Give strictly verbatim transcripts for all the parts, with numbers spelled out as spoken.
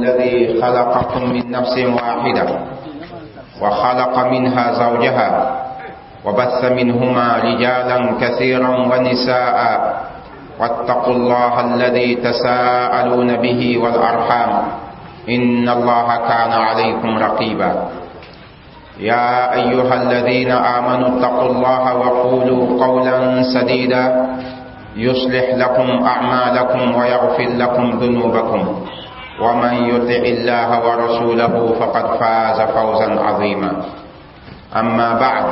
الذي خلقكم من نفس واحدة وخلق منها زوجها وبث منهما رجالا كثيرا ونساء واتقوا الله الذي تساءلون به والأرحام إن الله كان عليكم رقيبا. يا أيها الذين آمنوا اتقوا الله وقولوا قولا سديدا يصلح لكم أعمالكم ويغفر لكم ذنوبكم، ومن يطع الله ورسوله فقد فاز فوزا عظيما. أما بعد،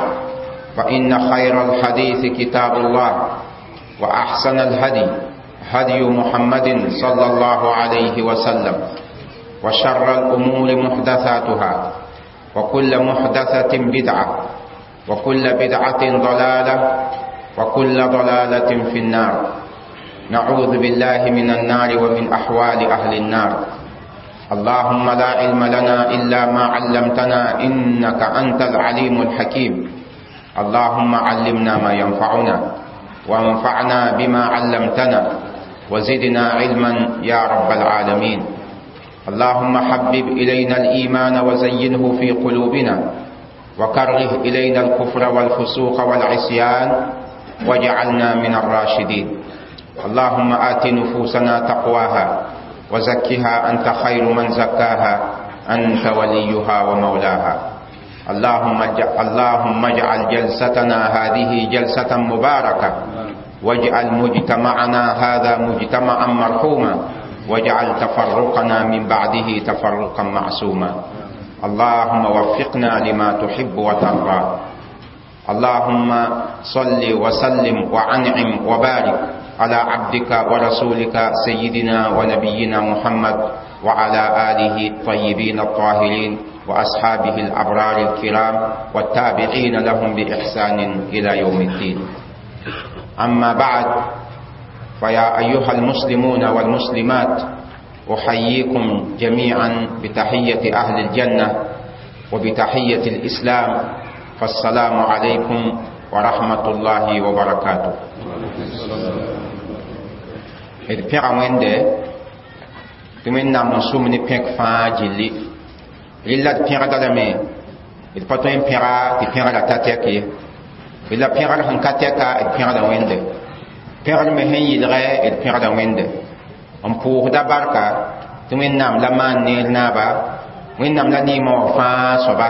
فإن خير الحديث كتاب الله، وأحسن الهدي هدي محمد صلى الله عليه وسلم، وشر الأمور محدثاتها، وكل محدثة بدعة، وكل بدعة ضلالة، وكل ضلالة في النار. نعوذ بالله من النار ومن أحوال أهل النار. اللهم لا علم لنا إلا ما علمتنا إنك أنت العليم الحكيم. اللهم علمنا ما ينفعنا، وانفعنا بما علمتنا، وزدنا علما يا رب العالمين. اللهم حبب إلينا الإيمان وزينه في قلوبنا، وكره إلينا الكفر والفسوق والعصيان، واجعلنا من الراشدين. اللهم آت نفوسنا تقواها وزكها أنت خير من زكاها، أنت وليها ومولاها. اللهم اللهم اجعل جلستنا هذه جلسة مباركة، واجعل مجتمعنا هذا مجتمعا مرحوما، واجعل تفرقنا من بعده تفرقا معصوما. اللهم وفقنا لما تحب وترضى. اللهم صل وسلم وعنعم وبارك على عبدك ورسولك سيدنا ونبينا محمد وعلى آله الطيبين الطاهرين وأصحابه الأبرار الكرام والتابعين لهم بإحسان إلى يوم الدين. أما بعد، فيا أيها المسلمون والمسلمات، أحييكم جميعا بتحية أهل الجنة وبتحية الإسلام، فالسلام عليكم ورحمة الله وبركاته. D pẽga Wẽnde tɩ Wẽnnaam n sʋm ne pẽk fãa gilli. Rɩla d pẽgda lame, d pa tõe n pẽga tɩ pẽgrã ta tɛk ye. La pẽgr sẽn ka tɛka, d pẽgda Wẽnde. Pẽgr me sẽn yɩlgɛ, d pẽgda Wẽnde. N pʋʋsda barka tɩ Wẽnnaam la maan neer naaba, Wẽnnaam la neemã wã fãa soaba,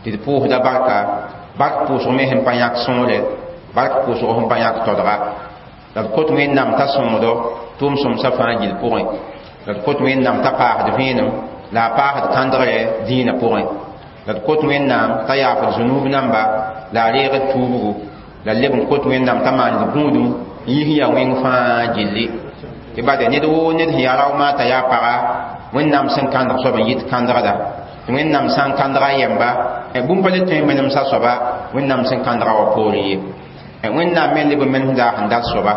tɩ d pʋʋsda barka. Bark pʋʋsg me sẽn pa yãk sõore, bark pʋʋsg sẽn pa yãk todga. La d kot Wẽnnaam t'a sõngdo tʋʋm sõmsã fãa gill pʋgẽ. La d kot Wẽnnaam t'a paasd vẽenem, la a paasd kãndgre dĩinã pʋgẽ. La d kot Wẽnnaam t'a yaafd zũnuub namba, la a reegd tuubgu. La leb n kot Wẽnnaam t'a maand gũudum n yis yaa wẽng fãa gilli. Tɩ bade ned woo ned sẽn yaa raooma t'a yaa paga, Wẽnnaam sẽn kãndg soab n yit kãndgda. Tɩ Wẽnnaam sã n kãndga a yɛmba, bũmb pa le tõe n menemsa soaba Wẽnnaam sẽn kãndga wã poorẽ ye. Wẽnnaam me leb n menesda sẽn dat soaba.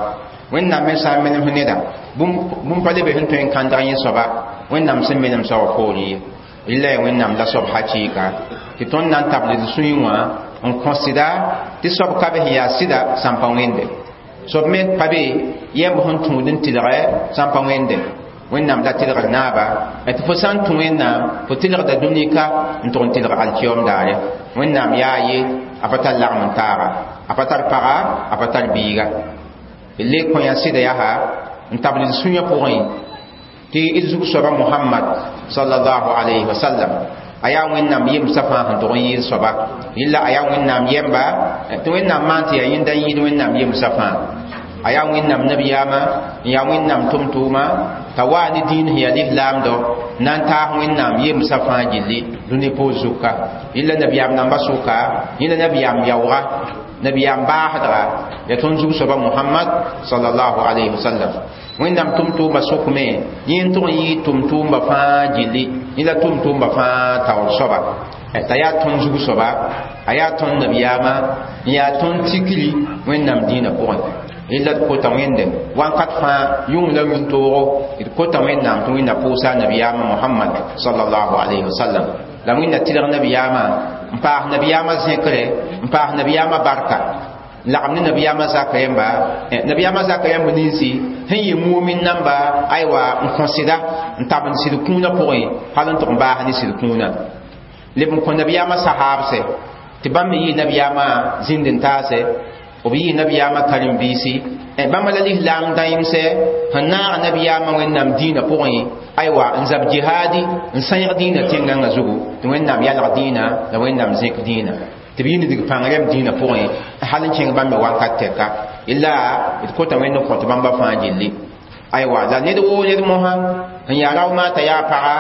Wẽnnaam me sã n menes neda, bũmb pa le be sẽn tõe n kãndg yẽ soaba Wẽnnaam sẽn menemsa wã poorẽ ye. Rɩla yaa Wẽnnaam la soab hakɩɩka tɩ tõnd na n tabl d sũyẽ wã n kõ sɩda tɩ soab ka be sẽn yaa sɩda sãn pa Wẽnde. Soab me pa be yɛmb sẽn tũud n tɩlgɛ sãn pa Wẽnde. Wẽnnaam la tɩlgd naaba tɩ fo sã n tũ Wẽnnaam, fo tɩlgda dũnika n tʋg n tɩlg alkiyom daare. Wẽnnaam yaa ye, a pa tar lagm n taaga, a pa tar paga, a pa tar biiga. D le kõ yã sɩda yaa n tabl d sũyã pʋgẽ tɩ d zug soaba Mohamad sallallahu alayhi wa sallam a yaa Wẽnnaam yemsã fãa sẽn tʋg n yɩɩd soaba. Yella a yaa Wẽnnaam yɛmba, tɩ Wẽnnaam maan tɩ yaa yẽnda n yɩɩd Wẽnnaam yemsã fãa. A yaa Wẽnnaam nabiyaamã, n yaa Wẽnnaam tʋm-tʋʋma, t'a waa ne dĩin sẽn yaa lislaamdɔ na n taas Wẽnnaam yemsã fãa gilli dũni poor zuka. Yella nabiyaam namba sʋka, yẽla nabiyaam yaooga, nabiyaam baasdga, yaa tõnd zug soaba Mohamad sallallahu alayhi wa sallam. Wẽnnaam tʋm-tʋʋmba sʋkme yẽ n tʋg n yɩɩ tʋm-tʋʋmba fãa gilli, yẽ la tʋm-tʋʋmba fãa taoor soaba. T'a yaa tõnd zug soaba, a yaa tõnd nabiyaamã, n yaa tõnd tikri Wẽnnaam dĩinã pʋgẽ. Rɩla d kota Wẽnde wãnkat fãa, yʋng la yũn-toogo, d kota Wẽnnaam tɩ Wẽnna pʋʋsa nabiyaamã Mohamad sallallahu alayhi wa sallam. La Wẽnna tɩlg nabiyaamã n paas nabiyaamã zẽkre, n paas nabiyaamã barka. Lagm ne nabiyaamã zaka yãmba nabiyaamã zaka yãmb ninsi sẽn yɩ mumin namba aywa n kõ sɩda n tab n sɩd kũunã pʋgẽ hal n tʋg n baas ne sɩd kũunã leb n kõ nabiyaamã sahaabsɛ tɩ bãmb me yɩ nabiyaamã zĩnd n taasɛ b yɩ nabiyaamã karen-biisi bãmba la lislaam dãeemsɛ sẽn naag nabiyaamã wẽnnaam dĩinã pʋgẽ aywa n zab jihaadi n sãyg dĩinã tẽngãngã zugu tɩ wẽnnaam yalg dĩinã la wẽnnaam zẽk dĩinã tɩ b yɩ nidg pãng rɛm dĩinã pʋgẽ hal n kẽng bãmb me wakat tɛka illa d kota wẽnd n kõt bãmba fãa gilli aywa la ned woo ned mosã n yaa raomaata yaa paga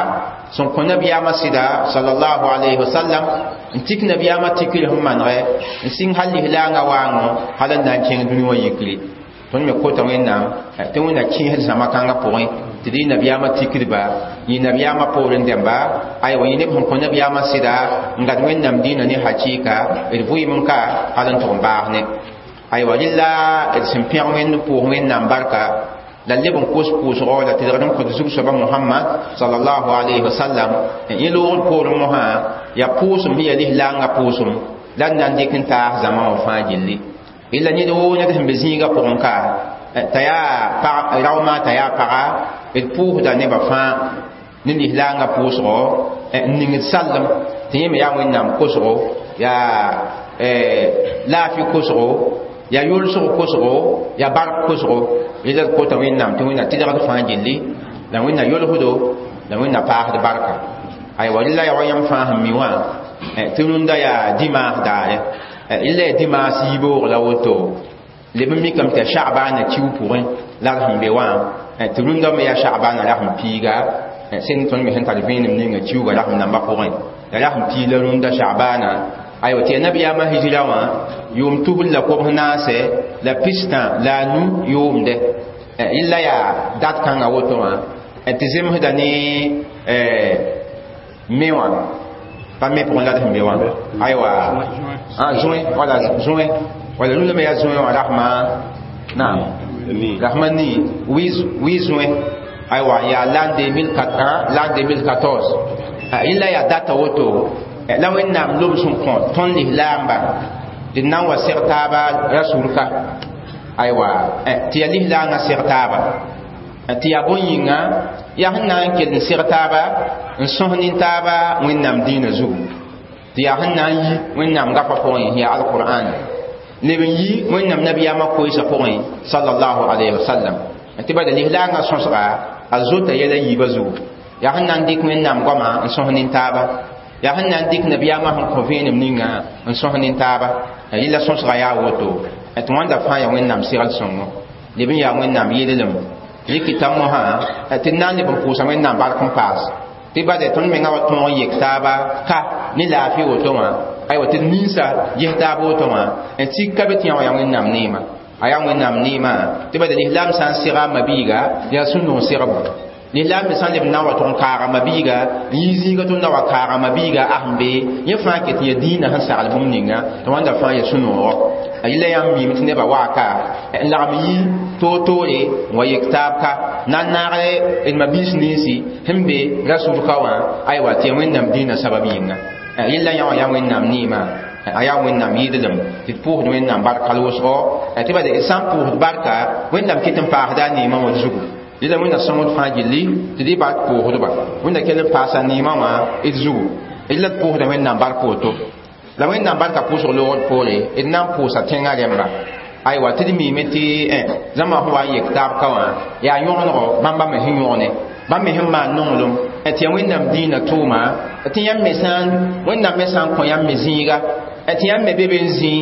sẽn kõ nabiyaamã sɩda sallallahu alayhi wa sallam n tik nabiyaamã tikr sẽn manegɛ n sɩng hal lislaangã waango hal n na n kẽng dũni wã yikre tõnd me kota wẽnnaam tɩ wẽnna kẽesd zãma kãngã pʋgẽ tɩ d yɩ nabiyaamã tikdba yɩ nabiyaamã poorẽ dẽmba aywa yẽ neb sẽn kõ nabiyaamã sɩda n gad wẽnnaam dĩinã ne hakɩɩka d vʋɩɩm n ka hal n tʋg n baas ne aywa rɩla d sẽn pẽg wẽnd pʋʋs wẽnnaam barka la leb n kos pʋʋsgɔ la tɩlgd n kõt zug-soaba Mohamad sallallahu alayhi wa sallam yẽ loogd poorẽ mosã yaa pʋʋsem sẽn yaa lislaangã pʋʋsem la d na n dɩk n taas zãma wã fãa gilli illa ned woo ned sẽn be zĩigã pʋgẽ ka t'a yaa raoomã t'a yaa paga d pʋʋsda nebã fãa ne lislaangã pʋʋsgɔ n ningd sallem tɩ yẽ me yaa wẽnnaam kosgo yaa laafɩ kosgo yaa yolsg kosgo yaa bark kosgo rɩla d kota wẽnnaam tɩ wẽnna tɩlgd fãa gilli la wẽnna yolsdo la wẽnna paasd barka aywa rɩla yaa wa yãmb fãa sẽn mi wã tɩ rũndã yaa dimaas daare illa ya dimaas yiiboog la woto leb n mikame tɩ yaa sha'baana kiu pʋgẽ la d sẽn be wã tɩ rũndã me yaa sha'baana rasem piiga sẽn tõnd me sẽn tar vẽenem ninga kiuga rasem nambã pʋgẽ ya rasem piig la rũndã sha'baana aywa tɩ yaa nabiyaamã hijra wã yʋʋm tusr la kobs naasɛ la pistã la a nu yʋʋmdɛ illa yaa dat kãngã woto wã tɩ zemsda ne me wã pa me pʋgẽ la d sẽn be wã aywa ah juin wala juin wala rũndã me yaa juin wã rasma naam rasma ni huit juin aywa yaa l'an deux mille quatre l'an deux mille quatorze illa yaa data woto la wẽnnaam lob sẽn kõ tõnd lislaamba d na n wa seg taaba rasulka aywa tɩ yaa lislaangã seg taaba tɩ yaa bõn-yĩnga yaa sẽn na n kell n seg taaba n sõs nin-taaba wẽnnaam dĩinã zugu tɩ yaa sẽn na n yi wẽnnaam gafã pʋgẽ yaa alqur'an leb n yi wẽnnaam nabiyaamã koeesã pʋgẽ sallallahu alayhi wa sallam tɩ bala lislaangã sõsga a zota yɛla yiibã zugu yaa sẽn na n dɩk wẽnnaam goama n sõs nin-taaba yaa sẽn na n dɩk nabiyaamã sẽn kõ vẽenem ninga n sõs nin-taaba yɩla sõsga yaa woto tɩ wãnda fãa yaa wẽnnaam segl sõngo leb n yaa wẽnnaam yeellem rɩkɩta mosã tɩ d na n leb n pʋʋsa wẽnnaam bark n paas tɩ bade tõnd menga wa tõog n yek taaba ka ne laafɩ woto wã aywa tɩ d ninsa ges taab woto wã n tik ka be tɩ yã wã yaa wẽnnaam neema a yaa wẽnnaam neema tɩ bade lislaam sã n sega a mabiiga yaa sũ-noog segbo lislaam me sã n leb n na n wa tʋg n kaaga mabiiga n yi zĩiga tʋ n na wa kaaga mabiiga a sẽn be yẽ fãa ket n yaa dĩinã sẽn sagl bũmb ninga tɩ wãnda fãa yaa sũ-noogɔ a yɩla yãmb miime tɩ nebã waaka n lagm yi toor-toore n wa yek taab ka na n naag d mabiis ninsi sẽn be rasulka wã aywa tɩ yaa wẽnnaam dĩinã sabab yĩnga yɩla yã wã yaa wẽnnaam neema a yaa wẽnnaam yɩɩdlem tɩ d pʋʋsd wẽnnaam bark hal wʋsgo tɩ bala d sã n pʋʋsd barka wẽnnaam ket n paasda a neemã wã zugu yɩla wẽnna sõngd fãa gilli tɩ d y bark pʋʋsdba wẽnna kell n paasa neemã wã d zugu d la d pʋʋsda wẽnnaam bark woto la wẽnnaam barka pʋʋsg loogd poore d na n pʋʋsa tẽngã rẽmba aywa tɩ d miime tɩ zãma sẽn wa n yek taab ka wã yaa yõgenego bãmba me sẽn yõgne bãmb me sẽn maan nonglem tɩ yaa wẽnnaam dĩinã tʋʋma tɩ yãmb me sã n wẽnnaam me sã n kõ yãmb me zĩiga tɩ yãmb me be be n zĩi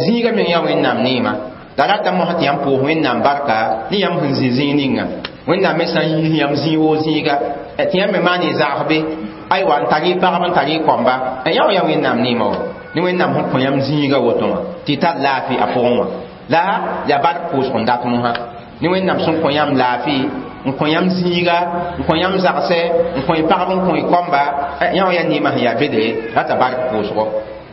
zĩiga meng yaa wẽnnaam neema la rata mosã tɩ yãmb pʋʋs wẽnnaam barka ne yãmb sẽn zĩ zĩig ninga wẽnnaam me sã n yiis yãmb zĩig woo zĩiga tɩ yãmb me maan y zagsbe aywa n tar y pagb n tar y kɔmba yã wã yaa wẽnnaam neema wa ne wẽnnaam sẽn kõ yãmb zĩiga woto wã tɩ y tar laafɩ a pʋgẽ wã la yaa bark pʋʋsg n dat mosã ne wẽnnaam sẽn kõ yãmb laafɩ n kõ yãmb zĩiga n kõ yãmb zagsɛ n kõ y pagb n kõ y kɔmba yã wã yaa neemã sẽn yaa bedre rata bark pʋʋsgo.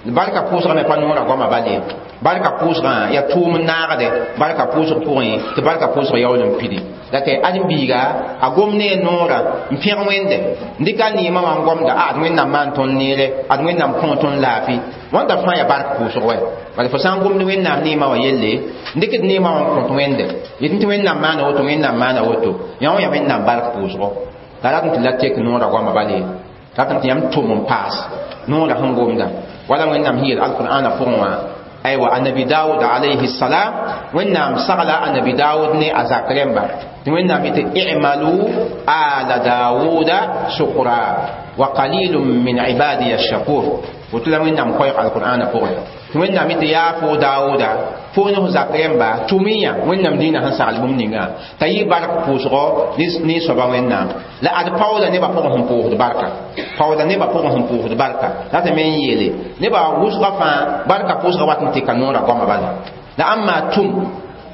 Barka pʋʋsgã me pa noorã goamã bal ye. Barka pʋʋsgã yaa tʋʋm n naagde barka pʋʋsg pʋgẽ, tɩ barka pʋʋsg yaool n pidi. La tɩ ãdem-biiga a gom ne a noorã n pẽg Wẽnde, n dɩk a neemã wã n gomda, a ad Wẽnnaam maan tõnd neere, ad Wẽnnaam kõ tõnd laafɩ. Wãnda fãa yaa bark pʋʋsg wɛ. Bala fo sã n gomd Wẽnnaam neemã wã yelle, n dɩkd neemã wã n kõt Wẽnde, yetɩ tɩ Wẽnnaam maana woto, Wẽnnaam maana woto, yã wã yaa Wẽnnaam bark pʋʋsgo. La rat tɩ la tek noorã goamã bal ye, rat tɩ yãmb tʋm n paas noorã sẽn gomda. Wala Wẽnnaam sẽn yeel alqur'ana pʋgẽ wã, aywa, annabi Daoud alayhi salam, Wẽnnaam sagla annabi Daoud ne a zak rẽmba tɩ Wẽnnaam yetɩ: i'malu ala Daawuda shukra wa qalilun min ibadiya shakur. Woto la Wẽnnaam koɛɛg alqur'ana pʋgẽ tɩ Wẽnnaam yetɩ: yaa fo Daawuda, fo ne fo zak rẽmba, tʋm-y-yã Wẽnnaam dĩinã sẽn sagl bũmb ninga t'a yɩ bark pʋʋsgɔ ne soaba Wẽnnaam. La ad paooda nebã pʋgẽ sẽn pʋʋsd barka, paooda nebã pʋgẽ sẽn pʋʋsd barka. Ratame n yeele nebã wʋsgã fãa barka pʋʋsgã wat n tɩka noorã goamã bala. La ãmb maa tʋm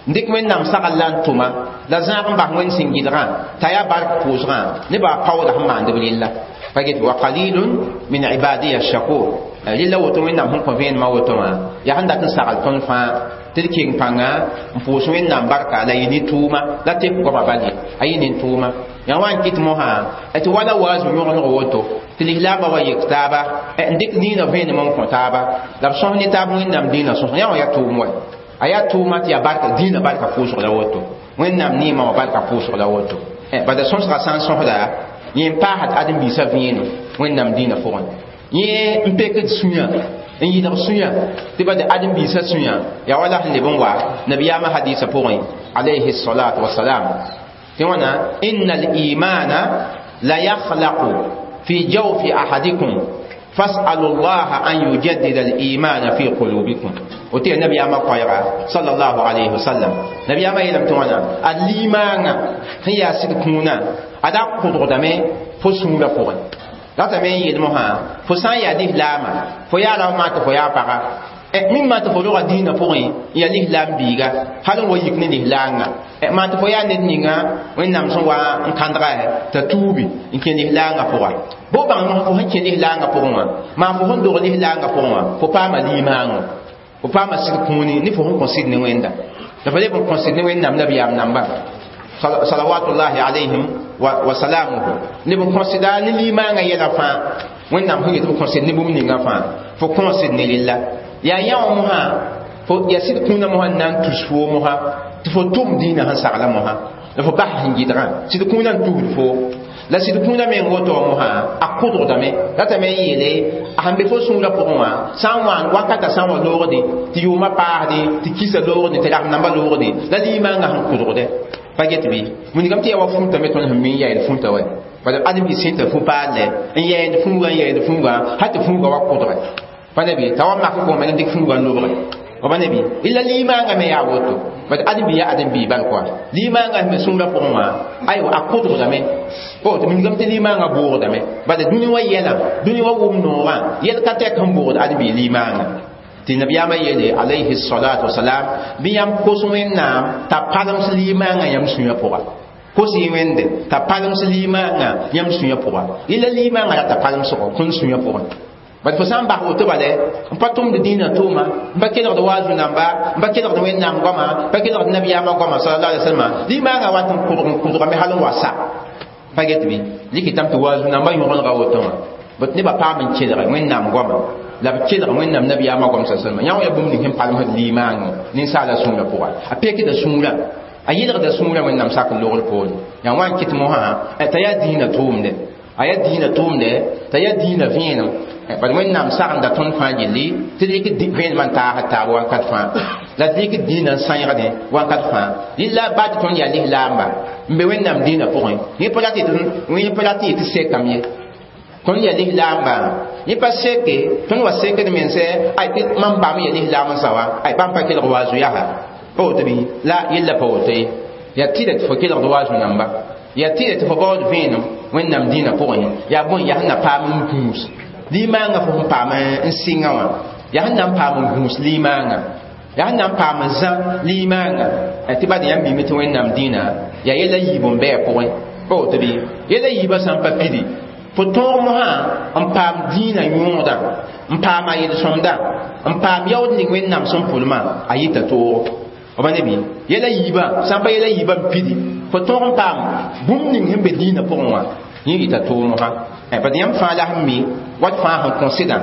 n dɩk Wẽnnaam sagl la n tʋma la zãag n bas Wẽnd sẽn gɩdgã t'a yaa bark pʋʋsgã nebã paooda sẽn maand b rella pa get wa qalilun min ibadiya shakur. Rella woto Wẽnnaam sẽn kõ vẽenemã woto wã yaa sẽn dat n sagl tõnd fãa tɩ d keng pãnga n pʋʋs Wẽnnaam barka la yɩ ne tʋʋma la tek goamã bal ye, a yɩ ne tʋʋma. Yaa wa n kɩt mosã tɩ wala waazu yõgeneg woto tɩ lislaambã wa yek taaba n dɩk dĩinã vẽenem n kõ taaba la b sõs ne taab Wẽnnaam dĩinã sõs. Yã wã yaa tʋʋm wɛ, a yaa tʋʋma tɩ yaa barka dĩinã barka pʋʋsg la woto, Wẽnnaam neemã wã barka pʋʋsg la woto. Bala sõsgã sã n sõsda yẽ n paasd ãdem-biisã vẽenem Wẽnnaam dĩinã pʋgẽ, yẽ n pekd sũyã n yɩlg sũyã tɩ ba ãdem-biisã sũyã yaa wala sẽn leb n wa nabiyaamã hadiisã pʋgẽ alayhi salatu wasalam tɩ wãna: inna al-imana la yakhlaqu fi jawfi ahadikum fas'alu llaha an yujaddida al-imana fi qulubikum. Woto yaa nabiyaamã koɛɛga sallallahu alayhi wasallam. Nabiyaamã yeelame tɩ wãna a limaangã sẽn yaa sɩd kũunã a da kʋdgdame fo sũurã pʋgẽ. Ratame n yeel mosã fo sã n yaa lislaama, fo yaa rao maa tɩ fo yaa paga, mim maa tɩ fo roga dĩinã pʋgẽ n yaa lislaam biiga hal n wa yik ne lislaangã, maa tɩ fo yaa ned ninga Wẽnnaam sẽn wa n kãndga t'a tuubi n kẽ lislaangã pʋga. Bo bãng mosã fo sẽn kẽ lislaangã pʋgẽ wã, maa fo sẽn dog lislaangã pʋgẽ wã, fo paama limaangõ, fo paama sɩd kũuni ne fo sẽn kõ sɩd ne Wẽnda la fo leb n kõ sɩd ne Wẽnnaam nabiyaam namba salawatullahi alayhim wa salamuhu, leb n kõsda ne limaangã yɛla fãa Wẽnnaam sẽn yet b kõsd ne bũmb ninga fãa, fo kõsd ne rella. Yaa yã wã mosã fo yaa sɩd kũunã mosã n na n tus foo mosã tɩ fo tʋm dĩinã sẽn sagla mosã la fo bas sẽn gɩdgã. Sɩd kũunã n tusd foo la sɩd kũunã meng woto wã mosã a kʋdgdame. Ratame n yeele a sẽn be fo sũurã pʋgẽ wã sã n wãan wakatã sã n wa loogde tɩ yʋʋmã paasde tɩ kisa loogde tɩ rasem nambã loogde la limaangã sẽn kʋdgdɛ pa get bɩ wilgame tɩ yaa wa fũutame tõnd sẽn mi n yaɛd fũutã wɛ. Bala ãdem-bi sẽn t'a fu-paalɛ n yɛɛnd fũugã n yɛɛd fũugã hal tɩ fũugã wa kʋdgɛ pa ne bɩ t'a wa mak kʋgme n dɩk fũugã n lobge pa ne bɩ illa limaangã me yaa woto. Bad ãdem-bi yaa ãdem-bi bal koa limaangã sẽn be sũurã pʋgẽ wã aywa a kʋdgdame tɩ wilgame tɩ limaangã boogdame. Bala dũni wã yɛlã, dũni wã wʋm noogã yɛl ka tɛk sẽn boogd ãdem-bi limaangã. Tɩ nabiyaamã yeele alayhi salatu wasalam bɩ yãmb kos Wẽnnaam t'a palems limaangã yãmb sũyã pʋga. Kos y Wẽnde t'a palems limaangã yãmb sũyã pʋga, illa limaangã rata palemsgo tõnd sũyã pʋgẽ. Bad fo sã n bas woto bale n pa tʋmd dĩinã tʋʋma, n pa kelgd waazu namba, n pa kelgd Wẽnnaam goama, n pa kelgd nabiyaamã goama sallallahu alaihi wasallam, limaangã wat n kʋdg n kʋdgame hal n wa sa pa get bɩ likitame tɩ waazu namba yõgenega woto wã bot nebã paam n kelge Wẽnnaam goama la b kelg Wẽnnaam nabiyaamã goam sa salma. Yã wã yaa bũmb ning sẽn palmsd limaangõ ninsaala sũurã pʋga, a pekda sũurã, a yɩlgda sũurã Wẽnnaam sak n logr poore. Yaa wã n kɩt mosã t'a yaa dĩinã tʋʋmde, a yaa dĩinã tʋʋmde, t'a yaa dĩinã vẽenem. Bad Wẽnnaam sagenda tõnd fãa gilli tɩ d rɩk vẽenemã n taasd taab wakat fãa la d rɩk dĩinã n sãeegdẽ wakat fãa. Rɩla baa tɩ tõnd yaa lislaamba n be Wẽnnaam dĩinã pʋgẽ, yẽ pa rat yẽ pa rat tɩ sekame ye. Tõnd yaa lislaamba, yẽ pa seke tõnd wa sekd mense ay tɩ mam bam yaa lislaam n sa wa ay bãmb pa kelg waazu yaa pa woto bɩ la yella pa woto ye. Yaa tɩda tɩ fo kelgd waazu namba, yaa tɩda tɩ fo baood vẽenem Wẽnnaam dĩinã pʋgẽ, yaa bõe yaa sẽn na paam n gũus limaangã fo sẽn paam n sɩngã wã, yaa sẽn na n paam n gũus limaangã, yaa sẽn na n paam n zã limaangã tɩ bad yãmb mime tɩ Wẽnnaam dĩinã yaa yɛla yiib n bɩ a pʋgẽ pa woto bɩ yɛla yiibã sã n pa pidi Fo tõog mosã n paam dĩinã yõodã, n paam a yel-sõmda, n paam yaood ning Wẽnnaam sẽn pʋlmã, a yita toogo. B ne bɩ yɛla yiibã sã n pa yɛla yiibã n pidi, fo tõog n paam bũmb ning sẽn be dĩinã pʋgẽ wã, yẽ yita toog mosã. Bad yãmb fãa la sẽn mi wat fãa sẽn kõ sɩdã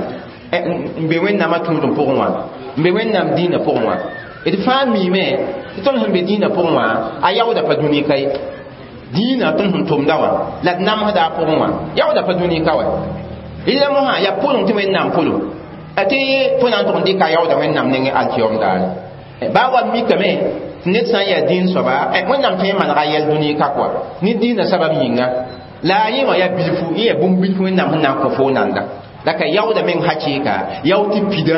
n be Wẽnnaamã tũudem pʋgẽ wã, n be Wẽnnaam dĩinã pʋgẽ wã. D fãa miime tɩ tõnd sẽn be dĩinã pʋgẽ wã, a yaooda pa dũni ka ye. Dĩinã tõnd sẽn tʋmda wã la d namsda a pʋgẽ wã, yaooda pa dũni ka wa. Rɩla mosã yaa pʋlem tɩ Wẽnnaam pʋlem tɩ fo na n tʋg n dɩka yaooda Wẽnnaam nengẽ alkiyom daare. Baa wa mikame tɩ ned sã n yaa dĩin soaba, Wẽnnaam tõe n manega yɛl dũni ka kɔa ne dĩinã sabab yĩnga. La a yẽ wã yaa bilfu, yẽ yaa bũmb bilfu Wẽnnaam sẽn na n kõ fo nanda. La ka yaooda meng hakɩɩka, yao tɩ pida,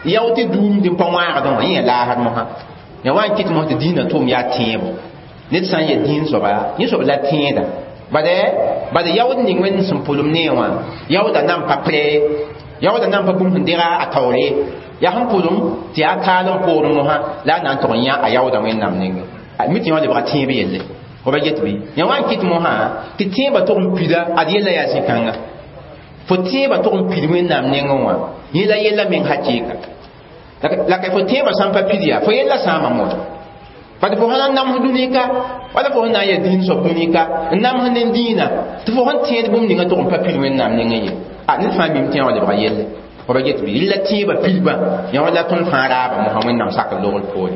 yao tɩ duumd n pa wãagdẽ wã, yẽ yaa laasd mosã. Ya wa n kɩt mos tɩ dĩinã tʋʋm yaa tẽebo. Ned sã n yaa dĩin soaba, yẽ soab la tẽeda. Bad bad yaood ning Wẽnd sẽn pʋlem ne wã, yaooda nan pa prɛ, yaooda nan pa bũmb sẽn dega a taoore. Yaa sẽn pʋlem tɩ yaa kaalem poorẽ mosã la a na n tʋg n yã a yaooda Wẽnnaam nengẽ. Mi tɩ yã wã lebga tẽeb yelle. Fo ba get bɩ? Yã wa n kɩt mosã tɩ tẽebã tʋg n pida, ad yella yaa zĩ-kãnga. Fo tẽebã tʋg n pid Wẽnnaam nengẽ wã, yẽ la yella meng hakɩɩka. La ka fo tẽebã sã n pa pid yaa, fo yella sãama moto. Bad fo sã n nams dũni-ka, wala fo sẽn na n yaa dĩin soab dũni-ka, n nams ne dĩinã, tɩ fo sẽn tẽed bũmb ninga tʋg n pa pid Wẽnnaam nengẽ ye. A ned fãa mim tẽ wã lebga yelle. Fo ba get bɩ? Rɩla tẽebã pidbã, yã wã la tõnd fãa raaba mosã Wẽnnaam sak logr poore.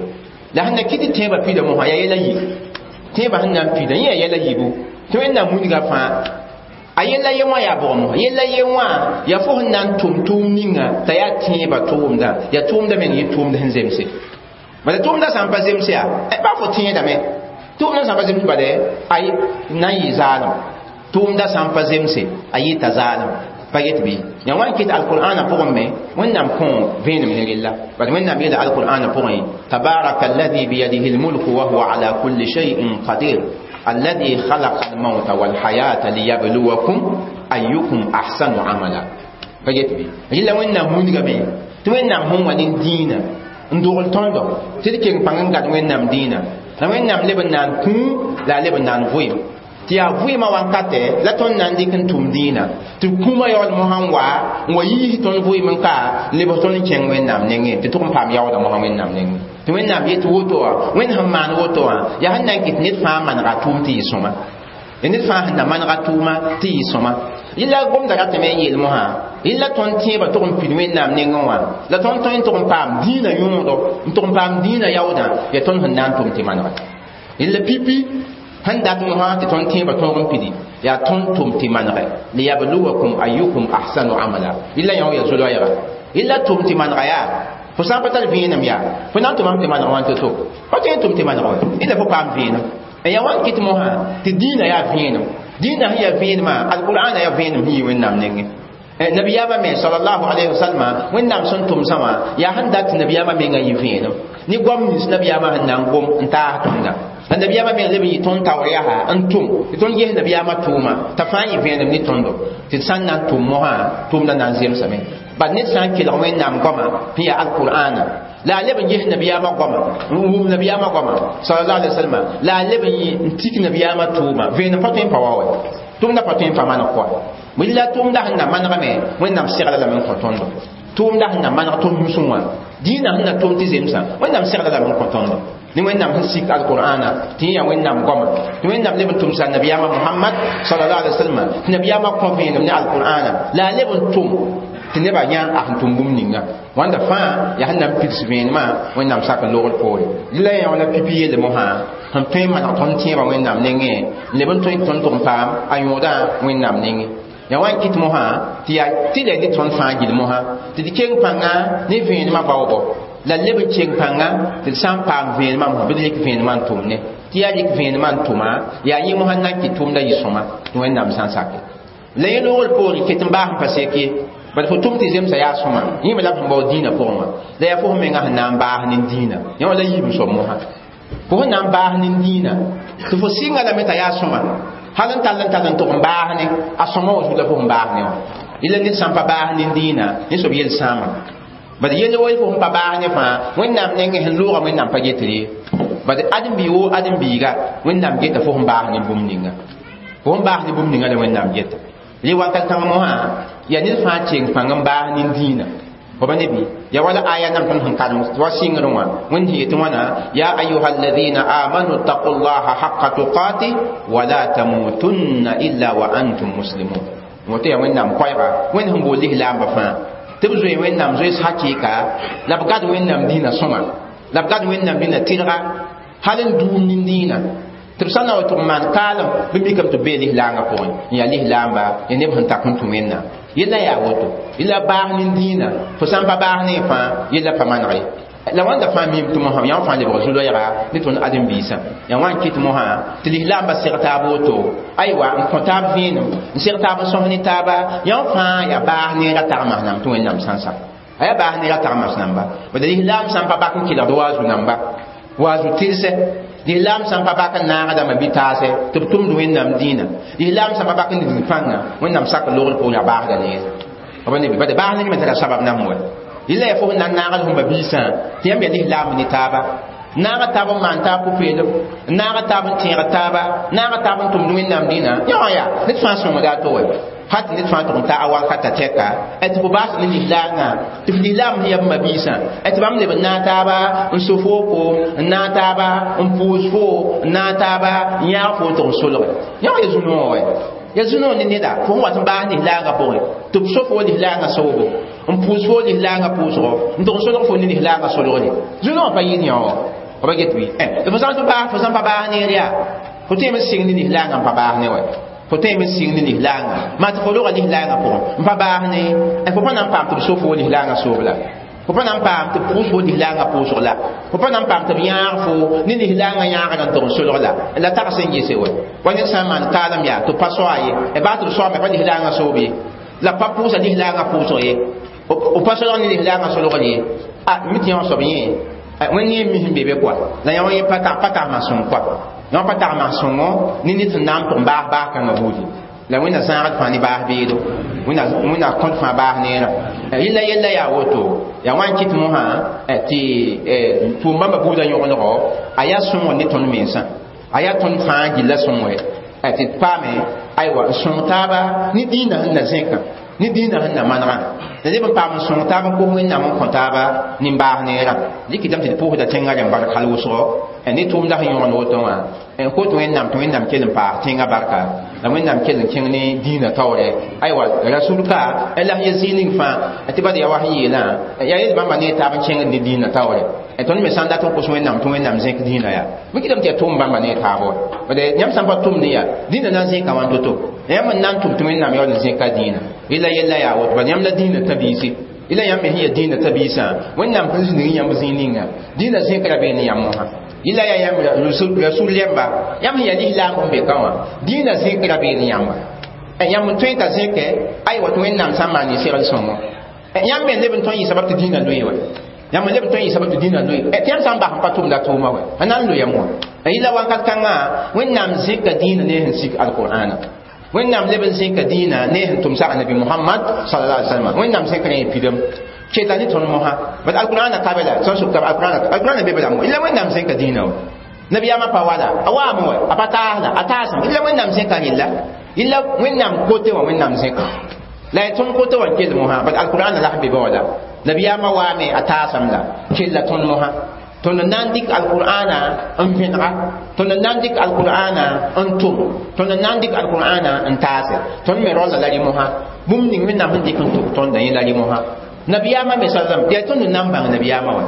La sẽn na kɩ tɩ tẽebã pida mosã yaa yɛla yi. Tẽebã sẽn na n pida, yẽ yaa yɛla yiibu. Tɩ Wẽnnaam wilga fãa a yella ye wã yaa bʋgẽ mosã. Yella ye wã yaa fo sẽn na n tʋm tʋʋm ninga t'a yaa tẽebã tʋʋmdã, yaa tʋʋmdã meng yɩ tʋʋmd sẽn zemse. Bala tʋʋmdã sã n pa zemse yaa, baa fo tẽedame. Tʋʋmdã sã n pa zemse bala a na n yɩ zaalem. Tʋʋmdã sã n pa zemse a yɩta zaalem. Pa get bɩ? Yaa wa n kɩt alqur'ana pʋgẽ me, Wẽnnaam kõ vẽenem ne rella. Bad Wẽnnaam yeela alqur'ana pʋgẽ: tabaraka alladhi biyadihi almulku wa huwa ala kulli shay'in qadir alladhi khalaqa almauta walhayata liyabluwakum ayyukum ahsanu amala. Pa get bɩ? Rɩla Wẽnnaam wilgame tɩ Wẽnnaam sẽn wa ne dĩinã n dogl tõndo tɩ d keng pãng n gad Wẽnnaam dĩinã. La Wẽnnaam leb n na n kũu, la a leb n na n vʋɩem. Tɩ yaa vʋɩɩmã wankatɛ la tõnd na n dɩk n tʋm dĩinã, tɩ kũumã yaool mosã n wa n wa yiis tõnd vʋɩɩm n ka n lebs tõnd n kẽng Wẽnnaam nengẽ, tɩ tʋg n paam yaooda mosã Wẽnnaam nengẽ. Tɩ Wẽnnaam yet woto wã, Wẽnd sẽn maan woto wã, yaa sẽn na n kɩt ned fãa manega tʋʋm tɩ yɩ sõma. Ned fãa sẽn na manega tʋʋma tɩ yɩ sõma. Yella gomda ratame n yeel mosã, yella tõnd tẽebã tʋg n pid Wẽnnaam nengẽ wã, la tõnd tõe n tʋg n paam dĩinã yõodo, n tʋg n paam dĩinã yaoodã, yaa tõnd sẽn na n tʋm tɩ manega. Yella pipi sẽn dat mosã tɩ tõnd tẽebã tõog n pidi, yaa tõnd tʋm tɩ manegɛ, liyabluwakum ayyukum ahsanu amala. Yella yã wã yaa zo-loɛɛga. Yella tʋm tɩ manega yaa, fo sã n pa tar vẽenem yaa, fo na n tʋmame tɩ maneg wã to-to. Pa tõe n tʋm tɩ maneg wa, yella fo paam vẽenem. Yaa wa n kɩt mosã tɩ dĩinã yaa vẽenem. Dĩinã sẽn yaa vẽenemã, alqur'ana yaa vẽenem sẽn yɩ Wẽnnaam nengẽ. Nabiyaamã me sallallahu alayhi wa sallam, Wẽnnaam sẽn tʋm sã wã, yaa sẽn dat tɩ nabiyaamã mengã yɩ vẽenem. Ne goam nins nabiyaamã sẽn na n gom n taas tõnda. La nabiyaamã meng leb n yɩ tõnd taoor yaa n tʋm tɩ tõnd ges nabiyaamã tʋʋma t'a fãa yɩ vẽenem ne tõndo, tɩ d sã n na n tʋm mosã, tʋʋmdã na n zemsame. Bad ned sã n kelg Wẽnnaam goamã sẽn yaa alqur'ana, la a leb n ges nabiyaamã goamã, n wʋm nabiyaamã goamã sallallahu alayhi wa sallam, la a leb n tik nabiyaamã tʋʋma, vẽenem pa tõe n pa wa wɛ. Tʋʋmdã pa tõe n pa maneg kɔa. La tʋʋmdã sẽn na manegame, Wẽnnaam segla lame n kõ tõndo. Tʋʋmdã sẽn na maneg tõnd nusẽ wã, dĩinã sẽn na tʋm tɩ zemsã, Wẽnnaam segla lame n kõ tõndo. Ne Wẽnnaam sẽn sik alqur'ana tɩ yẽ yaa Wẽnnaam goamã, tɩ Wẽnnaam leb n tʋmsa nabiyaamã Muhammad sallallahu alaihi wa sallam, tɩ nabiyaamã kõ vẽenem ne alqur'ana, la a leb n tʋm tɩ nebã yã a sẽn tʋm bũmb ninga. Wãnda fãa yaa sẽn na n pids vẽenemã Wẽnnaam sak n logr poore. Rɩla yã wã la pipi yelle mosã sẽn tõe n maneg tõnd tẽebã Wẽnnaam nengẽ, n leb n tõe tɩ tõnd tʋg n paam a yõodã Wẽnnaam nengẽ. Yaa wa n kɩt mosã tɩ yaa tɩ la ne tõnd fãa gill mosã tɩ d keng pãnga ne vẽenemã baoogo, la leb n keng pãnga tɩ d sã n paam vẽenemã mosã bɩ d rɩk vẽenemã n tʋm ne. Tɩ yaa rɩk vẽenemã n tʋma, yaa yẽ mosã n na n kɩt tʋʋmdã yɩ sõma tɩ Wẽnnaam sã n sake. La yẽ loogr poore ket n baas n pa sek ye, bad fo tʋm tɩ zemsa yaa sõma, yẽ me la b sẽn bao dĩinã pʋgẽ wã, la yaa fo sẽn menga sẽn na n baas ne dĩinã. Yẽ wã la yiib n soab mosã. Fo sẽn na n baas ne dĩinã, tɩ fo sɩnga lame t'a yaa sõma, hal n tall n tall n tʋg n baas ne a sõma wã zugu la fo sẽn baas ne wã. Yella ned sã n pa baas ne dĩinã, yẽ soab yel sãama. Bad yell wa fo sẽn pa baas ne fãa, Wẽnnaam nengẽ sẽn loogã Wẽnnaam pa getr ye. Bad ãdem-biig woo ãdem-biiga, Wẽnnaam geta fo sẽn baas ne bũmb ninga. Fo sẽn baas ne bũmb ninga la Wẽnnaam geta. Li wakat kãng mosã yaa ned fãa keng pãng n baas nin-dĩinã. B nebi ya wala aya nam tõnd sẽn karem wa sɩngr wã Wẽnd sẽn yetɩ wãna: ya ayuha alladina amanu ttaqu llaha haqa tuqati wala tamutunna illa wa antum muslimun. Woto yaa Wẽnnaam koɛɛga, Wẽnd sẽn bool lislaamba fãa tɩ b zoe Wẽnnaam zoees hakɩɩka la b gad Wẽnnaam dĩinã sõma, la b gad Wẽnnaam dĩinã tɩrga hal n duum nin-dĩinã, tɩ b sã n na wa tɩ b maan kaalem bɩ mikame tɩ b bee lislaangã pʋgẽ n yaa lislaamba, ya neb sẽn tak n tũ Wẽnnaam. Yella yaa woto, yella baas nin-dĩinã, fo sã n pa baas ne fãa yella pa maneg ye. La wãnda fãa miime tɩ mosã yã fãa lebg zu-loɛɛga ne tõnd ãdem-biisã. Yaa wã n kɩt mosã tɩ lislaambã seg taab woto, aywa, n kõ taab vẽenem, n seg taab n sõs ne taaba. Yã fãa yaa baas neerã tagmas nam tɩ Wẽnnaam sã n sak a yaa baas neerã tagmas namba. Bad lislaam sã n pa bak n kelgd waazu namba, waazu tɩlsɛ, lislaam sã n pa bak n naagdame bɩ taasɛ tɩ b tʋmd Wẽnnaam dĩinã, lislaam sã n pa bak n dig pãnga Wẽnnaam sak logr pʋgẽ, yaa baasda neere b nebi. Bad baas ner me tara sabab nam wa. Yella yaa fo sẽn na n naagd fo ma-biisã tɩ yãmb yaa lislaam ne taaba, naaga taab n maan taab pʋ-peelem, naaga taab n tẽeg taaba, naaga taab n tʋmd Wẽnnaam dĩinã. Yã wã yaa ned fãa sõngda a to wɛ, hal tɩ ned fãa tʋg n ta a wakata tɛka tɩ fo baas ne lislaangã, tɩ f lislaam sẽn yaa b ma-biisã, tɩ bãmb leb n naag taaba n so foo koom, n naag taaba n pʋʋs foo, n naag taaba n yãag foo tɩg n solge. Yã wã ya zu-noog wɛ, ya zu-noog ne neda fo sẽn wat n baas lislaangã pʋgẽ tɩ b so foo lislaangã soobo, n pʋʋs foo lislaangã pʋʋsgo, n tʋg n solg fo ne lislaangã solgre. Zu-noog pa yɩɩd yã wã b get bɩ fo sã n tɩ baas, fo sã n pa baas neer yaa fo tõeme n sɩng ne lislaangã n pa baas ne wɛ, fo tõeme n sɩng ne lislaangã maa tɩ fo roga lislaangã pʋgẽ n pa baas ne fo pa na n paam tɩ b so fo lislaangã soob la, fo pa na n paam tɩ b pʋʋs fo lislaangã pʋʋsg la, fo pa na n paam tɩ b yãag fo ne lislaangã yãagr n tɩg n solg la. La tags n gese wɛ wa ned sã n maan kaalem yaa tɩ b pa soa ye, baa tɩ b soame pa lislaangã soob ye, la pa pʋʋsa lislaangã pʋʋsg ye, b pa solg ne lislaangã solgr ye. A mi tɩ yã wã soab yẽ Wẽnd yẽ mis n be be kɔa la yã wã yẽ pa tagma sõng kɔa, yã pa tagma sõngo ne ned sẽn na n tʋg baas baas kãngã buudi la Wẽnna zãagd fãa ne baas beedo, Wẽnna kõt fãa baas neerã. Yella yella yaa woto, yaa wã n kɩt mosã tɩ tʋʋm bãmba buudã yõgendgo a yaa sõngr ne tõnd mensã, a yaa tõnd fãa gilla sõngre tɩ d paame aywa n sõng taaba ne dĩinã sẽn na zẽkã, ne dĩinã sẽn na manegã, la neb n paam n sõng taab n kos Wẽnnaam n kõ taaba nin-baas neerã. Dɩkɩtame tɩ d pʋʋsda tẽngã rẽm bark hal wʋsgo ne tʋʋmda sẽn yõgend woto wã, n kot Wẽnnaam tɩ Wẽnnaam kell n paas tẽngã barka, la Wẽnnaam kell n kẽng ne dĩinã taoore. Aywa rasul ka la sẽn ya zĩig ning fãa tɩ bad yaa wa sẽn yeelã yaa yel bãmba ne taab n kẽngd ne dĩinã taoore. Tõnd me sã n dat n kos Wẽnnaam tɩ Wẽnnaam zẽk dĩinã yaa bɩ kɩtame tɩ yaa tʋʋm bãmba ne taab wa. Bad yãmb sã n pa tʋmd yaa dĩinã na n zẽka wãn to-to, yãmb n na n tʋm tɩ Wẽnnaam yaool n zẽka dĩinã. Yella yella yaa woto, bad yãmb la dĩinã tã-biisi, yella yãmb me sẽn yaa dĩinã tã-biisã, Wẽnnaam sẽn zĩnig yãmb zĩig ninga dĩinã zẽkra bee ne yãmb mosã. Yella yaa yãmb rasul rẽmba, yãmb sẽn yaa lislaam n be ka wã, dĩinã zẽkra bee ne yãmba, yãmb n tõe t'a zẽkɛ aywa tɩ Wẽnnaam sã n maan segl sõngo. Yãmb me leb n tõe n yɩ sabab tɩ dĩinã loe wa, yãmb n leb n tõe n yɩ sabab tɩ dĩinã loe, tɩ yãmb sã n bas n pa tʋmda tʋʋma wɛ a na n loyame wã. Yella wakat kãngã Wẽnnaam zẽka dĩinã ne sẽn sik alqur'ana, Wẽnnaam leb n zẽka dĩinã ne sẽn tʋm sag nabi Mohamad sallallahu alaihi wasallam. Wẽnnaam zẽkra yẽ pidem keta ne tõnd mosã, bad alqur'ana ka be la sẽn sʋk tab alqur'ana, alqur'ana be be la mo. Yella Wẽnnaam zẽka dĩinã wa nabiyaamã pa wala a waame wɛ, a pa taasla a taasem. Yella Wẽnnaam zẽka rella, yella Wẽnnaam kote wã Wẽnnaam zẽka la ya tõnd kote wã n kell mosã, bad alqur'ana la sẽn be be wã la nabiyaamã waame a taasem la kella tõnd mosã. Tõnd n na n dɩk alqur'ana n vẽnega, tõnd n na n dɩk alqur'ana n tʋm, tõnd n na n dɩk alqur'ana n taase. Tõnd me raola la rɩ mosã bũmb ning Wẽnnaam sẽn dɩk n tʋk tõndã yẽ la rɩ mosã. Nabiyaamã me sallam yaa tõnd n na n bãng nabiyaamã wa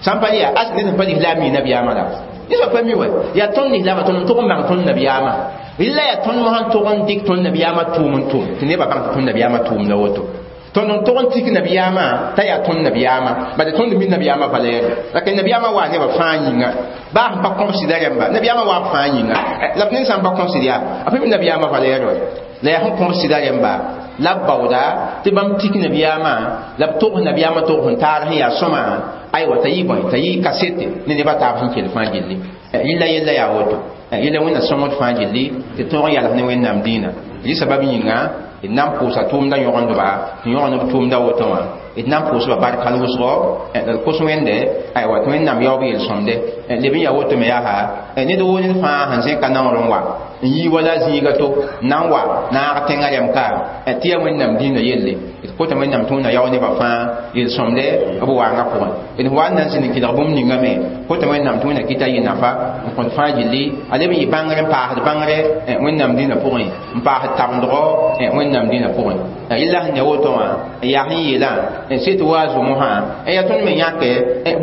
sã n pa yaa as ned sẽn pa lislaam mi nabiyaamã la ned pa mi wa yaa tõnd lislaamã, tõnd n tʋg n bãng tõnd nabiyaamã. Yella yaa tõnd mosã n tʋg n dɩk tõnd nabiyaamã tʋʋm n tʋm tɩ nebã bãng tɩ tõnd nabiyaamã tʋʋmda woto. Tõnd n tʋg n tik nabiyaamã t'a yaa tõnd nabiyaamã, bad tõnd mi nabiyaamã valɛɛre la ka nabiyaamã waa nebã fãa yĩnga baa sẽn pa kõbsda rẽmba nabiyaamã waa b fãa yĩnga la b ned sã n pa kõbsd yaa a pa mi nabiyaamã valɛɛre wa la yaa sẽn kõbsda rẽmba la b baooda tɩ bãmb tik nabiyaamã la b togs nabiyaamã tog sẽn taar sẽn yaa sõma aywa t'a yɩ bõe t'a yɩ kasete ne nebã taab sẽn kell fãa gilli. Yella yella yaa woto, yella Wẽnna sõngd fãa gilli tɩ tõog n yals ne Wẽnnaam dĩinã. Rɩ sabab yĩnga d na n pʋʋsa tʋʋmda yõgendba tɩ yõgend b tʋʋmda woto wã, d na n pʋʋsba bark hal wʋsgo la d kos Wẽnde aywa tɩ Wẽnnaam yaoob yel-sõmde leb n yaa woto me yaa ned woo ned fãa sẽn zẽka naoor n wa. n yii wala zĩiga to n na n wa naag tẽngã rɛm ka tɩ yaa wẽnnaam dĩinã yelle d kota wẽnnaam tɩ wẽnna yao nebã fãa yel-sõmde b waangã pʋgẽ d wa n na n zĩnd n kelg bũmb ninga me kota wẽnnaam tɩ wẽnna kɩta yɩ nafa n kõt fãa gilli a leb n yɩ bãngr n paasd bãngre wẽnnaam dĩinã pʋgẽ n paasd tabendgɔ wẽnnaam dĩinã pʋgẽ yella sẽn ya woto wã yaa sẽn yeelã sɩ tɩ wa zʋmsã yaa tõnd me yãke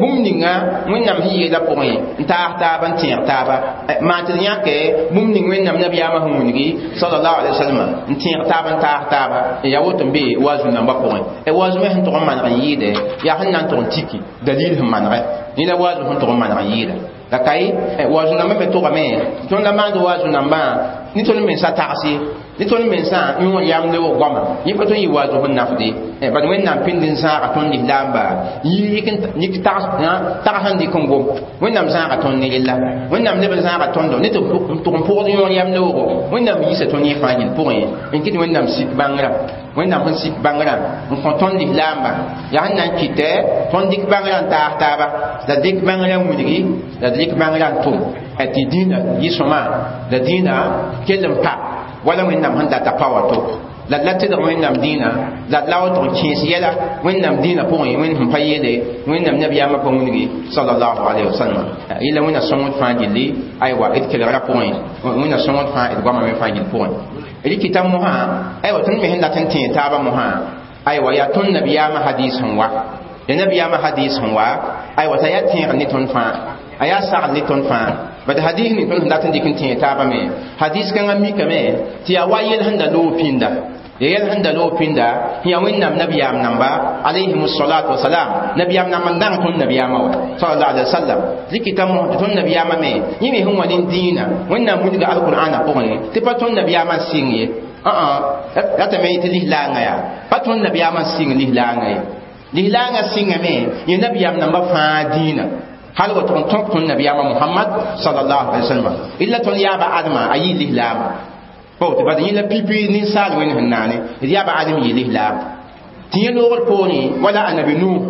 bũmb ninga wẽnnaam sẽn yeelã pʋgẽ n taas taaba n tẽeg taaba maan tɩ d yãke bũmb ning wẽnnaam nabiyaamã sẽn wilgi sallallahu alaihi wasallam n tẽeg taaba n taas taaba yaa woto n be waazu nambã pʋgẽ waazu me sẽn tʋg n maneg n yɩɩde yaa sẽn na n tʋg n tiki dalil sẽn manegɛ yẽ la waazu sẽn tʋg n maneg n yɩɩda la ka ye waazu nambã me tʋgame tõnd la maand waazu nambã ne tõnd mensã tags ye ne tõnd mensã yõor yam lebg goama yẽ pa tõnd yɩ waazu sẽn nafde bad wẽnnaam pĩnd n zãaga tõnd lislaamba yik tags sẽn dɩk n gom wẽnnaam zãaga tõnd ne rella wẽnnaam leb n zãaga tõndo ne tɩ tʋg n pʋgd yõor yam leoogo wẽnnaam yiisa tõnd yẽ fãa yel pʋgẽ n kɩt wẽnnaam sik bãngrã wẽnnaam sẽn sik bãngrã n kõ tõnd lislaamba yaa sẽn na n kɩtɛ tõnd dɩk bãngrã n taas taaba la dɩk bãngrã n wilgi la dɩk bãngrã n tʋm tɩ dĩinã yɩ sõma la dĩinã kell n pa wala wẽnnaam sẽn data pa wa to la la tɩdg wẽnnaam dĩinã la la wa tʋg n kẽes yɛla wẽnnaam dĩinã pʋgẽ wẽnd sẽn pa yeele wẽnnaam nabiyaamã pa wilgi sallallahu alaihi wasallam yella wẽnna sõngd fãa gilli aywa d kelgrã pʋgẽ wẽnna sõngd fãa d goamã me fãa gill pʋgẽ d kɩta mosã aywa tõnd me sẽn dat n tẽeg taabã mosã aywa yaa tõnd nabiyaamã hadis sẽn wa ya nabiyaamã hadis sẽn wa aywa t'a yaa tẽegr ne tõnd fãa a yaa sagl ne tõnd fãa bad hadis ning tõnd sẽn dat n dɩk n tẽeg taabã me hadis kãngã mikame tɩ yaa wa yel sẽn da loog pĩnda ya yɛl sẽn da loog pĩnda sẽn yaa wẽnnaam nabiyaam namba alayhim salatu wasalam nabiyaam namba n dãng tõnd nabiyaamã wa sallallahu alaihi wasallam dɩkɩta mos tɩ tõnd nabiyaamã me yẽ me sẽn wa nin-dĩinã wẽnnaam wilga alqur'ana pʋgẽ tɩ pa tõnd nabiyaamã n sɩng ye ratame tɩ lislaangã yaa pa tõnd nabiyaamã n sɩng lislaangã ye lislaangã sɩngame yẽ nabiyaam namba fãa dĩinã hal wa tʋg n tõk tõnd nabiyaamã Muhammad sallallahu alaihi wasallam illa tõnd yaaba Adama a yɩ lislaam pa woto bad yẽ la pipi ninsaal wẽnd sẽn naane d yaaba Adam yɩ lislaam tɩ yẽ loogr poorẽ wala annabi Nuh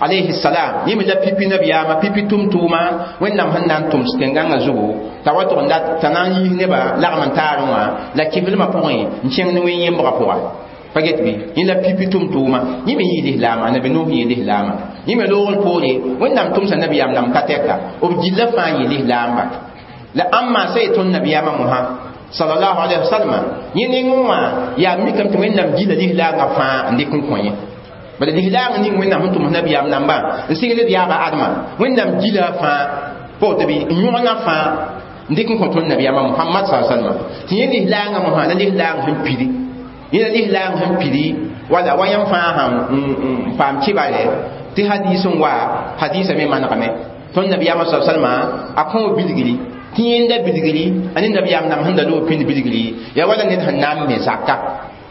alayhi salam yẽ me la pipi nabiyaamã pipi tʋm-tʋʋma wẽnnaam sẽn na n tʋms tẽn-gãngã zugu t'a wa tʋg n dat t'a na n yiis nebã lagm n taarẽ wã la kɩflmã pʋgẽ n kẽng ne wẽn-yẽmbgã pʋga pa get bɩ yẽ la pipi tʋm-tʋʋma yẽ me yɩ lislaama annabi Nuh yɩ lislaama yẽ me loogr poore wẽnnaam tʋmsa nabiyaam nam ka tɛka b gilla fãa yɩ lislaamba la ãmba sã yetõnd nabiyaamã mosã sallallahu alaihi wasallam yẽ nengẽ wã yaa mikame tɩ wẽnnaam gilla lislaangã fãa n dɩk n kõ yẽ bala lislaangã ning wẽnnaam sẽn tʋms nabiyaam nambã n sigl d yaaba Adama wẽnnaam gila fãa pa woto bɩ n yõgna fãa n dɩk n kõ tõnd nabiyaamã Muhammad sallallahu alaihi wasallam tɩ yẽ lislaangã mosã la lislaang sẽn pidi yẽ la lislaang sẽn pidi wala wa yãmb fãa sãn n paam kɩbare tɩ hadis n wa hadisa me manegame tõnd nabiyaamã sallallahu alaihi wasallam a kõ bilgri tɩ yẽnda bilgri a ne nabiyaam nam sẽn da loog pĩnd bilgri yaa wala ned sẽn na n me zaka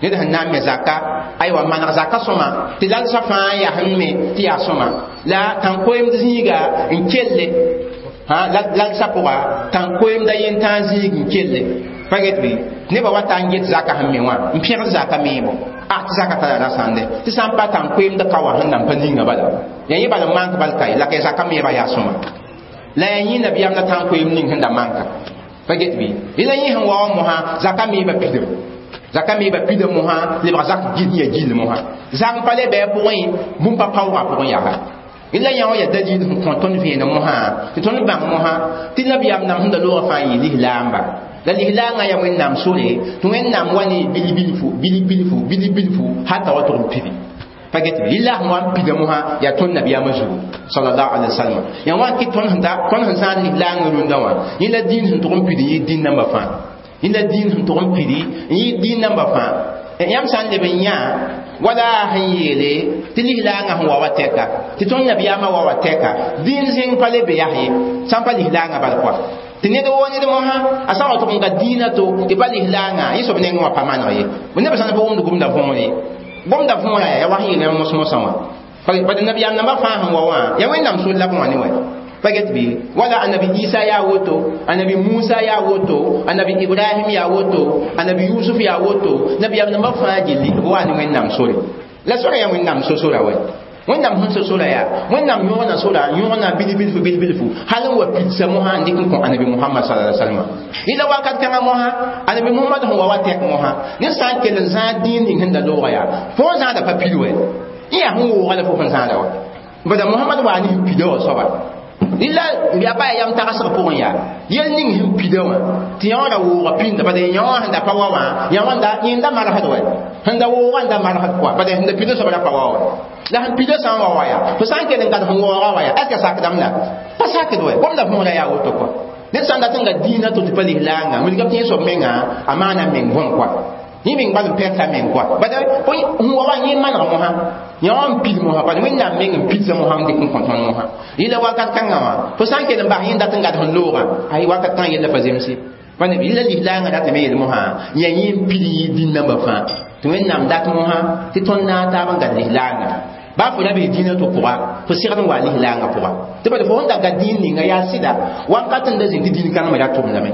ned sẽn na n me zaka aywa maneg zaka sõma tɩ lalsã fãa yaa sẽn me tɩ yaa sõma la tãn-koeemd zĩiga n kelle lalsã pʋga tãn-koeemda yentãag zĩig n kelle pa get bɩ nebã wa ta n get zaka sẽn me wã n pẽgd zaka meebo a tɩ zaka tara rasãnde tɩ sã n pa tãn-koeemd ka wã sẽn nan pa ninga bala yaa yẽ bala n mank bal ka ye la ka zaka meebã yaa sõma la yaa yẽ nabiyaam la tãn-koeem ning sẽn da manka pa get bɩ la yẽ sẽn wa wã mosã zaka meebã pidem zaka meebã pidem mosã lebg zak gil ya gill mosã zak n pa le bɩ a pʋgẽ bũmb pa paoogã pʋgẽ yaga la yã wã yaa dalil sẽn kõ tõnd vẽenem mosã tɩ tõnd bãng mosã tɩ nabiyaam nam sẽn da loogã fãa yɩ lislaamba la lislaangã yaa wẽnnaam sore tɩ wẽnnaam wa ne bilbilfu bilbilfu bilbilfu hata wa tʋg n pibi pa get bɩ lila sẽn wa n pida mosã yaa tõnd nabiyaamã zugu sallallahu alaihi wasallam yaa wa n kɩt tõnd sẽn tõnd sẽn zãad lislaangã rũndã wã yẽ la dĩin sẽn tʋg n pid n yɩ dĩn nambã fãa yẽ la dĩin sẽn tʋg n pidi n yɩ dĩin nambã fãa yãmb sã n leb n yã wala sẽn yeele tɩ lislaangã sẽn wa wa tɛka tɩ tõnd nabiyaamã wa wa tɛka dĩin zẽng pa le be yas ye sã n pa lislaangã bal kɔa tɩ ned woo ned mosã a sã n wa tʋg n ga dĩinã to tɩ pa lislaangã yẽ soab nengẽ wã pa maneg ye nebã sã n pa wʋmd gomda võore gomda võora yaa wa sẽn yeel mos-mosã wã bad nabiyaam nambã fãa sẽn wa wã yaa wẽnnaam sor la b wã ne wɛ pa get bɩ wala annabi Isa yaa woto annabi Musa yaa woto annabi Ibrahim yaa woto annabi Yusuf yaa woto nabiyaam nambã fãa gilli b wa ne wẽnnaam sore la sora yaa wẽnnaam so-sora wɛ Wẽnnaam sẽn so sora yaa Wẽnnaam yõgna sora yõgna bil-bilfu bil-bilfu hal n wa pidsa mosã n dɩk n kõ anabi Muhammad sallallahu alaihi wasallam. Yɩla wakat kãngã mosã anabi Muhammad sẽn wa wa tɛk mosã ned sã n kell n zãag dĩin ning sẽn da looga yaa fo n zãada pa pid wɛ yẽ yaa sẽn wooga la fo sẽn zãada wa bada Muhammad waa ne sẽn pida wã soaba illa ya pa yam tagsg pʋgẽ yaa yel ning sẽn pida wã tɩ yã wã ra wooga pĩnda bala yã wã sẽn da pa wa wã yã wã yẽnda marsd wɛ sẽn da wooga n da marsd kɔa bala sẽn da pida soab ra pa wa wa la sẽn pida sã n wa wa yaa fo sã n kell n gad sẽn waooga wa yaa est ce que sakdame la pa sakd wɛ gomda võora yaa woto kɔa ned sã n dat n ga dĩinã to tɩ pa lislaanga wilgame tɩ yẽ soab menga a maana meng võm kɔa yẽ meng bal n pɛka meng kɔa bala sẽn wa wa yẽ maneg mosã yã wã n pid mosã bala Wẽnnaam meng n pidsa mosã n dɩk n kõ tõnd mosã yɩla wakat kãngã wã fo sã n kell n bas yẽ dat n gad sẽn loogã ay wakat kãng yella pa zemse yɩla lislaangã ratame yel mosã yaa yẽ n pid yɩ dĩn-nambã fãa tɩ Wẽnnaam dat mosã tɩ tõnd naag taab n gad lislaangã baa fo ra bee dĩinã to pʋga fo segd n wa lislaangã pʋga tɩ bala fo sẽn da gad dĩin ninga yaa sɩda wakat n da zĩnd tɩ dĩin kãngã me ra tʋmdame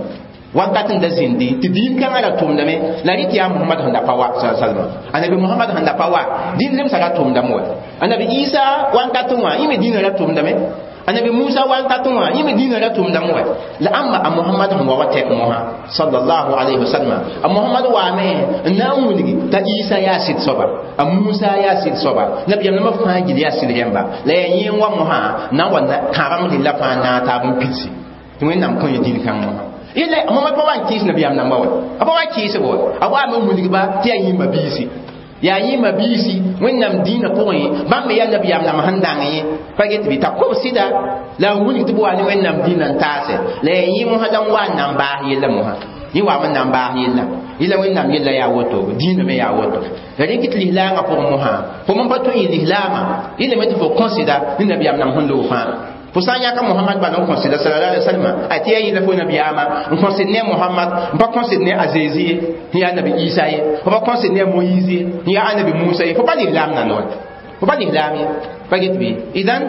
wakat n da zĩndi tɩ dĩin kãngã ra tʋmdame la rɩ tɩ yaa Muhammad sẽn da pa wa salma anabi Muhammad sẽn da pa wa dĩin zemsa ra tʋmdame wa anabi Isa wakat wã yẽ me dĩinã ra tʋmdame anabi Musa wakat wã yẽ me dĩinã ra tʋmdame wa la ãmba a Muhammad sẽn wa wa tɛk mosã sallallahu alayhi wa sallam a Muhammad waame n na n wilgi t'a Isa yaa sɩd soaba a Musa yaa sɩd soaba nabiyaam nambã fãa gil yaa sɩd rẽmba la yaa yẽ n wa mosã na n wa kãabam rella fãa naag taab n pidsi tɩ Wẽnnaam kõ yẽ dĩin kãng mosã yella Muhammad pa wa n kɩɩs nabiyaam namba wa a pa wa kɩɩsb wa a waame n wilgba tɩ yaa yĩmba biisi yaa yĩmba biisi Wẽnnaam dĩinã pʋgẽ bãmb me yaa nabiyaam nam sẽn dãng yẽ pa get bɩ t'a kob sɩda la n wilg tɩ b wa ne Wẽnnaam dĩinã n taase la yaa yẽ mosã la n wa n na n baas yella mosã yẽ waame n na n baas yella yella Wẽnnaam yella yaa woto dĩinã me yaa woto la rẽk tɩ lislaangã pʋgẽ mosã fo men pa tõe n yɩ lislaamã yẽlame tɩ fo kõsɩda ne nabiyaam nam sẽn loog fãa fo sã n yãka Muhammad bala n kõsɩda sallallahu alaihi wasallam a tɩ yaa yɩla fo nabiyaamã n kõsɩd ne Muhammad n pa kõsɩd ne a Zezi ye n yaa nabi Isa ye fo pa kõsɩd ne a Moyiz ye n yaa anabi Musa ye fo pa lislaam nand wa fo pa lislaam ye pa get bɩ idan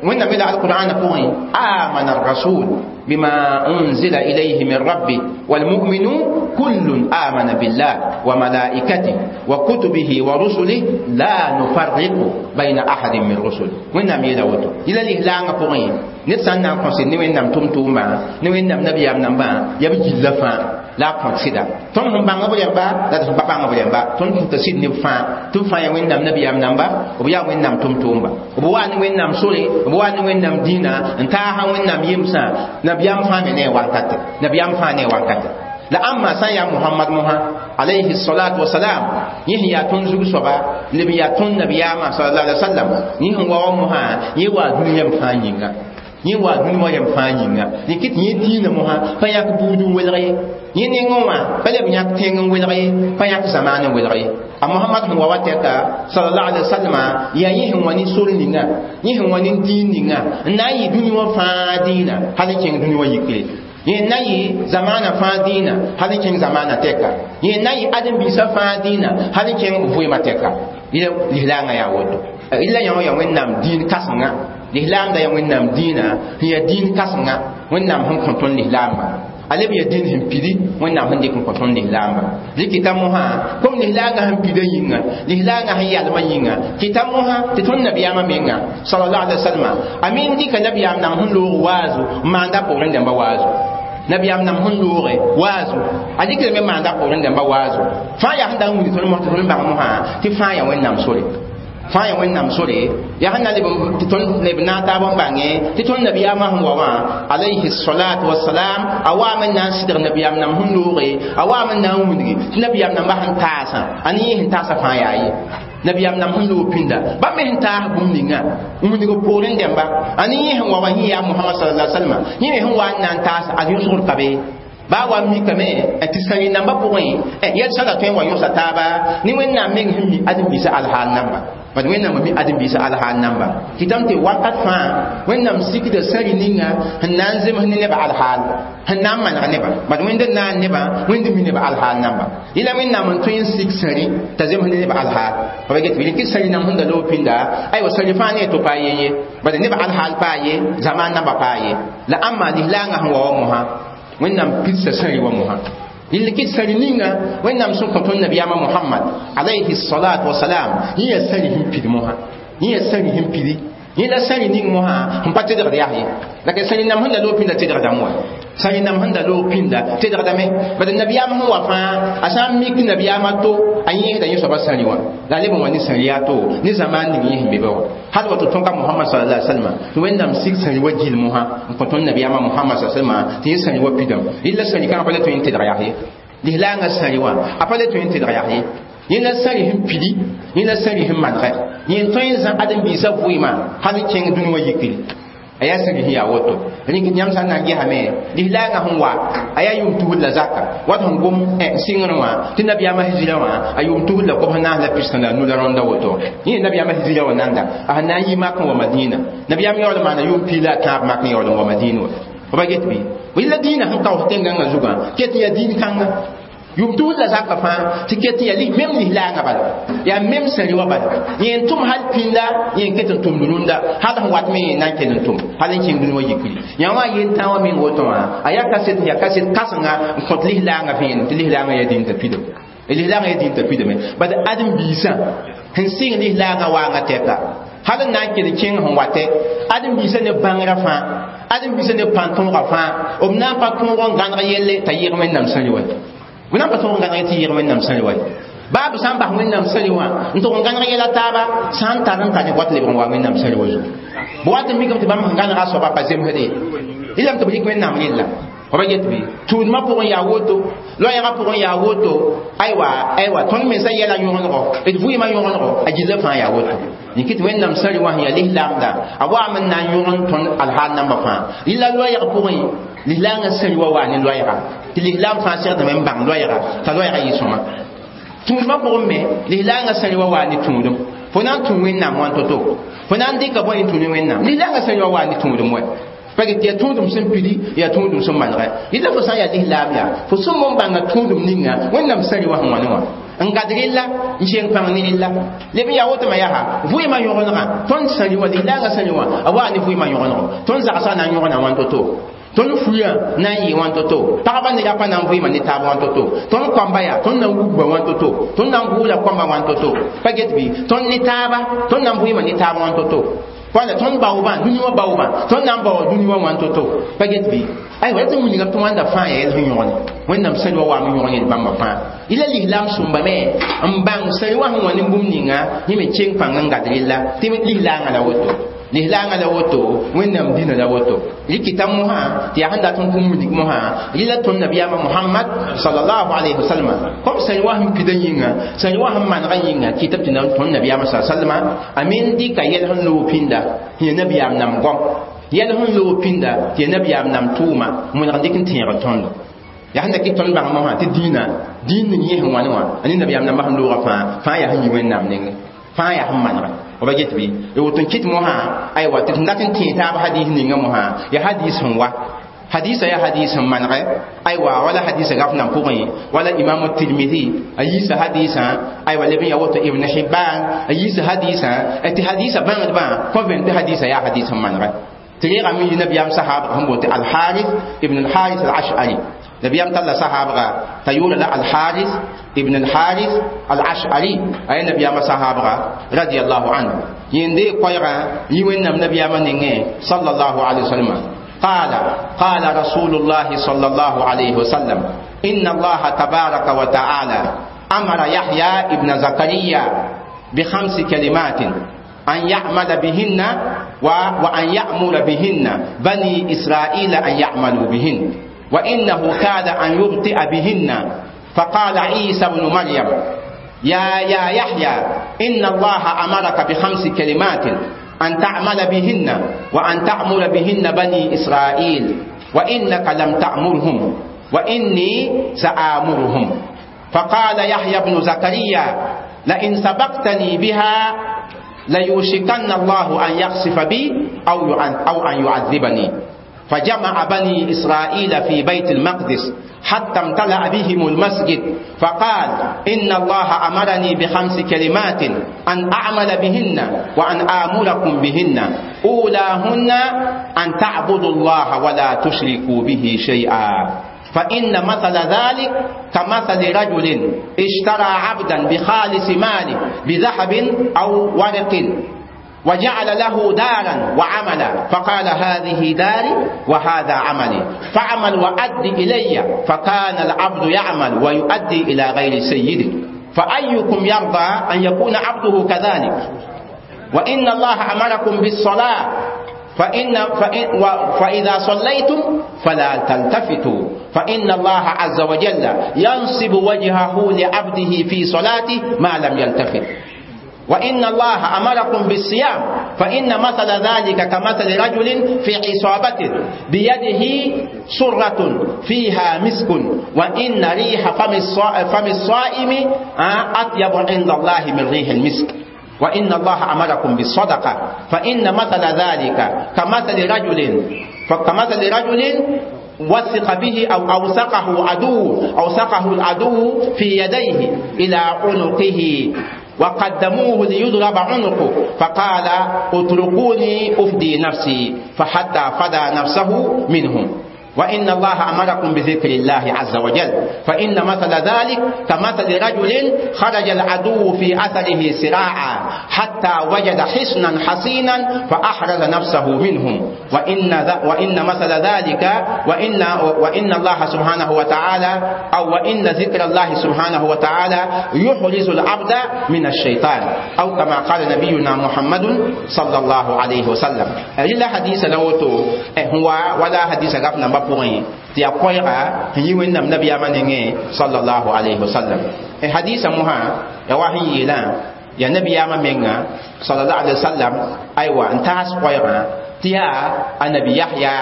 Wẽnnaam yeela alqur'ana pʋgẽ amana arrasul bima unzila ilayhi min rabbi والمؤمنون كل آمن بالله وملائكته وكتبه ورسله لا نفرق بين أحد من رسله وإنما يلا وتو إلى الإهلام قوين نتسان نان كونسي ني وإنام توم توما ني وإنام نبي أم نمبا يبي جلفا لا كونسيدا توم هم بانغ بوليمبا لا تهم بانغ بوليمبا توم تسيد ني فا توم فا وإنام نبي أم نمبا وبيا وإنام توم توما وبوا ني وإنام سوري وبوا ني وإنام دينا انتها وإنام يمسا نبي أم فا ني وانكات نبي أم فا ني وانكات la amma sã n yaa Muhammad mosã alayhi salatu wasalam yẽ sẽn yaa tõnd zug soaba leb n yaa tõnd nabiyaamã sallallahu alaihi wasallam yẽ sẽn wa wa mosã yẽ waa dũni yɛm fãa yĩnga yẽ waa dũni wã yɛm fãa yĩnga yẽ kɩt yẽ dĩinã mosã pa yãk buud n welg ye yẽ nengẽ wã pa leb yãk tẽng n welg ye pa yãk zamaan n welg ye a Muhammad sẽn wa wa tɛka sallallahu alaihi wasallam yaa yẽ sẽn wa ne sor ninga yẽ sẽn wa ne dĩin ninga n na n yɩ dũni wã fãa dĩinã hal n kẽng dũni wã yikre yẽ na yɩ zamaana fãa dĩinã hal n kẽng zamaana tɛka yẽ na yɩ ãdem-biisã fãa dĩinã hal n kẽng vɩɩmã tɛka lislaangã yaa woto illa yã wã yaa Wẽnnaam dĩin kãsenga lislaamda yaa Wẽnnaam dĩinã sẽn yaa dĩin kãsenga Wẽnnaam sẽn kõ tõnd lislaambã a leb yaa dĩin sẽn pidi Wẽnnaam sẽn dɩk n kõ tõnd lislaambã dɩkɩta mosã kom lislaangã sẽn pida yĩnga lislaangã sẽn yalmã yĩnga kɩta mosã tɩ tõnd nabiyaamã menga sallallahu alaihi wasallam a men dɩka nabiyaam nam sẽn loog waazu n maanda poorẽ dãmba waazu nabiyaam nam sẽn looge waazu a dɩkdame maanda poorẽ dãmba waazu fãa yaa sẽn dag n wilg tõnd mos tɩ tõnd bãng mosã tɩ fãa yaa Wẽnnaam sore fãa yaa Wẽnnaam sore yaa sẽn na leb tɩ tõnd leb naag taab n bãnge tɩ tõnd nabiyaamã sẽn wa wã alayhi salatu wasalam a waame n na n sɩdg nabiyaam nam sẽn looge a waame n na n wilgi tɩ nabiyaam nambã sẽn taasã a ne yẽ sẽn taasã fãa yaa ye nabiyaam nam sẽn loog pĩnda bãmb me sẽn taas bũmb ninga n wilg poorẽ dẽmba a ne yẽ sẽn wa wã yẽ yaa Muhammad sallallahu alaihi wasallam yẽ me sẽn wa n na n taas a yõsgr ka be baa wa mikame tɩ sãri nambã pʋgẽ yɛl sã tõe n wa yõsa taaba ne Wẽnnaam meng sẽn mi ãdem-biisã alhaal namba bad Wẽnnaam mi ãdem-biisã alhaal namba kɩtame tɩ wakat fãa Wẽnnaam sikda sãri ninga sẽn na n zems ne nebã alhaal sẽn na n maneg nebã bad Wẽnd n naan nebã Wẽnd mi nebã alhaal namba yẽla Wẽnnaam n tõe n sik sãri t'a zems ne nebã alhaal pa get bɩ rɩk sãri nam sẽn da loog pĩnda aywa sãri fãa ne to pa ye ye bad nebã alhaal paa ye zamaan namba paa ye la ãmba lislaangã sẽn wa wa mosã Wẽnnaam pidsa sãri wa mosã yɩl kɩt sãri ninga Wẽnnaam sẽn kõ tõnd nabiyaamã Muhammad alayhi salatu wasalam yẽ yaa sãri sẽn pid mosã Yẽ yaa sãri sẽn pidi yẽ la sãri ning mosã n pa tedgd yaa ye la ke sãri nam sẽn da loog pĩnda tedgdame wa sãri nam sẽn da loog pĩnda tedgdame bad nabiyaam sẽn wa fãa a sã n mik nabiyaam a to a yẽesda yẽ soaba sãri wã la a leb n wa ne sãri yaa to ne zamaan ning yẽ sẽn be ba wã hal wato tõnka Muhammad sallallahu alaihi wasallam tɩ Wẽnnaam sig sãri wa gill mosã n kõ tõnd nabiyaamã Muhammad sallallahu alaihi wasallam tɩ yẽ sãri wa pidame rɩla sãri kãngã pa le tõe n tedg yaa ye lislaangã sãri wã a pa le tõe n tedg yaa ye yẽ la sãri sẽn pidi yẽ la sãri sẽn manegɛ yẽ tõe n zã ãdem-biisã vɩɩmã hal n kẽng dũni wã yikri a yaa sãri sẽn yaa woto rĩk yãmb sã n na n gesame lislaangã sẽn wa a yaa yʋʋm tusr la zaka wat sẽn gom sɩngrẽ wã tɩ nabiyaamã hijira wã a yʋʋm tusr la kobs naas la pis la nu la rõnda woto yẽ nabiyaamã hijira wã nanda a sẽn na n yi mak n wa Madina nabiyaam yaool n maana yʋʋm piig la a tãab mak n yaool n wa Madina wa f pa get bɩ la dĩinã sẽn kaoos tẽn-gãngã zugã ket n yaa dĩin kãnga yʋʋm tusr la zaka fãa tɩ ket n yaa mem lislaangã bala yaa mem sãri wã bala yẽ n tʋm hal pĩnda yẽ n ket n tʋmd rũndã hal sẽn wat me yẽ na n kell n tʋm hal n kẽng dũni wã yikri yã wã yel-tã wã meng woto wã a yaa kaset yaa kaset kãsenga n kõt lislaangã vẽenem tɩ lislaangã yaa dĩn t'a pidame lislaangã yaa dĩn t'a pidame bad ãdem-biisã sẽn sɩng lislaangã waangã tɛka hal n na n kell kẽng sẽn watɛ ãdem-biisã ne bãngrã fãa ãdem-biisã ne pãn-tõogã fãa b na n pa tõog n gãneg yelle t'a yɩg Wẽnnaam sãri wa b na n pa tõog n gãneg tɩ yɩg Wẽnnaam sãri wa baa b sã n bas Wẽnnaam sãri wã n tʋg n gãneg yɛla taaba sã n tar n tar ne wat lebg n wa Wẽnnaam sãri wa zugu b wat n mikame tɩ bãmb sẽn gãnega a soaba pa zemsde rɩlame tɩ b rɩk Wẽnnaam rella f pa get bɩ tũudmã pʋgẽ yaa woto loɛɛgã pʋgẽ yaa woto aywa aywa tõnd mensã yɛla yõgenego d vɩɩmã yõgenego a gilla fãa yaa woto yĩk tɩ Wẽnnaam sãri wã sẽn yaa lislaamda a waam n na n yõgen tõnd alhaal nambã fãa rɩla loɛɛg pʋgẽ lislaangã sãri wa waa ne loɛɛga tɩ lislaam fãa segdame n bãng loɛɛga t'a loɛɛga yɩ sõma tũudmã pʋgẽ me lislaangã sãri wa waa ne tũudum fo na n tũ Wẽnnaam wã to-to fo na n dɩka bõe n tũ ne Wẽnnaam lislaangã sãri wa waa ne tũudum wɛ pa get yaa tũudum sẽn pidi yaa tũudum sẽn manegɛ yɩla fo sã n yaa lislaam yaa fo sẽn mon bãnga tũudum ninga Wẽnnaam sãri wã sẽn wã ne wã n gad rella n keng pãng ne rella leb n yaa woto ma yaa vɩɩmã yõgenegã tõnd sãri wã lislaangã sãri wã a waa ne vɩɩmã yõgenego tõnd zagsã na n yõgna wãn to-to tõnd fuya na n yɩ wãn to-to pagba ne rapa na n vɩɩma ne taab wãn to-to tõnd koamba yaa tõnd na n wugba wãn to-to tõnd na n gʋʋla koamba wãn to-to pa get bɩ tõnd ne taaba tõnd na n vɩɩma ne taab wãn to-to wala tõnd baoobã dũni wã baoobã tõnd na n baoa dũni wã wãn to-to pa get bɩ aywa tɩ wilgame tɩ wãnda fãa yaa yɛl sẽn yõgene Wẽnnaam sãri wã waam n yõg yel bãmba fãa yɩla lislaam sõmbame n bãng sãri wã sẽn wã ne bũmb ninga yẽ me keng pãng n gad rella tɩ lislaangã la woto lislaangã la woto Wẽnnaam dĩnã la woto rɩkɩta mosã tɩ yaa sẽn dat n kũm wilg mosã rɩla tõnd nabiyaamã Muhammad sallallahu alayhi wasallam kom sãri wã sẽn pida yĩnga sãri wã sẽn manegã yĩnga kɩtame tɩ tõnd nabiyaamã sa sallama a men dɩka yɛl sẽn loog pĩnda tɩ ya nabiyaam nam gom yɛl sẽn loog pĩnda tɩ ya nabiyaam nam tʋʋma mõneg n dɩk n tẽegr tõndo yaa sẽn da kɩt tõnd bãng mosã tɩ dĩinã dĩin ning yẽ sẽn wã ne wã a ne nabiyaam nambã sẽn loogã fãa fãa yaa sẽn yi Wẽnnaam nengẽ fãa yaa sẽn manegã f pa get bɩ woto n kɩt mosã aywa tɩ d dat n tẽe taab hadis ninga mosã yaa hadis sẽn wa hadisa ya hadis sẽn manegɛ aywa wala hadisa gaf nan pʋgẽ wala imam Tirmidi a yiisa hadisã aywa leb n ya woto Ibn Hibban a yiisa hadisã tɩ hadisa bãngdbã kõ vẽn tɩ hadisa yaa hadis sẽn manegɛ tɩ reegame yi nabiyaam sahaabga sẽn boond tɩ Alharis ibn Alharis Al-Ash'ari nabiyaam talla sahaabga t'a yʋʋra la Alharis ibn Alharis Al-Ash'ari a yaa nabiyaamã sahaabga radiallahu anhu yẽnde koɛɛgã yi Wẽnnaam nabiyaamã nengẽ sallallahu alaihi wasallam قال قال رسول الله صلى الله عليه وسلم إن الله تبارك وتعالى أمر يحيى ابن زكريا بخمس كلمات أن يعمل بهن وأن يأمر بهن بني إسرائيل أن يعملوا بهن وإنه كاد أن يبطئ بهن فقال عيسى بن مريم يا يا يحيى إن الله أمرك بخمس كلمات أن تعمل بهن وأن تأمر بهن بني إسرائيل وإنك لم تأمرهم وإني سآمرهم فقال يحيى بن زكريا لئن سبقتني بها ليوشكن الله أن يخسف بي أو أو أن يعذبني فجمع بني إسرائيل في بيت المقدس حتى امتلأ بهم المسجد فقال إن الله أمرني بخمس كلمات أن أعمل بهن وأن آمركم بهن أولاهن أن تعبدوا الله ولا تشركوا به شيئا فإن مثل ذلك كمثل رجل اشترى عبدا بخالص ماله بذهب أو ورق وجعل له دارا وعملا فقال هذه داري وهذا عملي فاعمل وأد إلي فكان العبد يعمل ويؤدي إلى غير سيده فأيكم يرضى أن يكون عبده كذلك وإن الله أمركم بالصلاة فإن فإن فإذا صليتم فلا تلتفتوا فإن الله عز وجل ينصب وجهه لعبده في صلاته ما لم يلتفت وإن الله أمركم بالصيام فإن مثل ذلك كمثل رجل في عصابة بيده سرة فيها مسك وإن ريح فم فم الصائم أطيب عند الله من ريح المسك وإن الله أمركم بالصدقة فإن مثل ذلك كمثل رجل فكمثل رجل وثق به أو أوثقه عدو أوثقه العدو في يديه إلى عنقه وقدموه ليضرب عنقه فقال اتركوني أفدي نفسي فحتى فدى نفسه منهم وإن الله أمركم بذكر الله عز وجل فإن مثل ذلك كمثل رجل خرج العدو في أثره سراعا حتى وجد حصنا حصينا فأحرز نفسه منهم وإن, وإن مثل ذلك وإن, وإن الله سبحانه وتعالى أو وإن ذكر الله سبحانه وتعالى يحرز العبد من الشيطان أو كما قال نبينا محمد صلى الله عليه وسلم إلا حديث لوتو هو ولا حديث غفنا pʋgẽ tɩ yaa koɛɛga sẽn yi wẽnnaam nabiyaamã nengẽ sallallahu alayhi wa sallam hadisa mosã ya wa sẽn yeelã yaa nabiyaamã menga sallallahu alayhi wa sallam aywa n taas koɛɛgã tɩ yaa anabi yahya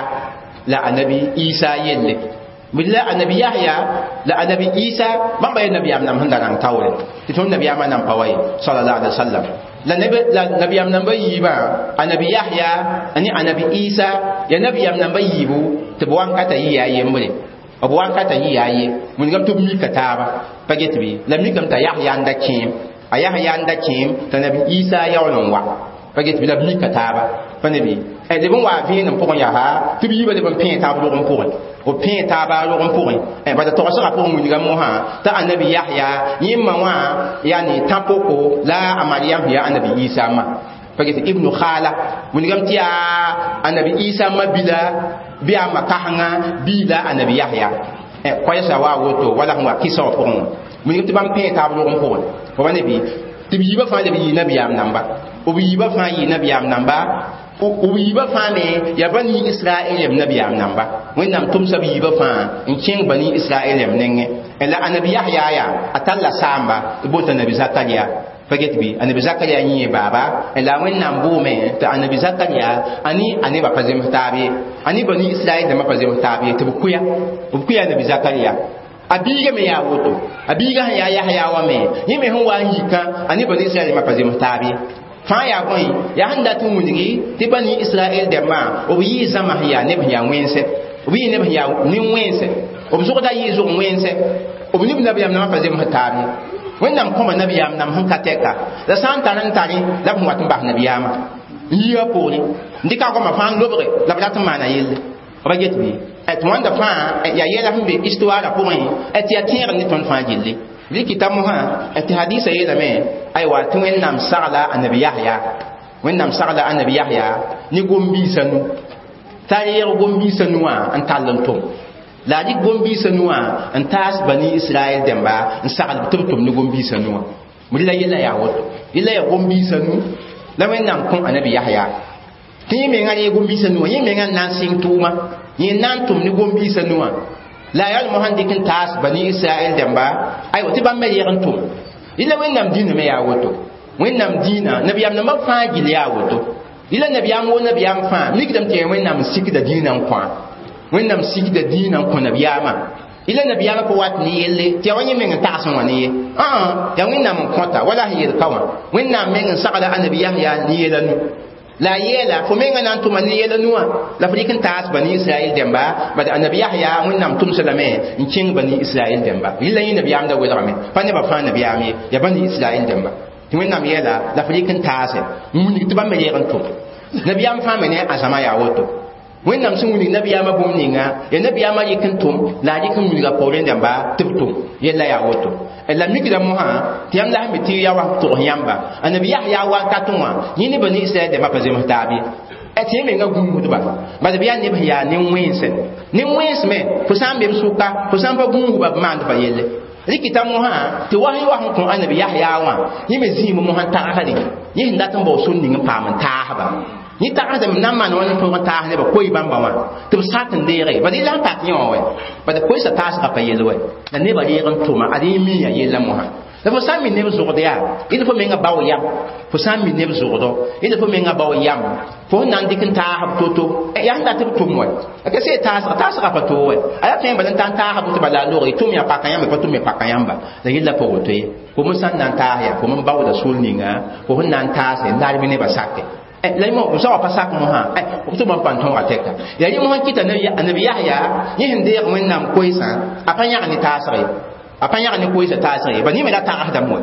la anabi isa yelle la anabi yahya la anabi isa bãmba ye nabiyaam nam sẽn da rãng taoore tɩ tõnd nabiyaamã nan pa wa ye sallallahu alayhi wa sallam la nabi la nabiyam namba yiibã anabi yahya ani anabi isa ya nabiyam namba yiibu tɩ b wankata yɩ yaa yembre b wankata yɩ yaa ye wĩnigame tɩ b mika taaba pa get bɩ la mikame t'a yahya n da kẽem a yahya n da kẽem t'a nabi isa yaool n wa pa get bɩ la b mika taaba pa ne bɩ leb n wa vẽenem pʋgẽ yaa tɩ b yiibã leb n pẽe taab rog n pʋgẽ b pẽe taaba rog n pʋgẽ bala togsgã pʋgẽ wĩnigã mosã t'a anabi yahya yẽmma wã yani tã-poko la a mariam sẽn yaa anabi isa ma pa get ibnu khala wĩnigame tɩ yaa anabi isa ma bila bɩ a ma kasengã bii la anabi yahya koɛɛsa wa woto wala sẽn wa kɩsa wã pʋgẽ wã wĩnigame tɩ bãmb pẽe taab rog n pʋgẽ fo pa ne bɩ tɩ b yiibã fãa leb yɩ nabiyaam namba b yiibã fãa yɩ nabiyaam namba b yiibã fãa me yaa bani israɛl yam nabiyaam namba wẽnnaam tʋmsa b yiibã fãa n kẽng bani israɛl yam nengẽ la anabi yahya yaa a talla saamba tɩ boond t'a nabi zakaria pa get bɩ anabi zakaria yẽ baaba la wẽnnaam bʋʋme tɩ anabi zakaria ani a nebã pa zems taab ye ani bani israɛl dãmbã pa zems taab ye tɩ b kʋya b kʋya anabi zakaria a biiga me yaa woto a biiga sẽn yaa yahya wã me yẽ me sẽn wa n yikã a ne bani israɛl dãmbã pa zems taab ye fãa yaa bõe yaa sẽn dat n wilgi tɩ bani israɛl dãmbã b yɩɩ zãma sẽn yaa neb sẽn yaa wẽnse b yɩ neb sẽn yaa nin-wẽnse b zʋgda yɩɩ zʋg wẽnse b nib nabiyaam nambã pa zems taab ye wẽnnaam kõma nabiyaam nam sẽn ka tɛka la sã n tar n tare la b sẽn wat n bas nabiyaamã n yia poorẽ n dɩka goamã fãa n lobge la b rat n maana yelle b get bɩ tɩ wãnda fãa yaa yɛla sẽn be histoire pʋgẽ tɩ yaa tẽegr ne tõnd fãa gilli bɩ kɩta mosã tɩ hadisa yeelame aywa tɩ wẽnnaam sagla anabi yahya wẽnnaam sagla anabi yahya ne gom-biisã nu t'a reeg gom-biisã nu wã n tall n tʋm la a dɩk gom-biisã nu wã n taas bani israɛl dẽmba n sagl tɩ b tʋm ne gom-biisã nu wã la yella yaa woto yella yaa gom-biisã nu la wẽnnaam kõ anabi yahya tɩ yẽ menga reeg gom-biisã nu wã yẽ menga n na n sɩng tʋʋma yẽ na n tʋm ne gom-biisã nu wã la yaa mosã n dɩk n taas bani israɛl dẽmba aywa tɩ bãmb me reeg n tʋm yella wẽnnaam dĩinã me yaa woto wẽnnaam dĩinã nabiyaam nambã fãa gill yaa woto yella nabiyaam wo nabiyaam fãa mikdame tɩ wẽnnaam n sikda dĩinã n kõa wẽnnaam sikda dĩinã n kõ nabiyaamã yella nabiyaamã pa wat ne yelle tɩ yaa wa yẽ meng n tags n wã ne ye yaa wẽnnaam n kõta wala sẽn yel ka wã wẽnnaam meng n sagla anabi yahya ne yɛla nu la yeela fo menga na n tʋma ne yɛla nuwã la fo dɩk n taas bani israɛl dẽmba bad anabi yahya wẽnnaam tʋmsa lame n kẽng bani israɛl dẽmba rɩla yẽ nabiyaam da welgame pa nebã fãa nabiyaam ye yaa bani israɛl dẽmba tɩ wẽnnaam yeela la fo dɩk n taase n wilg tɩ bãmb me reeg n tʋm nabiyaam fãa me ne a zãma yaa woto Wẽnnaam sẽn wilg nabiyaamã bũmb ninga ya nabiyaamã rɩk n tʋm la a rɩk n wilga poorẽ dãmba tɩ b tʋm yella yaa woto la mikda mosã tɩ yãmb la sẽn be tɩ ya wa togs yãmba annabi Yahya wakat wã yẽ ne bani Israɛl dãmbã pa zems taab ye tɩ yẽ menga gũusdba bala b yaa neb sẽn yaa nin-wẽnsẽ nin-wẽns me fo sã n be b sʋka fo sã n pa gũusba b maand fa yelle rɩkɩta mosã tɩ wa sẽn wa sẽn kõ annabi Yahya wã yẽ me zĩim mosã tagsde yẽ sẽn dat n bao sor ning n paam n taasba yẽ tagsdame n na n maan wã ne tõog n taas nebã koe bãmba wã tɩ b sak n deege bad yella sẽn tak yẽ wã wɛ bad koeesa taasgã pa yell wɛ la nebã reeg n tʋma ad yẽ miya yella mosã la fo sã n mi neb zʋgd yaa yẽd fo menga bao yam fo sã n mi neb zʋgdɔ yẽd fo menga bao yam fo sẽn na n dɩk n taasb to-to yaa sẽn dat b tʋm wɛ ka se taasga taasga pa toog wɛ a yaa tõe n bala n ta n taasb tɩ bala a log tʋm yaa paka yãmba pa tʋm ya paka yãmba la yella pa woto ye fo me sã n na n taas yaa fo me baooda sor ninga fo sẽn na n taase n larb nebã sake la mo sa pa sak mo ha eh to man pan tõoga tɛka yaa yẽ mosã kɩta annabi Yahya yẽ sẽn deeg wẽnnaam koeesã a pa yãg ne taasg ye a pa yãg ne koeesã taasg ye ba yẽ me la tagsdame wɛ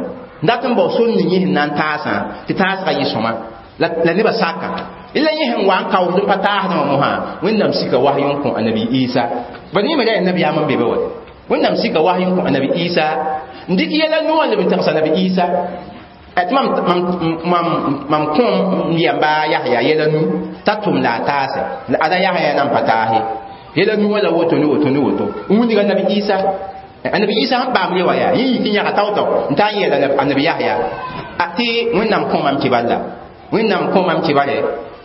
dat n bao sor ning yẽ sẽn na n taasã tɩ taasgã yɩ sõma la nebã saka la yẽ sẽn wa n kaoosd n pa taasdã wã mosã wẽnnaam sika wasy n kõ annabi Isa ba yẽ me la yaa nabiyaam n be be wɛ wẽnnaam sika wasy n kõ annabi Isa n dɩk yɛla noor leb n tẽgs annabi Isa tɩ mam mam mam kõm yamba Yahya yɛla nu t'a tʋm la a taase la ada Yahya nan pa taase yɛla nu wã la woto ne woto ne woto n wilg annabi Isa annabi Isa sẽn paam le wa yaa yẽ yik n yãga tao-tao n taa n yɛɛla annabi Yahya tɩ wẽnnaam kõ mam kibal la wẽnnaam kõ mam kibale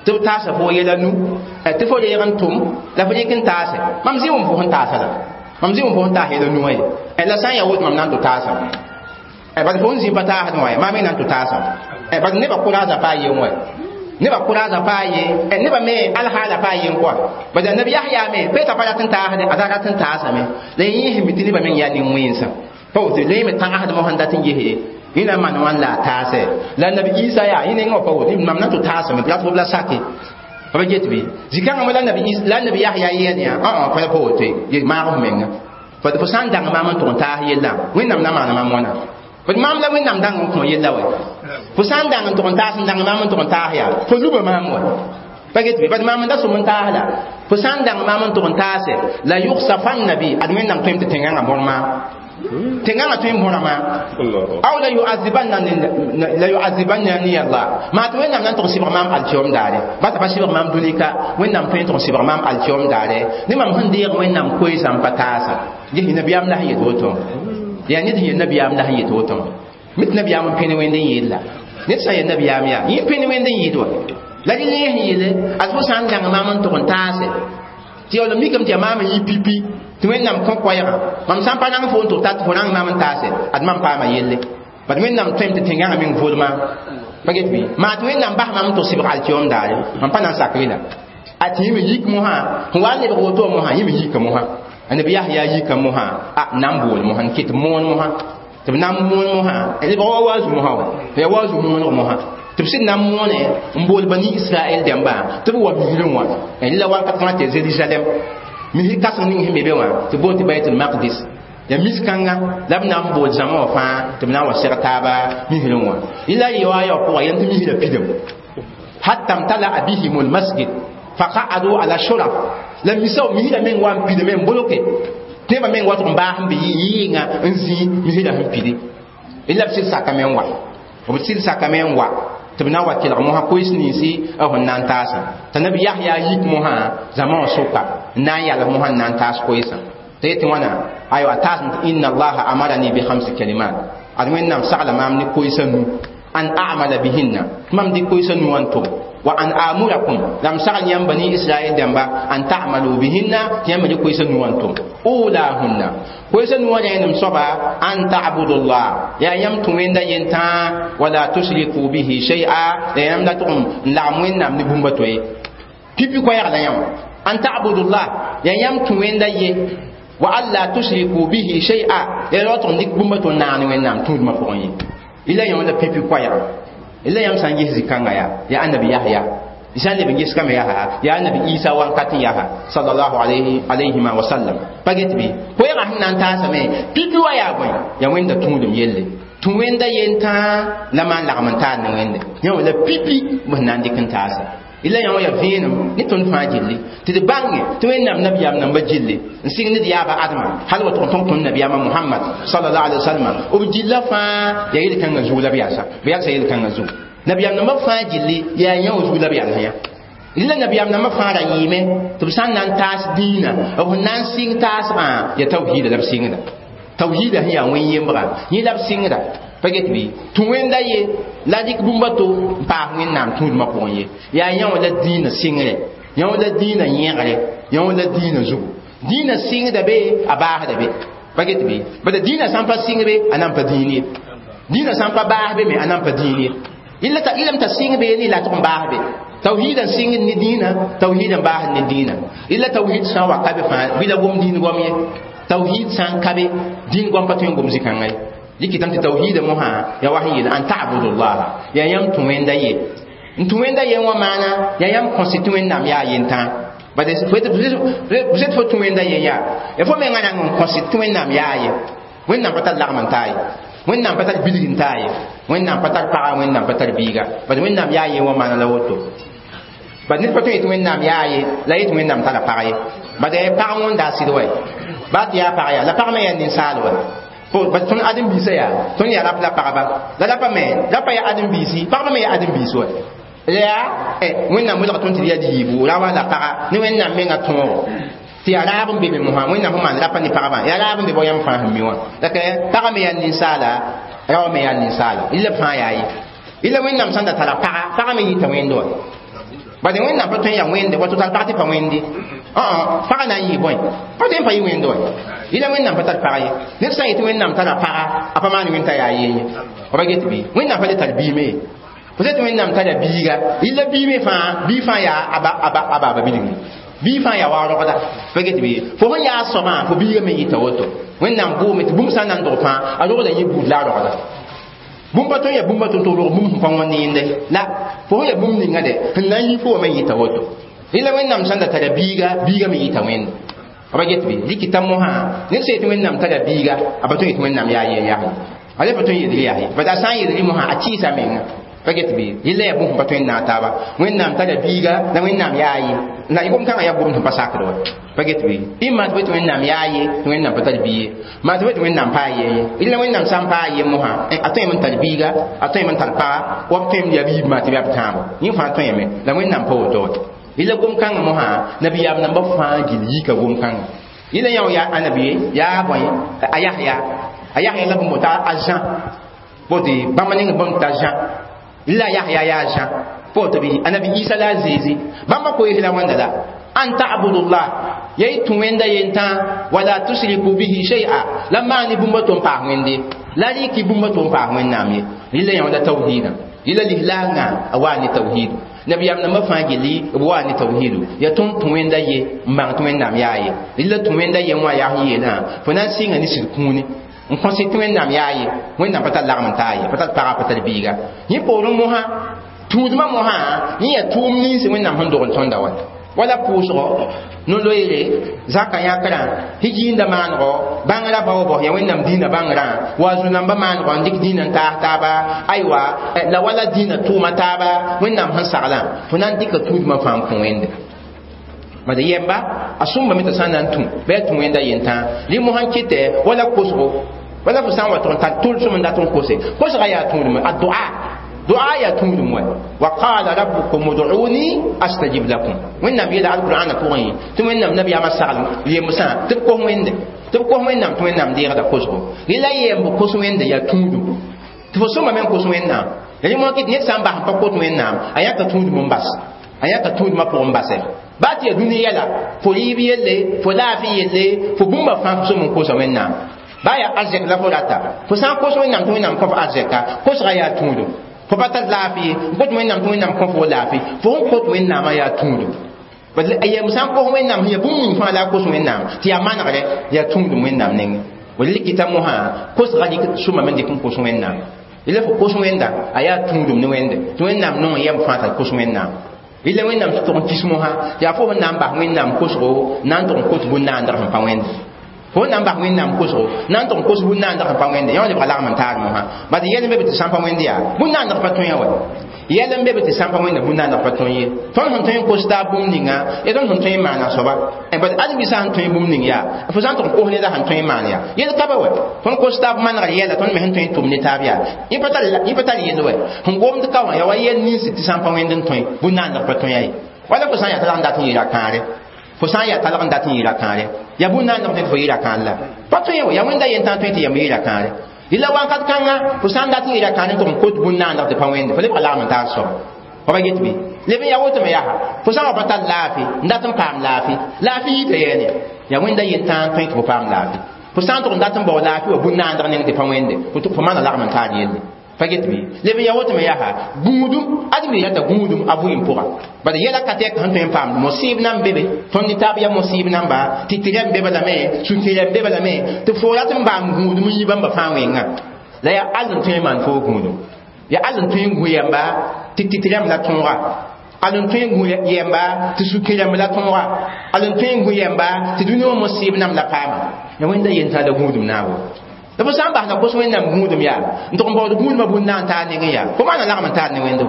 tɩ b taasa fo yɛla nu tɩ fo reeg n tʋm la fo rɩk n taase mam zĩ wʋm fo sẽn taasa la mam zĩ wʋm fo sẽn taas yɛla nu wã ye la sã n yaa woto mam na n tʋ taasa bad fo n zĩ pa taasd wã maam me na n tʋ taasa bad nebã kʋraasã paa yen wɛ nebã kʋraasã paa ye nebã me alhaala paa yen kɔa bad annabi Yahya me peeta pa rat n taasde a rat n taasame la yẽ sẽn mi tɩ nebã meng yaa nin-wẽnsã pa woto la yẽ me tagsd mosã n dat n gese yẽ na n maan wãn la a taasɛ la annabi Isa yaa yẽ nengã wã pa woto mam na n tʋ taasame la tɩ b la sake pa ba get bɩ zĩ-kãngã me la annabi Yahya yɛɛd yã ã pa pa woto ye maag f menga fo sã n dãng maam n tʋg n taas yellã wẽnnaam na maana maam wãna bad maam la wẽnnaam dãng n kõ yella wɛ fo sã n dãng n tʋg n taas n dãng maam n tʋg n taas yaa fo luba maam wɛ pa get bɩ bad maam n da sʋm n taas la fo sã n dãng maam n tʋg n taase la yugsafanna bi ad wẽnnaam tõem tɩ tẽngãngã bõr maam tẽngãngã tõe n bõra maam aw la yuazibanna la yuazibannani Allah maa tɩ wẽnnaam na n tʋg sɩbg maam alkiom daare bata pa sɩbg maam dũni-ka wẽnnaam tõe n tʋg sɩbg maam alkiom daare ne mam sẽn deeg wẽnnaam koeesã n pa taasa ges nabiyaam la sẽn yet woto yaa ned sẽn yel nabiyaam la sẽn yet woto mit nabiyaam n pẽne wẽnd n yeel la ned sã n yel nabiyaam yaa yẽ pẽne wẽnd n yɩɩd wa la rẽ yẽ sẽn yeele ad fo sã n dãng maam n tʋg n taase tɩ yaool mikame tɩ yaa maam n yɩ pipi tɩ wẽnnaam kõ koɛɛgã mam sã n pa rãng fo n tʋg tat fo rãng maam n taase ad mam paama yelle bad wẽnnaam tõem tɩ tẽngãngã meng volma pa get bɩ maa tɩ wẽnnaam bas maam n tʋg sɩbg alkiom daare mam pa na n sak rela a tɩ yẽ me yik mosã sẽn wa n lebg woto mosã yẽ me yika mosã annabi Yahya yika mosã a na n bool mosã n ket moon mosã tɩ b na n moon mosã lebg wa waazu mosã wa yaa waazu mooneg mosã tɩ b sɩd na n moone n bool bani Israɛl dãmbã tɩ b wa misrẽ wã la wakat fãa tɩ Zerusalem misr kãseng ning sẽn be be wã tɩ boon tɩ Baitul Maqdis ya mis-kãnga la b na n bool zãma wã fãa tɩ b na n wa seg taaba misrẽ wã yẽla yɩ wa ya pʋga yẽn tɩ misrã pidem hatta mtala'a bihim almasjid faqa'adu ala shuraf la misa misrã meng wa n pidame n boloke tɩ nebã meng wa tʋg n baas n be yɩɩnga n zĩ misrã sẽn pidi la b sɩd sakame n wa b sɩd sakame n wa tɩ b na n wa kelg mosã koees ninsi b sẽn na n taasã t'a nabi Yahya yik mosã zãma wã sʋka n na n yals mosã n na n taas koeesã tɩ yetɩ wãna aywa taasem tɩ inna allaha amarani bi khamsi kalimat ad wẽnnaam sagla maam ne koeesã nu an a'mala bihinna tɩ mam dɩk koeesã nu wã n tʋg wa an amurakum lam sagl yãmb bani Israɛl dãmba an ta'malu bihinna tɩ yãmb dɩk koeesã nu wã n tʋm ulahunna koeesã nu wã rẽenem soaba an ta'budullah yaa yãmb tũ wẽnda yentã wala tushriku bihi shay'a la yãmb la tʋg n lagem wẽnnaam ne bũmba to ye pipi koɛɛg la yã wã an ta'budullah yaa yãmb tũ wẽnda ye wa alla tushriku bihi shay'a ya ra tʋg n dɩk bũmba to n naag ne wẽnnaam tũudmã pʋgẽ ye ila yã la pipi koɛɛga ila yãmb sã n ges zĩ-kãngã yaa yaa annabi Yahya sã n leb n ges kame yaa yaa annabi Isa wakat n yaa sallallahu alayhi alayhima wa sallam pa get bɩ koɛɛgã sẽn na n taasame pipi wa yaa bõe yaa wẽnda tũudum yelle tũ wẽnda yentã la maan lagem n taar ne wẽnde yã wã la pipi b sẽn na n dɩk n taasa Ila yã wã yaa vẽenem ne tõnd fãa gilli tɩ d bãnge tɩ Wẽnnaam nabiyaam nambã gilli n sig ne d yaaba Adama hal wa tʋg n tõg tõnd nabiyaamã Muhammad sallallahu alaihi wasallam b gilla fãa yaa yel-kãngã zug la b yalsa b yalsa yel-kãngã zug nabiyaam nambã fãa gilli yaa yã wã zug la b yals yã ila nabiyaam nambã fãa ra yɩɩme tɩ b sã n na n taas dĩinã b sẽn na n sɩng taasgã yaa tawhiida la b sɩngda tawhiida sẽn yaa wẽn-yembga yẽ la b sɩngda pa get bɩ tũ wẽnda ye la dɩk bũmb a to n paas Wẽnnaam tũudmã pʋgẽ ye yaa yã wã la dĩinã sɩngre yã wã la dĩinã yẽgre yã wã la dĩinã zugu dĩinã sɩngda be a baasda be pa get bɩ bala dĩinã sã n pa sɩng be a na n pa dĩin ye dĩinã sã n pa baas be me a na n pa dĩin ye ilame t'a sɩng be ne la tʋg n baas be tawhid n sɩngd ne dĩinã tawhid n baasd ne dĩinã ila tawhid sã n wa ka be fãa bɩ la gom dĩin goam ye tawhid sã n ka be dĩin goam pa tõe n gom zĩ-kãngã ye dɩkɩtame tɩ tawhiida mosã yaa wa sẽn yeel an ta'budullah yaa yãmb tũ wẽnda ye n tũ wẽnda ye wã maana yaa yãmb kõse tɩ Wẽnnaam yaa yentã bʋ fo tũ wẽnda ye yaa ya fo menga rãng n kõse tɩ Wẽnnaam yaa ye Wẽnnaam pa tar lagm n taa ye Wẽnnaam pa tar bilg n taa ye Wẽnnaam pa tar paga Wẽnnaam pa tar biiga bad Wẽnnaam yaa ye wã maana la woto bad ned pa tõe yetɩ Wẽnnaam yaa ye la yetɩ Wẽnnaam tara pag ye bad pag wõnda a sɩd wa baa tɩ yaa pag yaa la pag me yaa ninsaal wa bad tõnd ãdem-biisã yaa tõnd yaa rap la pagba la rapa me rapa yaa ãdem-biisi pagba me yaa ãdem-biis wa la yaa Wẽnnaam welg tõnd tɩ d yaa yiibu ra wa la paga ne Wẽnnaam menga tõogo tɩ yaa raab n be me mosã Wẽnnaam sẽn maan rapa ne pagbã yaa raab n be bao yãmb fãa sẽn mi wã la paga me yaa ninsaala raoã me yaa ninsaala ila fãa yaa ye ila Wẽnnaam sãn da tara paga paga me yita wẽnd wa bad Wẽnnaam pa tõe n yaa wẽnde wa tɩ tar pag tɩ pa wẽnde paga na n yɩ bõe pa tõe n pa yɩ wẽnd wa ila Wẽnnaam pa tar pag ye ned sã n yetɩ Wẽnnaam tara paga a pa maan wẽnd t'a yaa yeen ye pa get bɩ Wẽnnaam pa le tar biime ye fo tɩ Wẽnnaam tara biiga ila biime fãa bii fãa yaa a baaba bilgri bii fãa yaa wa rogda pa get bɩ fo sẽn yaa soabã fo biiga me yɩta woto Wẽnnaam boome tɩ bũmb sã n na n dog fãa a rogda yẽ buud la a rogda bũmb pa tõe n yaa bũmb a tõnd tɩ rog bũmb sẽn pa wõnd yẽnde la fo sẽn yaa bũmb ninga de sẽn na n yi fo wã me yɩta woto ila Wẽnnaam sãn da tara biiga biiga me yɩta wẽnde ba get bɩ dɩkɩta mosã ned sã yetɩ Wẽnnaam tara biiga a pa tõe n yetɩ Wẽnnaam yaa yen yaa a le pa tõe n yeel yaa ye bad a sã n yeel mosã a tɩɩsa menga pa get bɩ yella yaa bũmb sẽn pa tõe n naag taaba Wẽnnaam tara biiga la Wẽnnaam yaa ye la gom kãngã yaa gomd sẽn pa sakd wa pa get bɩ ɩma tɩ tɩ Wẽnnaam yaa ye tɩ Wẽnnaam pa tar bi ye maa tɩ tɩ Wẽnnaam paa ye ye ila Wẽnnaam sã n paa ye mosã a tõeme n tar biiga a tõeme n tar paga wa b tõem yaa biib maa tɩ b yaa b tãabo yẽ fãa tõeme la Wẽnnaam pa woto wa ila gom kãngã mosã nabiyaam nambã fãa gill yika gom kãngã ila yã yaa anabi yaa bõe a Yahya a Yahya la bũmb t'a a Jean bote bãmb ning bũmb t'a Jean ila Yahya yaa Jean poto bi anabi Isa la Zezi bãmba koees la wãnda la an ta'budullah yay tũ wẽnda yentã wala tusriku bihi shay'a la maani bũmb tɩ n paas wẽnde la rɩk bũmb tɩ n paas Wẽnnaam ye rɩla yã la tawhiidã rɩla lislaangã a waa ne tawhiidu nabiyaam nambã fãa gilli b waa ne tawhiidu yaa tõnd tũ wẽnda ye n bãng tɩ Wẽnnaam yaa ye rɩla tũ wẽnda ye wã yaa sẽn yeelã fo na n sɩnga ne sɩd kũuni n kõse tɩ Wẽnnaam yaa ye Wẽnnaam pa tar lagm n taa ye pa tar paga pa tar biiga yẽ poorẽ mosã tũudmã mosã yẽ yaa tʋʋm nins Wẽnnaam sẽn dog n tõnda wa wala pʋʋsgɔ no-loeere zaka yãkrã hijiinda maanego bãngrã baoobs yaa Wẽnnaam dĩinã bãngrã wa zu-nambã maanego n dɩk dĩinã n taas taaba aywa la wala dĩinã tʋʋma taaba Wẽnnaam sẽn saglã fo na n dɩka tũudmã fãa n kõ Wẽnde bad yɛmba a sõmbame t'a sã n na n tũ bɩ a tũ wẽnda yentã rẽ mosã n kɩtɛ wala kosgo wala fo sã n wa tʋg n tar tʋlsem n dat n kose kosga yaa tũudme a doa doa yaa tũudum wa wa qala rabbukum ud'uni astajib lakum Wẽnnaam yeela alqur'ana pʋgẽ tɩ Wẽnnaam nabiyaamã sagl yemsã tɩ b kos Wẽnde tɩ b kos Wẽnnaam tɩ Wẽnnaam deegda kosgo rẽ la yemb kos Wẽnde yaa tũudum tɩ fo sõmbame n kos Wẽnnaam rẽ mosã kɩt ned sã n bas n pa kot Wẽnnaam a yãka tũudum n bas a yãka tũudmã pʋgẽ n basɛ baa tɩ yaa dũni yɛla fo rɩɩb yelle fo laafɩ yelle fo bũmba fãa fo sõm n kosa Wẽnnaam baa yaa arzɛk la fo rata fo sã n kos Wẽnnaam tɩ Wẽnnaam kõ fo arzɛka kosga yaa tũudum fo pa tar laafɩ ye n kot Wẽnnaam tɩ Wẽnnaam kõ fo laafɩ fo sẽn kot Wẽnnaamã yaa tũudum yem sã n kos Wẽnnaam sẽn yaa bũmb ning fãa la a kos Wẽnnaam tɩ yaa manegre yaa tũudum Wẽnnaam nengẽ wala likita mosã kosga dɩk sõmame n dɩk n kos Wẽnnaam ila fo kos Wẽnda a yaa tũudum ne Wẽnde tɩ Wẽnnaam nong yɛm fãa t'a kos Wẽnnaam ila Wẽnnaam tɩ tʋg n kis mosã yaa fo sẽn na n bas Wẽnnaam kosgo na n tʋg n kot bũn-naandg sẽn pa Wẽnde fo na n bas Wẽnnaam kosgo na n tʋg n kos bũn-naandg sẽn pa Wẽnde yã lebga lagm n taar mosã bad yɛl n be tɩ sã n pa Wẽnd yaa bũn-naandg pa tõe wa Yɛl n be be tɩ sã n pa wẽnda bũn-naandg pa tõe ye. Tõnd sẽn tõe n kos taab bũmb ninga, ya tõnd sẽn tõe n maana soaba. Bad ãdem-biisã sẽn tõe bũmb ning yaa, fo sã n tʋg n kos neda sẽn tõe n maan yaa. Yel ka be wɛ. Tõnd kos taab manegr yɛla tõnd me sẽn tõe n tʋm ne taab yaa. Yẽ pa tar yẽ pa tar yell wɛ. Sẽn gomd ka wã yaa wa yɛl nins tɩ sã n pa wẽnd n tõe bũn-naandg pa tõe ya ye. Wala fo sã n yaa talg n dat n yeela kãare. Fo sã n yaa talg n dat n yeela kãare. Yaa bũn-naandg tõe tɩ fo yeela kãar la. Pa tõe wɛ, yaa wẽnda yentã tõe tɩ yam yeela kãare. Ila wakat kãnga fo sã n dat n yeela kãare n tʋg n kot bũn-naandg tɩ pa wẽnde, fo lebga lagm n taar soaba. Fa ba get bɩ? Leb n yaa woto me yaa fo sã n wa pa tar laafɩ n dat n paam laafɩ. Laafɩ yita yɛɛne. Yaa wẽnda yentã n tõe tɩ fo paam laafɩ. Fo sã n tʋg n dat n bao laafɩ wa bũn-naandg neng tɩ pa wẽnde, fo maana lagm n taar yelle. Pa get bɩ? Leb n yaa woto me yaa gũudum ãdem yeelata gũudum a vʋɩɩm pʋga. Bala yɛla ka tɛk sẽn tõe n paam mosɩɩb nan be be. Tõnd ne taab yaa mosɩɩb namba tɩ tɩrɛm be balame, sũ-tɩrɛm be balame, tɩ fo rat n baam gũudum n yi bãmba fãa wẽnga. La yaa all n tõe n maan foo gũudum. Yaa all n tõe n gũ yɛmba tɩ tɩ-tɩrɛm la tõoga. Al n tõe n gũ yɛmba tɩ sũ-kẽremb la tõoga. Al n tõe n gũ yɛmba tɩ dũni wã mosɩɩb nam la paama. Ya wẽnda yentã la gũudum naabo. La fo sã n basda kos wẽnnaam gũudum yaa n tʋg n baood gũudmã bũn-na n taar nengẽ yaa fo maana lagm n taar ne wẽndo.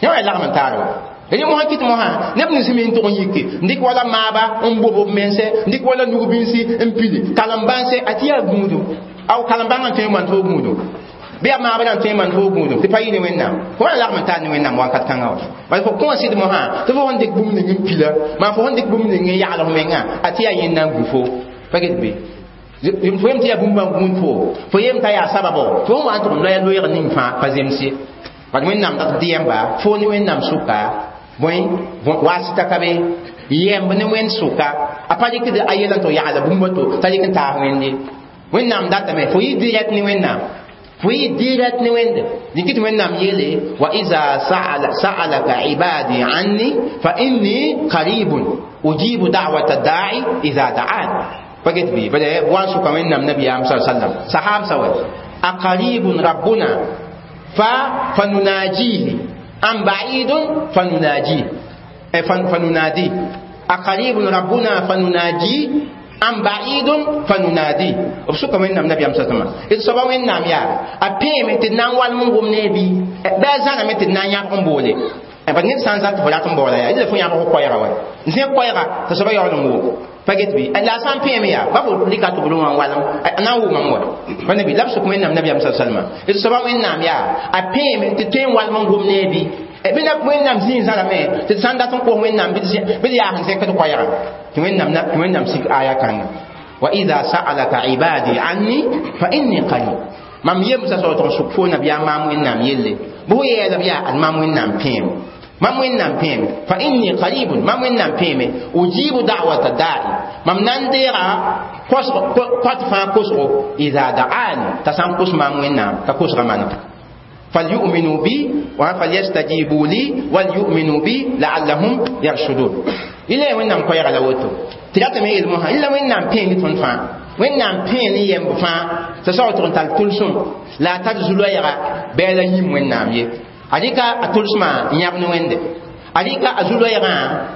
Yã wã yaa lagm n taar wa. Yẽ mosã kɩt mosã neb nins me n tʋg n yike n dɩk wala maaba n bob b mense, n dɩk wala nug-bĩnsi n pili kalem-bãnse a tɩ yaa gũudum. Aw kalem-bãngã n tõe n maan foo gũudum. Bɩ yaa maabã n tõe n maan foo gũudum tɩ pa yɩ ne wẽnnaam. Fo maana lagm n taar ne wẽnnaam wakat kãngã wã. Bala fo kõ sɩd mosã tɩ fo sẽn dɩk bũmb ning n pila, maa fo sẽn dɩk bũmb ning n yagl f mengã a tɩ yaa yẽnda n gu fo. Pa get bɩ? Fo yem tɩ yaa bũmb n gũud fo, fo yem t'a yaa sababo, fo sẽn wa n tʋg n loya loeeg ning fãa pa zems ye. Bad wẽnnaam dat dɩ yɛmba fo ne wẽnnaam sʋka bõe wasita ka be yɛmb ne wẽnd sʋka a pa rɩkd a yɛl n tʋg yagla bũmb to t'a rɩk n taas wẽnde. Wẽnnaam datame fo yɩ direct ne wẽnnaam. Fo yɩ direct ne wẽnde. Dɩk tɩ wẽnnaam yeele wa iza sa'alaka ibadi anni fa inni qaribun ujibu da'wata da'i idha da'an. Pa get bɩ? Bala wan sʋka wẽnnaam nabiyaam sa sallam sahab sa wɛ aqaribun rabbuna fa fanunajihi am ba'idun fanunajihi fanunadi aqaribun rabbuna fanunaji am ba'idun fanunadi. B sʋka wẽnnaam nabiyaam sa sallam d soaba wẽnnaam yaa a pẽeme tɩ d na n walm n gom ne bɩ bɩ a zãname tɩ d na n yãbg n boole. Bad ned sã n zãn tɩ fo rat n baoola yaa yɩla fo yãbg koɛɛga wɛ n zẽ koɛɛga tɩ soaba yaool n wʋm. Pa get bɩ? La a sã n pẽeme yaa ba fo rɩka tɩ b rõ wã n walem a na n wʋmame wa. Pa nabi la b sʋk wẽnnaam nabiyaam sa salma d soaba wẽnnaam yaa a pẽeme tɩ tõe n walm n gom ne bɩ bɩ na wẽnnaam zĩig zãrame tɩ d sã n dat n kos wẽnnaam bɩ d yaa sẽn zẽkd koɛɛga tɩ wẽnnaam tɩ wẽnnaam sik aya kãnga wa idha sa'alaka ibadi anni fa inni qarib. Mam yemsa sao tɩg n sʋk fo nabiyaam maam wẽnnaam yelle bɩ fo yɛɛlb yaa ad maam wẽnnaam pẽeme. Mam wẽnnaam pẽeme fa inni qaribun mam wẽnnaam pẽeme ujibu da'wata da'i mam na n deega kõt fãa kosgo idha da'ani t'a sã n kos maam wẽnnaam t'a kosga maneg. Falyu'minu bi wa falyastajibu li walyu'minu bi la'allahum yarshudun. Ila wẽnnaam koɛɛga la woto tɩ ratame yel mosã ila wẽnnaam pẽe ne tõnd fãa wẽnnaam pẽe ne yɛmb fãa t'a sao tɩg n tar tʋlsem la a tar zu-loɛɛga bɩ a la yĩm wẽnnaam ye. A rɩka a tʋlsmã n yãb ne wẽnde. A rɩka a zu-loɛɛgã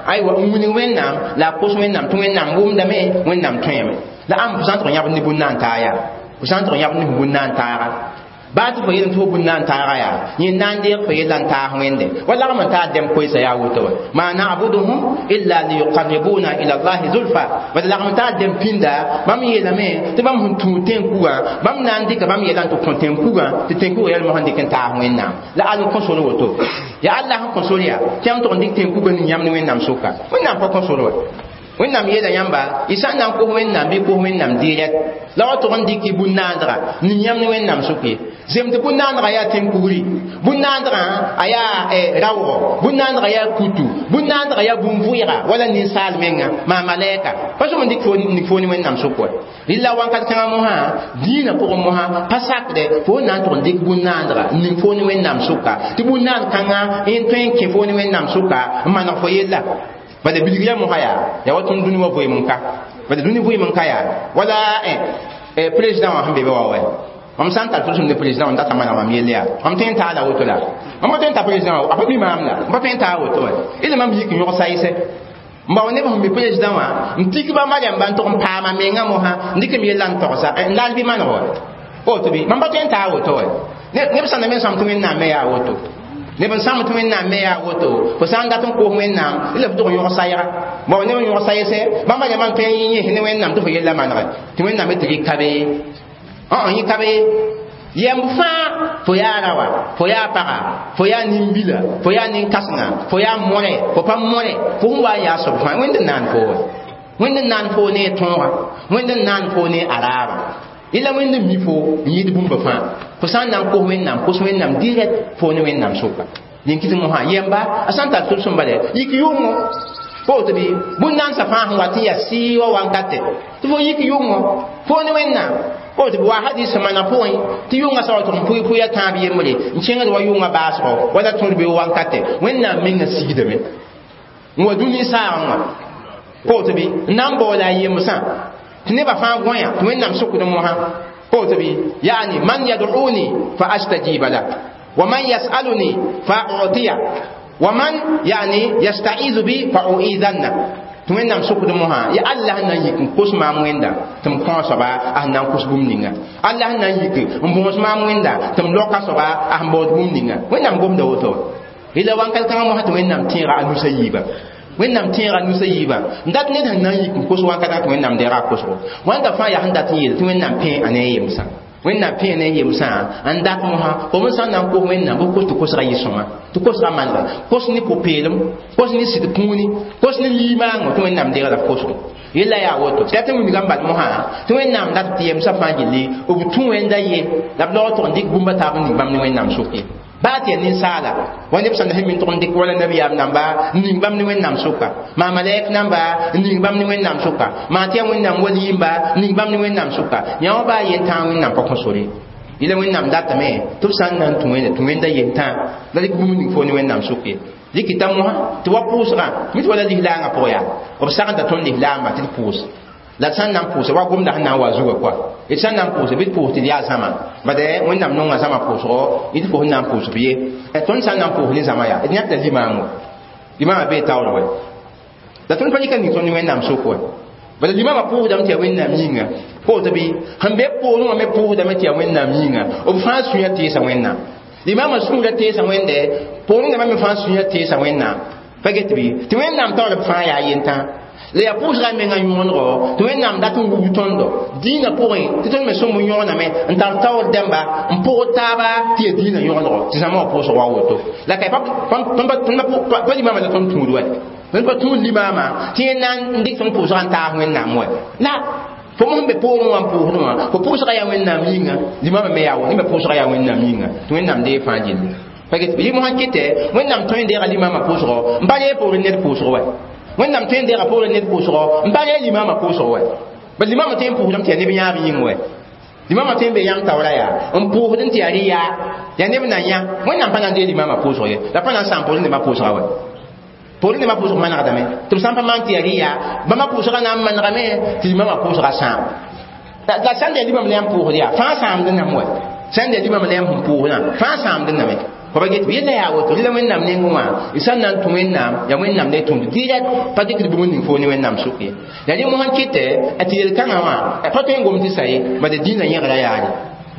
aywa n wilg wẽnnaam la a kos wẽnnaam tɩ wẽnnaam wʋmdame wẽnnaam tõeme. La ãmb fo sã n tʋg n yãbd ne bũn-na n taa yaa fo sã n tʋg n yãbd ne fo bũn-na n taaga baa tɩ fo yel tɩ fo bũn-na n taaga yaa yẽ na n deeg fo yella n taas wẽnde wa lagm n taa dɛm koɛɛsa yaa woto wa ma na'buduhum illa liyuqarribuna ila allahi zulfa. Bad lagm n taa dɛm pĩnda bãmb yeelame tɩ bãmb sẽn tũud tẽn-kugã bãmb na n dɩka bãmb yɛla n tɩ kõ tẽn-kugã tɩ tẽn-kugã yɛl mosã n dɩk n taas wẽnnaam la all n kõ sor woto yaa Allah sẽn kõ sor yaa tɩ yãmb tʋg n dɩk tẽn-kugã ning yãmb ne wẽnnaam sʋka wẽnnaam pa kõ sor wa. Wẽnnaam yeela yãmba y sã n na n kos wẽnnaam bɩ kos wẽnnaam direct la wa tʋg n dɩk y bũn-naandga ning yãmb ne wẽnnaam sʋk ye. Zem tɩ bũn-naandgã yaa tẽn-kugri, bũn-naandgã a yaa raoogɔ, bũn-naandgã yaa kutu, bũn-naandgã yaa bũn-vʋɩga wala ninsaal menga maa malɛɛka pa sõm n dɩk fo ne wẽnnaam sʋk wa. Rɩla wãnkat kãngã mosã dĩinã pʋgẽ mosã pa sakdɛ fo na n tʋg n dɩk bũn-naandga n ning fo ne wẽnnaam sʋka tɩ bũn-naand kãngã n tõe n kẽ fo ne wẽnnaam sʋka n maneg fo yella. Bala bilg yaa mosã yaa yaa wa tõnd dũni wã vɩɩm n ka bala dũni vɩɩm n ka yaa wala président wã sẽn be be wa wɛ mam sã n tar tʋlsem ne président n data maneg mam yell yaa mam tõe n taa la woto la mam pa tõe n ta président wã a pa mi maam la m pa tõe n taa woto wɛ ila mam yik n yõg sayse n bao neb sẽn mi président wã n tik ba mariamba n tʋg n paama menga mosã n dɩk m yella n togsa n laal bɩ maneg wa woto bɩ mam pa tõe n taa woto wɛ neb sã na me sãm tɩ wẽnnaam me yaa woto. Neb n sãmb tɩ Wẽnnaam me yaa woto fo sã n dat n koos Wẽnnaam la f tʋg n yõg sayga bao neb n yõg sayse bãmba yãmb n tõe n yẽs ne Wẽnnaam tɩ fo yella manege tɩ Wẽnnaam tɩ rɩ ka be yẽ ka be yɛmb fãa fo yaa rawa fo yaa paga fo yaa nin-bila fo yaa nin-kãsenga fo yaa mõre fo pa mõre fo sẽn wa n yaa soab fãa Wẽnd n naan fo wa Wẽnd n naan fo ne tõoga Wẽnd n naan fo ne araaba yella Wẽnd n mi fo n yɩɩd bũmba fãa fo sã n na n kos Wẽnnaam kos Wẽnnaam direct fo ne Wẽnnaam sʋka dẽn kɩt mosã yɛmba a sã n tar tʋlsem bala yik yʋngo fo tɩ bɩ bũn-nansã fãa sẽn wat n yaa sɩɩ wa wankatɛ tɩ fo yik yʋngo fo ne Wẽnnaam fo tɩ wa hadis mana pʋgẽ tɩ yʋngã sa wa tʋg n pʋɩ pʋɩ tãab yembre n kẽngd wa yʋngã baasgɔ wala tõd be wankatɛ Wẽnnaam mengã sigdame n wa dũni saagẽ wã fo tɩ bɩ n na n baoola a yemsã tɩ nebã fãa gõya tɩ Wẽnnaam sokd mosã fo tɩ bɩ yaani man yad'uni fa astajiba la wa man yasaluni fa u'tiya wa man yani yasta'izu bi fa u'izanna tɩ Wẽnnaam sokd mosã ya Allah sẽn na n yik n kos maam Wẽnda tɩ m kõ soaba a sẽn na n kos bũmb ninga Allah sẽn na n yik n bõos maam Wẽnda tɩ m loka soaba a sẽn baood bũmb ninga Wẽnnaam gomda woto yella wãnkat kãngã mosã tɩ Wẽnnaam tẽega a nusa yiiba Wẽnnaam tẽega nusa yiiba n dat ned sẽn na n yik n kos wãnkatã tɩ Wẽnnaam deega a kosgo wãnda fãa yaa sẽn dat n yeel tɩ Wẽnnaam pẽ a ne a yemsã Wẽnnaam pẽ ne a yemsã n dat mosã fo m sã n na n kos Wẽnnaam bɩ kos tɩ kosga yɩ sõma tɩ kosga manega kos ne pʋ-peelem kos ne sɩd kũuni kos ne liimaango tɩ Wẽnnaam deega la f kosgo yella yaa woto tɩ yaa tɩ wilgã n bal mosã tɩ Wẽnnaam dat tɩ yemsã fãa gilli b tũ Wẽnda ye la b laog tʋg n dɩk bũmba taab n ning bãmb ne Wẽnnaam sʋk ye baa tɩ yaa ninsaala wa neb sẽn sẽn min tʋg n dɩk wala nabiyaam namba n ning bãmb ne Wẽnnaam sʋka maa malɛk namba n ning bãmb ne Wẽnnaam sʋka maa tɩ yaa Wẽnnaam wali-yimba n ning bãmb ne Wẽnnaam sʋka yã wã baa yentãag Wẽnnaam pa kõ sore yela Wẽnnaam datame tɩ b sã n na n tũ Wẽnde tũ Wẽnda yentã la dɩk bũmb ning fo ne Wẽnnaam sʋk ye dɩkɩta mosã tɩ wa pʋʋsgã mi tɩ wala lislaangã pʋgã yaa b sagenda tõnd lislaamba tɩ d pʋʋs la d sã n na n pʋʋsa wa gomda sẽn na n wa zugã koa d sã n na n pʋʋsa bɩ d pʋʋs tɩ d yaa zãma bade Wẽnnaam nonga zãma pʋʋsgo d fo sẽn na n pʋʋs b ye tõnd sã n na n pʋʋs ne zãma yaa d yãk la limaam limaamã bee taoor wɛ la tõnd pa rɩka ning tõnd ne Wẽnnaam sʋk wɛ bala limaamã pʋʋsdame tɩ yaa Wẽnnaam yĩnga fo tɩ bɩ sẽn be poorẽ wã me pʋʋsdame tɩ yaa Wẽnnaam yĩnga b fãa sũyã teesa Wẽnnaam limaamã sũurã teesa Wẽnde poorẽ dãmbã me fãa sũyã teesa Wẽnnaam pa get bɩ tɩ Wẽnnaam taoor b fãa yaa yentã la yaa pʋʋsga menga yõonego tɩ Wẽnnaam dat n wug tõndo dĩinã pʋgẽ tɩ tõnd me sõmb yõgename n tar taoor dãmba n pʋgd taaba tɩ yaa dĩinã yõgenego tɩ zãma wã pʋʋsg wa woto la ka pa limaamã la tõnd tũud wɛ tõnd pa tũud limaamã tɩ yẽ na n dɩk tõnd pʋʋsga n taas Wẽnnaam wɛ la fo mosẽn be poorẽ wã n pʋʋsdẽ wã fo pʋʋsga yaa Wẽnnaam yĩnga limaamã me yaa woto me pʋʋsga yaa Wẽnnaam yĩnga tɩ Wẽnnaam dee fãa gilli pa get yɩ mosã kɩtɛ Wẽnnaam tõe n deega limaamã pʋʋsgɔ n pa ree poorẽ ned pʋʋsg wɛ Wẽnnaam tõe n deega poorẽ ned pʋʋsgɔ n pa ree limaamã pʋʋsg wɛ bal limaamã tõe n pʋʋsdame tɩ yaa neb yãab yĩng wɛ limaamã tõe n be yãmb taoora yaa n pʋʋsd tɩ yaa rɩ yaa yaa neb na yã Wẽnnaam pa na n deeg limaamã pʋʋsg ye la pa na n sãam poorẽ nebã pʋʋsga wɛ poorẽ nebã pʋʋsg manegdame tɩ b sã n pa maan tɩ yaa rɩ yaa bãmba pʋʋsga na n manegame tɩ limaamã pʋʋsga sãam la sãn da limam la yãmb pʋʋsd yaa fãa sãamd name wɛ sãn da limam la yãmb sẽn pʋʋsdã fãa sãamd name fo pa get yella yaa woto rɩla Wẽnnaam nengẽ wã y sã n na n tũ Wẽnnaam yaa Wẽnnaam la y tũud direct pa dɩkd bũmb ning fo ne Wẽnnaam sʋk ye la rẽ mosã kɩtɛ tɩ yel-kãngã wã pa tõe n gom tɩ sa ye bala dĩinã yẽgra yaare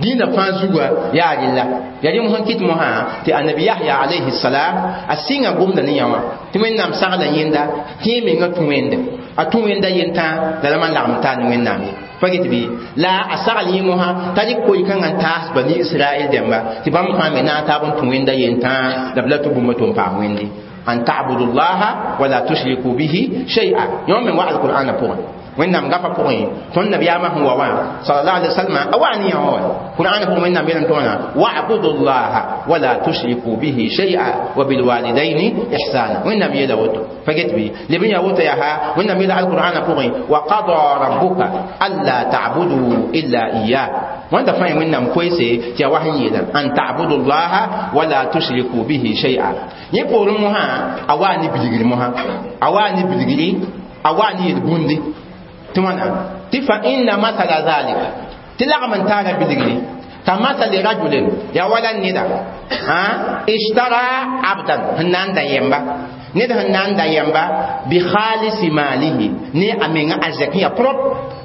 dĩinã fãa zuga yaa rella yaa rẽ mosã kɩt mosã tɩ annabi Yahya alayhi salam a sɩnga gomda ne yã wã tɩ Wẽnnaam sagla yẽnda tɩ yẽ menga tũ Wẽnde a tũ Wẽnda yentã la la man lagem taa ne Wẽnnaam ye pa get bɩ la a sagl yẽ mosã t'a rɩk koy-kãngã n taas bani Israɛl dẽmba tɩ bãmb fãa me na n taab n tũ Wẽnda yentã la b la tɩ bũmba tʋ n paam Wẽnde an ta'budu llaha wala tushriku bihi shay'a yõ me wa alqur'ana pʋgẽ Wẽnnaam gafa pʋgẽ tõnd nabiyaamã sẽn wa wã sallallahu alaihi wasallam a wa ne yã wã qur'ana pʋgẽ Wẽnnaam yeelame tɩ wãna wa'budu llaha wala tushriku bihi shay'a wa bilwalidaini ihsana Wẽnnaam yeela woto pa get bɩ leb n yaa woto yaa Wẽnnaam yeela alqur'ana pʋgẽ wa qada rabbuka alla ta'budu illa iyyah wãnda fãa Wẽnnaam koeese tɩ yaa wa sẽn yeela an ta'budu llaha wala tushriku bihi shay'a yẽ poorẽ mosã a waa ne bilgri mosã a waa ne bilgri a waa ne yel-bũndi tɩ wãna tɩ fa inna masala zalika tɩ lagm n taara bilgri ka masali rajulin yaa wala neda ishtara abdan sẽn na n da yɛmba Ned sẽn na n da yɛmba bi khalisi malihi ne a menga arzɛk ya prop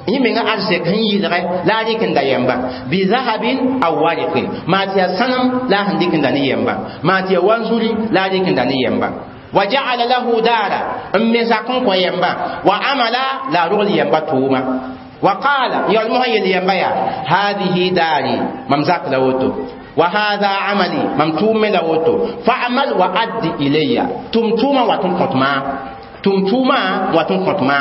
yẽ menga arzɛk sẽn yɩlgɛ la a rɩk n da yɛmba bi zahabin aw wariqin maa tɩ yaa sãnem la a sẽn dɩk n da ne yɛmba maa tɩ yaa wanzuri la a rɩk n da ne yɛmba wa ja'ala lahu daara n me zak n kõ yɛmba wa amala la a rogl yɛmba tʋʋma wa qala yal mosã yel yɛmba yaa hadihi daari mam zak la woto وهذا عملي ممتوم لوتو فاعمل وأد إلي تمتوما وتنقطما تمتوما وتنقطما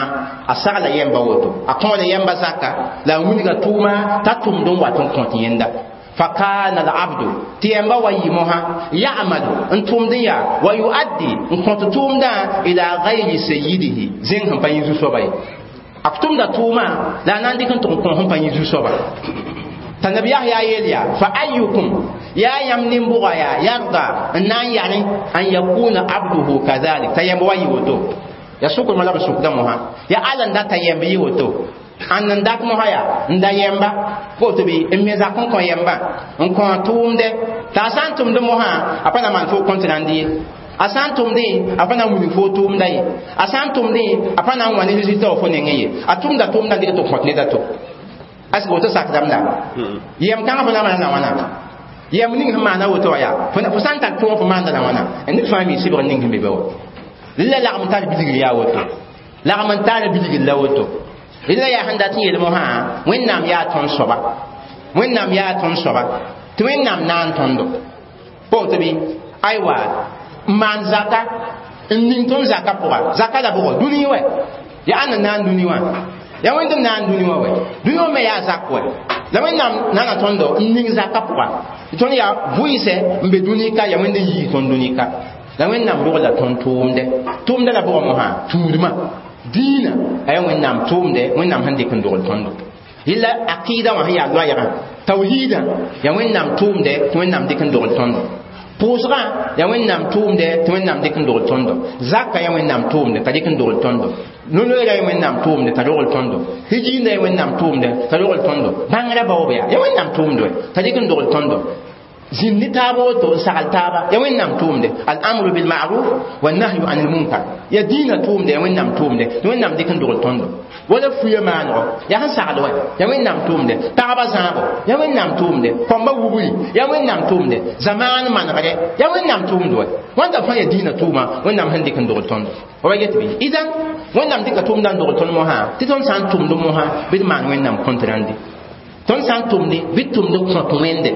أسغل يمبا وتو أقول يمبا زكا لا ونيغا توما تتم دون وتنقط يندا فكان العبد تيمبا ويموها يعمل انتم ديا ويؤدي انكنت توم دا إلى غير سيده زين هم بين زوسوباي أكتم دا توما لا ناندي كنت هم بين زوسوباي تنبي يحيى يليا فأيكم يا يمن بغيا يرضى أن يعني أن يكون عبده كذلك تيمبوا يوتو يا سوق ملا بسوق دمها يا ألن دا تيمبي يوتو أن داك مهايا nda yemba ko to bi mmeza kon kon yemba nkon tumde ta san tumde moha apana man fo kontinandi asan tumde apana wuni fo tumda ye asan tumde apana wani résultat fo nenge ye atumda tumda de to kontine da to asgo woto sak dãmb la yɛm kãngã fo na maana la wãna yɛm ning sẽn maana woto wã yaa fo sã n tar tʋʋg fo maanda la wãna ned fãa mi sɩbg ning sẽn be be wa rɩla lagm n tar bilgr yaa woto lagm n tar bilgr la woto rɩla yaa sẽn dat n yeel mosã wẽnnaam yaa tõnd soaba wẽnnaam yaa tõnd soaba tɩ wẽnnaam na n tõndo pa woto bɩ aywa n maan zaka n ning tõnd zaka pʋga zaka la bʋgɔ dũni wɛ yaa ãnd n na n dũni wã ya wẽnd n na n dũni wã wɛ dũni wã me yaa zak wɛ la wẽnnaam nana tõndo n ning zaka pʋga tõnd yaa vʋɩɩsɛ n be dũni ka ya wẽnd n yiis tõnd dũni ka la wẽnnaam rogla tõnd tʋʋmdɛ tʋʋmdã la bʋgã mosã tũudmã dĩinã a yaa wẽnnaam tʋʋmdɛ wẽnnaam sẽn dɩk n dogl tõndo yella aqɩɩda wã sẽn yaa loɛɛgã tawhiidã yaa wẽnnaam tʋʋmdɛ tɩ wẽnnaam dɩk n dogl tõndo pʋʋsgã yaa wẽnnaam tʋʋmdɛ tɩ wẽnnaam dɩk n dogl tõndo zaka yaa wẽnnaam tʋʋmdɛ t'a dɩk n dogl tõndo nonoeera yaa wẽnnaam tʋʋmdɛ t'a rogl tõndo hijiinda yaa wẽnnaam tʋʋmdɛ t'a rogl tõndo bãngrã baoob yaa yaa wẽnnaam tʋʋmdɛ t'a dɩk n dogl tõndo zĩnd ne taaba woto n sagl taaba yaa wẽnnaam tʋʋmdɛ al-amru bilma'ruf wa nahyu anil munkar yaa dĩinã tʋʋmdɛ yaa wẽnnaam tʋʋmdɛ tɩ wẽnnaam dɩk n dogl tõndo wala fuya maanego yaa sẽn sagl wɛ yaa wẽnnaam tʋʋmdɛ pagba zãabo yaa wẽnnaam tʋʋmdɛ kɔmba wubri yaa wẽnnaam tʋʋmdɛ zamaan manegdɛ yaa wẽnnaam tʋʋmdɛ wɛ wãnda fãa yaa dĩinã tʋʋma wẽnnaam sẽn dɩk n dogl tõndo wa yet bɩ idan wẽnnaam dɩka tʋʋmdã n dogl tõnd mosã tɩ tõnd sã n tʋmd mosã bɩ d maan wẽnnaam kõnt rãndi tõnd sã n tʋmde bɩ d tʋmd kõt wẽnde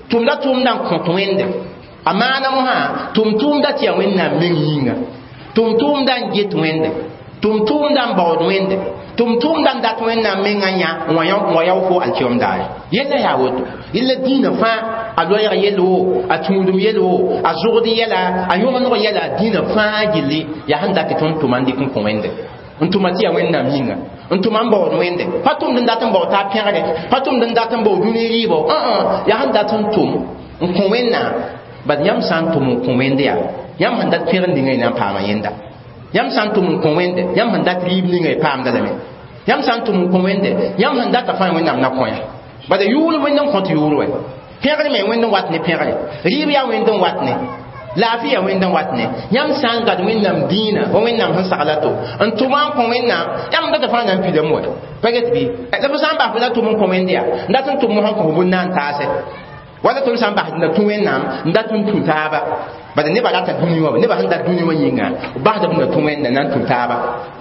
tʋmda tʋʋmdã n kõt wẽnde a maana mosã tʋm tʋʋmda tɩ yaa wẽnnaam meng yĩnga tʋm tʋʋmdã n get wẽnde tʋm tʋʋmdã n baood wẽnde tʋm tʋʋmdã n dat wẽnnaam mengã yã n wa yao fo alkiyom daare yella yaa woto yella dĩinã fãa a loɛɛg yell wo a tũudum yell wo a zʋgd yɛla a yõgeneg yɛla dĩinã fãa gilli yaa sẽn dat tɩ tõnd tʋma n dɩk n kõ wẽnde n tʋma tɩ yaa wẽnnaam yĩnga n tʋma n baood wẽnde pa tʋmd n dat n bao taa pẽgre pa tʋmd n dat n bao dũni rɩɩbɔ yaa sẽn dat n tʋm n kõ wẽnnaam bad yãmb sã n tʋm n kõ wẽnde yaa yãmb sẽn dat pẽgr ninga y na n paama yẽnda yãmb sã n tʋm n kõ wẽnde yãmb sẽn dat rɩɩb ninga y paamda lame yãmb sã n tʋm n kõ wẽnde yãmb sẽn data fãa wẽnnaam na kõ yã bala yʋʋr wẽnd n kõt yʋʋr wɛ pẽgr me wẽnd n wat ne pẽgre rɩɩb yaa wẽnd n wat ne laafɩ yaa wẽnd n wat ne yãmb sã n gad wẽnnaam dĩinã wa wẽnnaam sẽn sagla to n tʋma n kõ wẽnnaam yãmb data fãa na n pidame wɛ pa get bɩ la fo sã n bas fo na tʋm n kõ wẽnde yaa n dat n tʋm mosã n kõ fo bũn-na n taasɛ wala tõnd sã n bas na tũ wẽnnaam n dat n tũ taaba bala nebã rata dũni wã nebã sẽn dat dũni wã yĩnga b basda b na tũ wẽnda na n tũ taaba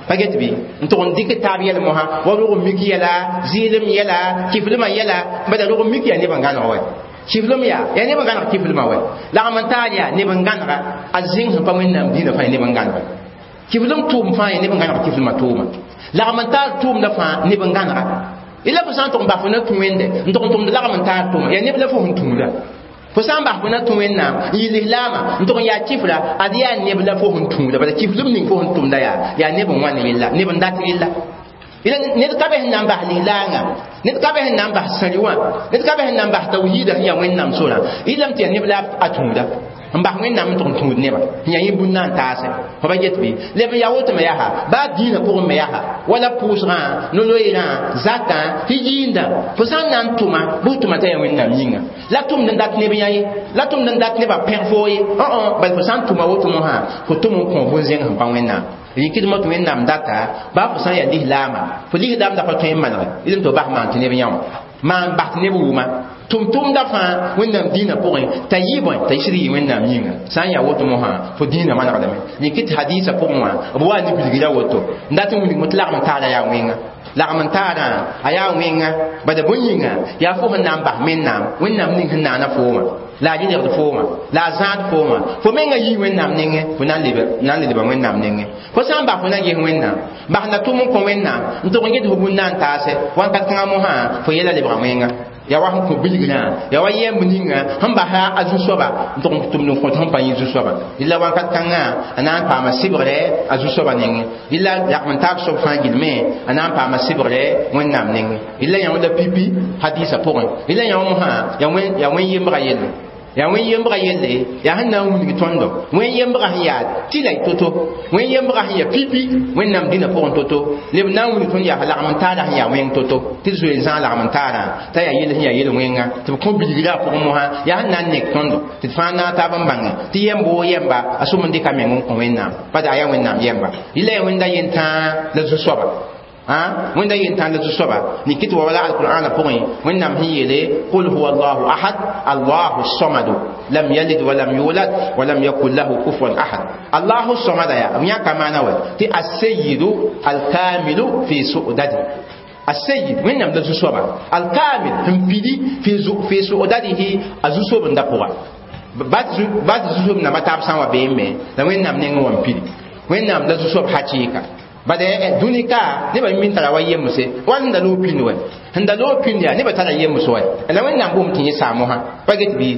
pa get bɩ n tʋg n dɩk taab yɛl mosã wa rog n mik yɛla zɩɩlem yɛla kiflmã yɛla bala rog n mik yaa neb n gãneg wɛ kiflem yaa yaa neb n gãneg kiflmã wɛ lagm n taar yaa neb n gãnega a zĩng sẽn pa wẽnnaam dĩinã fãa neb n gãnega kiflem tʋʋm fãa yaa neb n gãneg kiflmã tʋʋma lagm n taar tʋʋmdã fãa neb n gãnega ila fo sã n tʋg n bas fo na tũ wẽnde n tʋg n tʋmd lagm n taar tʋʋma yaa neb la fo sẽn tũuda fo sã n bas fo na tũ wẽnnaam n yɩ lislaamã n tʋg n yaa kifra ad yaa neb la fo sẽn tũuda bala kiflem ning fo sẽn tʋmda yaa yaa neb n wãn rella neb n dat rella ila ned ka be sẽn na n bas lislaangã ned ka be sẽn na n bas sãri wã ned ka be sẽn na n bas tawhiida sẽn yaa wẽnnaam sorã yɩlame tɩ yaa neb la a tũuda N bas Wẽnnaam n tʋg n tũud nebã n yaa yẽ bũn na n taase fo pa get bɩ leb n yaa woto me yaa baa dĩinã pʋgẽ me yaa wala pʋʋsgã no-loeerã zakã tɩ yɩɩndã fo sã n na n tʋma bɩ f tʋma t'a yaa Wẽnnaam yĩnga la tʋmd n dat neb yã ye la tʋmd n dat nebã pẽg foo ye õ bal fo sã n tʋma woto mosã fo tʋm n kõ bũn-zẽng sẽn pa Wẽnnaam yĩkdmã tɩ Wẽnnaam data baa fo sã n yaa lislaama fo lislaamda pa tõe n manege d tɩ f bas maan tɩ neb yã wã maan bas tɩ neb wʋma tʋm-tʋmda fãa Wẽnnaam dĩinã pʋgẽ t'a yɩ bõe t'a sɩd yɩ Wẽnnaam yĩnga sã n yaa woto mosã fo dĩinã manegdame yĩk tɩ hadiisã pʋgẽ wã b wa ne bilgra woto n dat n wilgme tɩ lagm n taara yaa wẽnga lagm n taarã a yaa wẽnga bala bõe yĩnga yaa fo sẽn na n bas Wẽnnaam Wẽnnaam ning sẽn naana foomã la a rɩlegd foomã la a zãad foomã fo menga yii Wẽnnaam nengẽ fo na n leba Wẽnnaam nengẽ fo sã n bas fo na n ges Wẽnnaam bas na tʋm n kõ Wẽnnaam n tʋg n get fo bũn na n taase wãnkat kãngã mosã fo yɛla lebga wẽnga yaa wa sẽn kõ bilgrã yaa wa yɛmb ninga sẽn basa a zu-soaba n tʋg n tʋmd n kõt sẽn pa yẽ zu-soaba dɩla wãnkat kãngã a na n paama sɩbgre a zu-soaba nengẽ dɩla lagm n taab soab fãa gilme a na n paama sɩbgre Wẽnnaam nengẽ dɩla yã la pipi hadiisã pʋgẽ dɩla yã mosã yaa wẽn-yembga yelle yaa wẽn-yembga yelle yaa sẽn na n wilg tõndo wẽn-yembga sẽn yaa tɩla to-to wẽn-yembga sẽn yaa pipi Wẽnnaam dĩnã pʋgẽ to-to leb na n wilg tõnd yaa lagm n taara sẽn yaa wẽng to-to tɩ d zoe n zãag lagm n taarã t'a yaa yell sẽn yaa yel wẽnga tɩ b kõ bilgrã pʋgẽ mosã yaa sẽn na n nek tõndo tɩ d fãa naag taab n bãnge tɩ yɛmb woo yɛmba a sʋm n dɩka meng n kõ Wẽnnaam pa a yaa Wẽnnaam yɛmba yɩla yaa wẽnda yentãa la zu-soaba wẽnda yentãa la zu-soaba nikɩ tɩ wa wala alqur'ana pʋgẽ Wẽnnaam sẽn yeele qul huwa allahu ahad allahu samadu lam yalid walam yulad walam yakun lahu kufuwan ahad allahu samada yaa b yãka maana wa tɩ aseyidu alkamilu fi su'dadi السيد وين la zu-soaba alkamil sẽn pidi fi su'dadihi a zu-sobenda pʋga ba tɩ zu-sob namba taab sã n wa beem me la Wẽnnaam nengẽ wã n pidi Wẽnnaam la zu-soab hakɩɩka bada dũni ka nebã min tara wa yemse wall sẽn da loog pĩnd wɛ sẽn da loog pĩnd yaa nebã tara yems wɛ la Wẽnnaam boom tɩ yẽ saam mosã pa get bɩ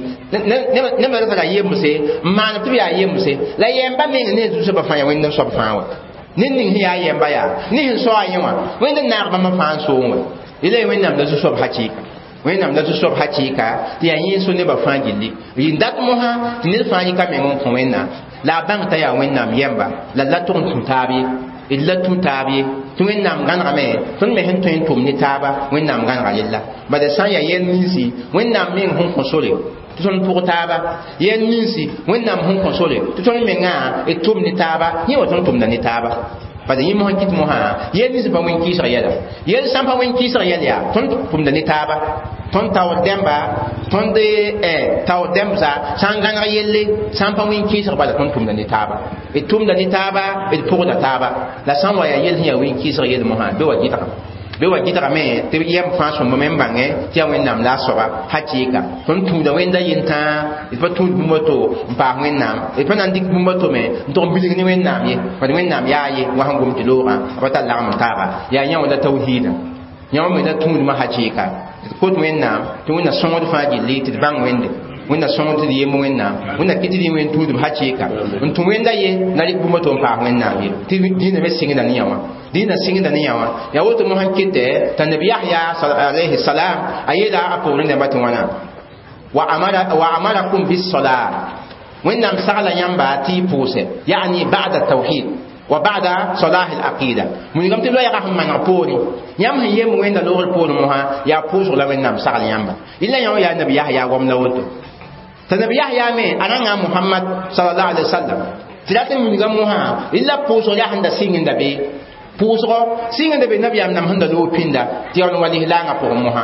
nebã tara yemse n maan tɩ b yaa yemse la yɛmba meng ne zu-soabã fãa yaa Wẽnd n soab fãa wɛ ned ning sẽn yaa yɛmba yaa ne sẽn sao a yẽ wã Wẽnd n naag bãmba fãa n soong wɛ yela ye Wẽnnaam la zu-soab hakɩɩka Wẽnnaam la zu-soab hakɩɩka tɩ yaa yẽ so nebã fãa gilli yɩ dat mosã tɩ ned fãa yɩka meng n kõ Wẽnnaam la a bãng t'a yaa Wẽnnaam yɛmba la la tʋg n tũ taab ye d la tũ taab ye tɩ Wẽnnaam gãnegame tõnd me sẽn tõe n tʋm ne taaba Wẽnnaam gãnega yella bala sã n yaa yɛl ninsi Wẽnnaam meng sẽn kõ sore tɩ tõnd pʋg taaba yɛl ninsi Wẽnnaam sẽn kõ sore tɩ tõnd mengã d tʋm ne taaba yẽ wa tõnd tʋmda ne taaba bala yẽ mosã kɩt mosã yɛl nins pa wẽn kɩɩsg yɛla yɛl sã n pa wẽn kɩɩsg yɛl yaa tõnd tʋmda ne taaba tõnd taoor dẽmba tõnd taoor dẽmbsa sã n gãneg yelle sã n pa wẽn kɩɩsg bala tõnd tʋmda ne taaba d tʋmda ne taaba d pʋgda taaba la sã n wa yaa yel sẽn yaa wẽn kɩɩsg yel mosã bɩ wa gɩdga bɩ wa gɩdgame tɩ yɛm fãa sõmb me n bãngẽ tɩ yaa Wẽnnaam la a soaba hakɩɩka tõnd tũuda Wẽnda yentãa d pa tũud bũmb to n paas Wẽnnaam d pa na n dɩk bũmb to me n tʋg n bilg ne Wẽnnaam ye bad Wẽnnaam yaa ye wa sẽn gom tɩ loogã a pa tar lagm n taaba yaa yã wã la tawhiidã yã wã me la tũudmã hakɩɩka d kot Wẽnnaam tɩ Wẽnna sõngd fãa gilli tɩ d bãng Wẽnde Wẽnna sõngd tɩ d yemb Wẽnnaam Wẽnna kɩ tɩ d wẽn tũudb hakɩɩka n tũ Wẽnda ye na rɩk bũmb to n paas Wẽnnaam ye tɩ dĩinã me sɩngda ne yã wã dĩinã sɩngda ne yã wã yaa woto mosã kɩtɛ t'a nabi Yahya alayhi salam a yeela a poorẽ dãmba tɩ wãna wa amarakum bisolat Wẽnnaam sagla yãmba tɩ y pʋʋsɛ yani ba'da tawhid wa ba'da salah al-aqida wilgame tɩ loɛɛgã sẽn maneg poorẽ yãmb sẽn yemb Wẽnda loogr poorẽ mosã yaa pʋʋsg la Wẽnnaam sagl yãmba yella yã wã yaa nabi Yahya goam la woto t'a nabi Yahya me a rãnga Muhammad sallallahu alaihi wasallam tɩ rat n wilga mosã yella pʋʋsg yaa sẽn da sɩngenda be pʋʋsgɔ sɩngenda be nabiyaam nam sẽn da loog pĩnda tɩ yaa wa lislaangã pʋgẽ mosã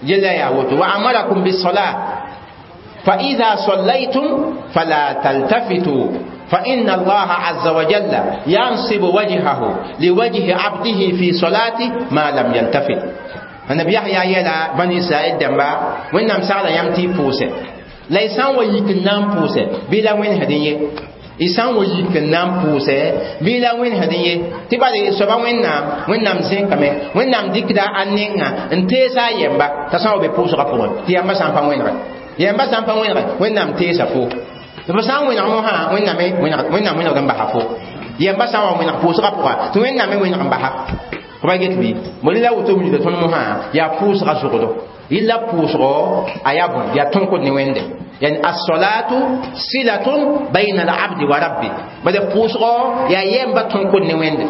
yella yaa woto wa amarakum bisolat fa ida sallaytum fala taltafitu فإن الله عز وجل ينصب وجهه لوجه عبده في صلاته ما لم يلتفت النبي يحيى يلا بني إسرائيل دمبا وإنهم سعلا يمتي بوسة لا يسان ويك نام بوسة بلا وين هدية يسان ويك نام بوسة بلا وين هدية تبالي سبا وين نام وين نام زين كمي وين نام ديكدا أنينا انتيسا يمبا تسان وبي بوسة غفور تيامبا سامبا وين غ يمبا سامبا وين غ وين نام تيسا فو tɩ b sã n wẽneg mosã Wẽnnaam Wẽnnaam wẽnegd n basa fo yɛmba sã n wa wẽneg pʋʋsgã pʋga tɩ Wẽnnaam me wẽneg n basa f pa get bɩ mo la woto wilgda tõnd mosã yaa pʋʋsgã zʋgdo yella pʋʋsgɔ a yaa bõe yaa tõnkd ne Wẽnde Yani as-salatu silatun bayna al-abdi wa rabbi. Bada pʋʋsgɔ yaa yɛmba tõkd ne Wẽnde,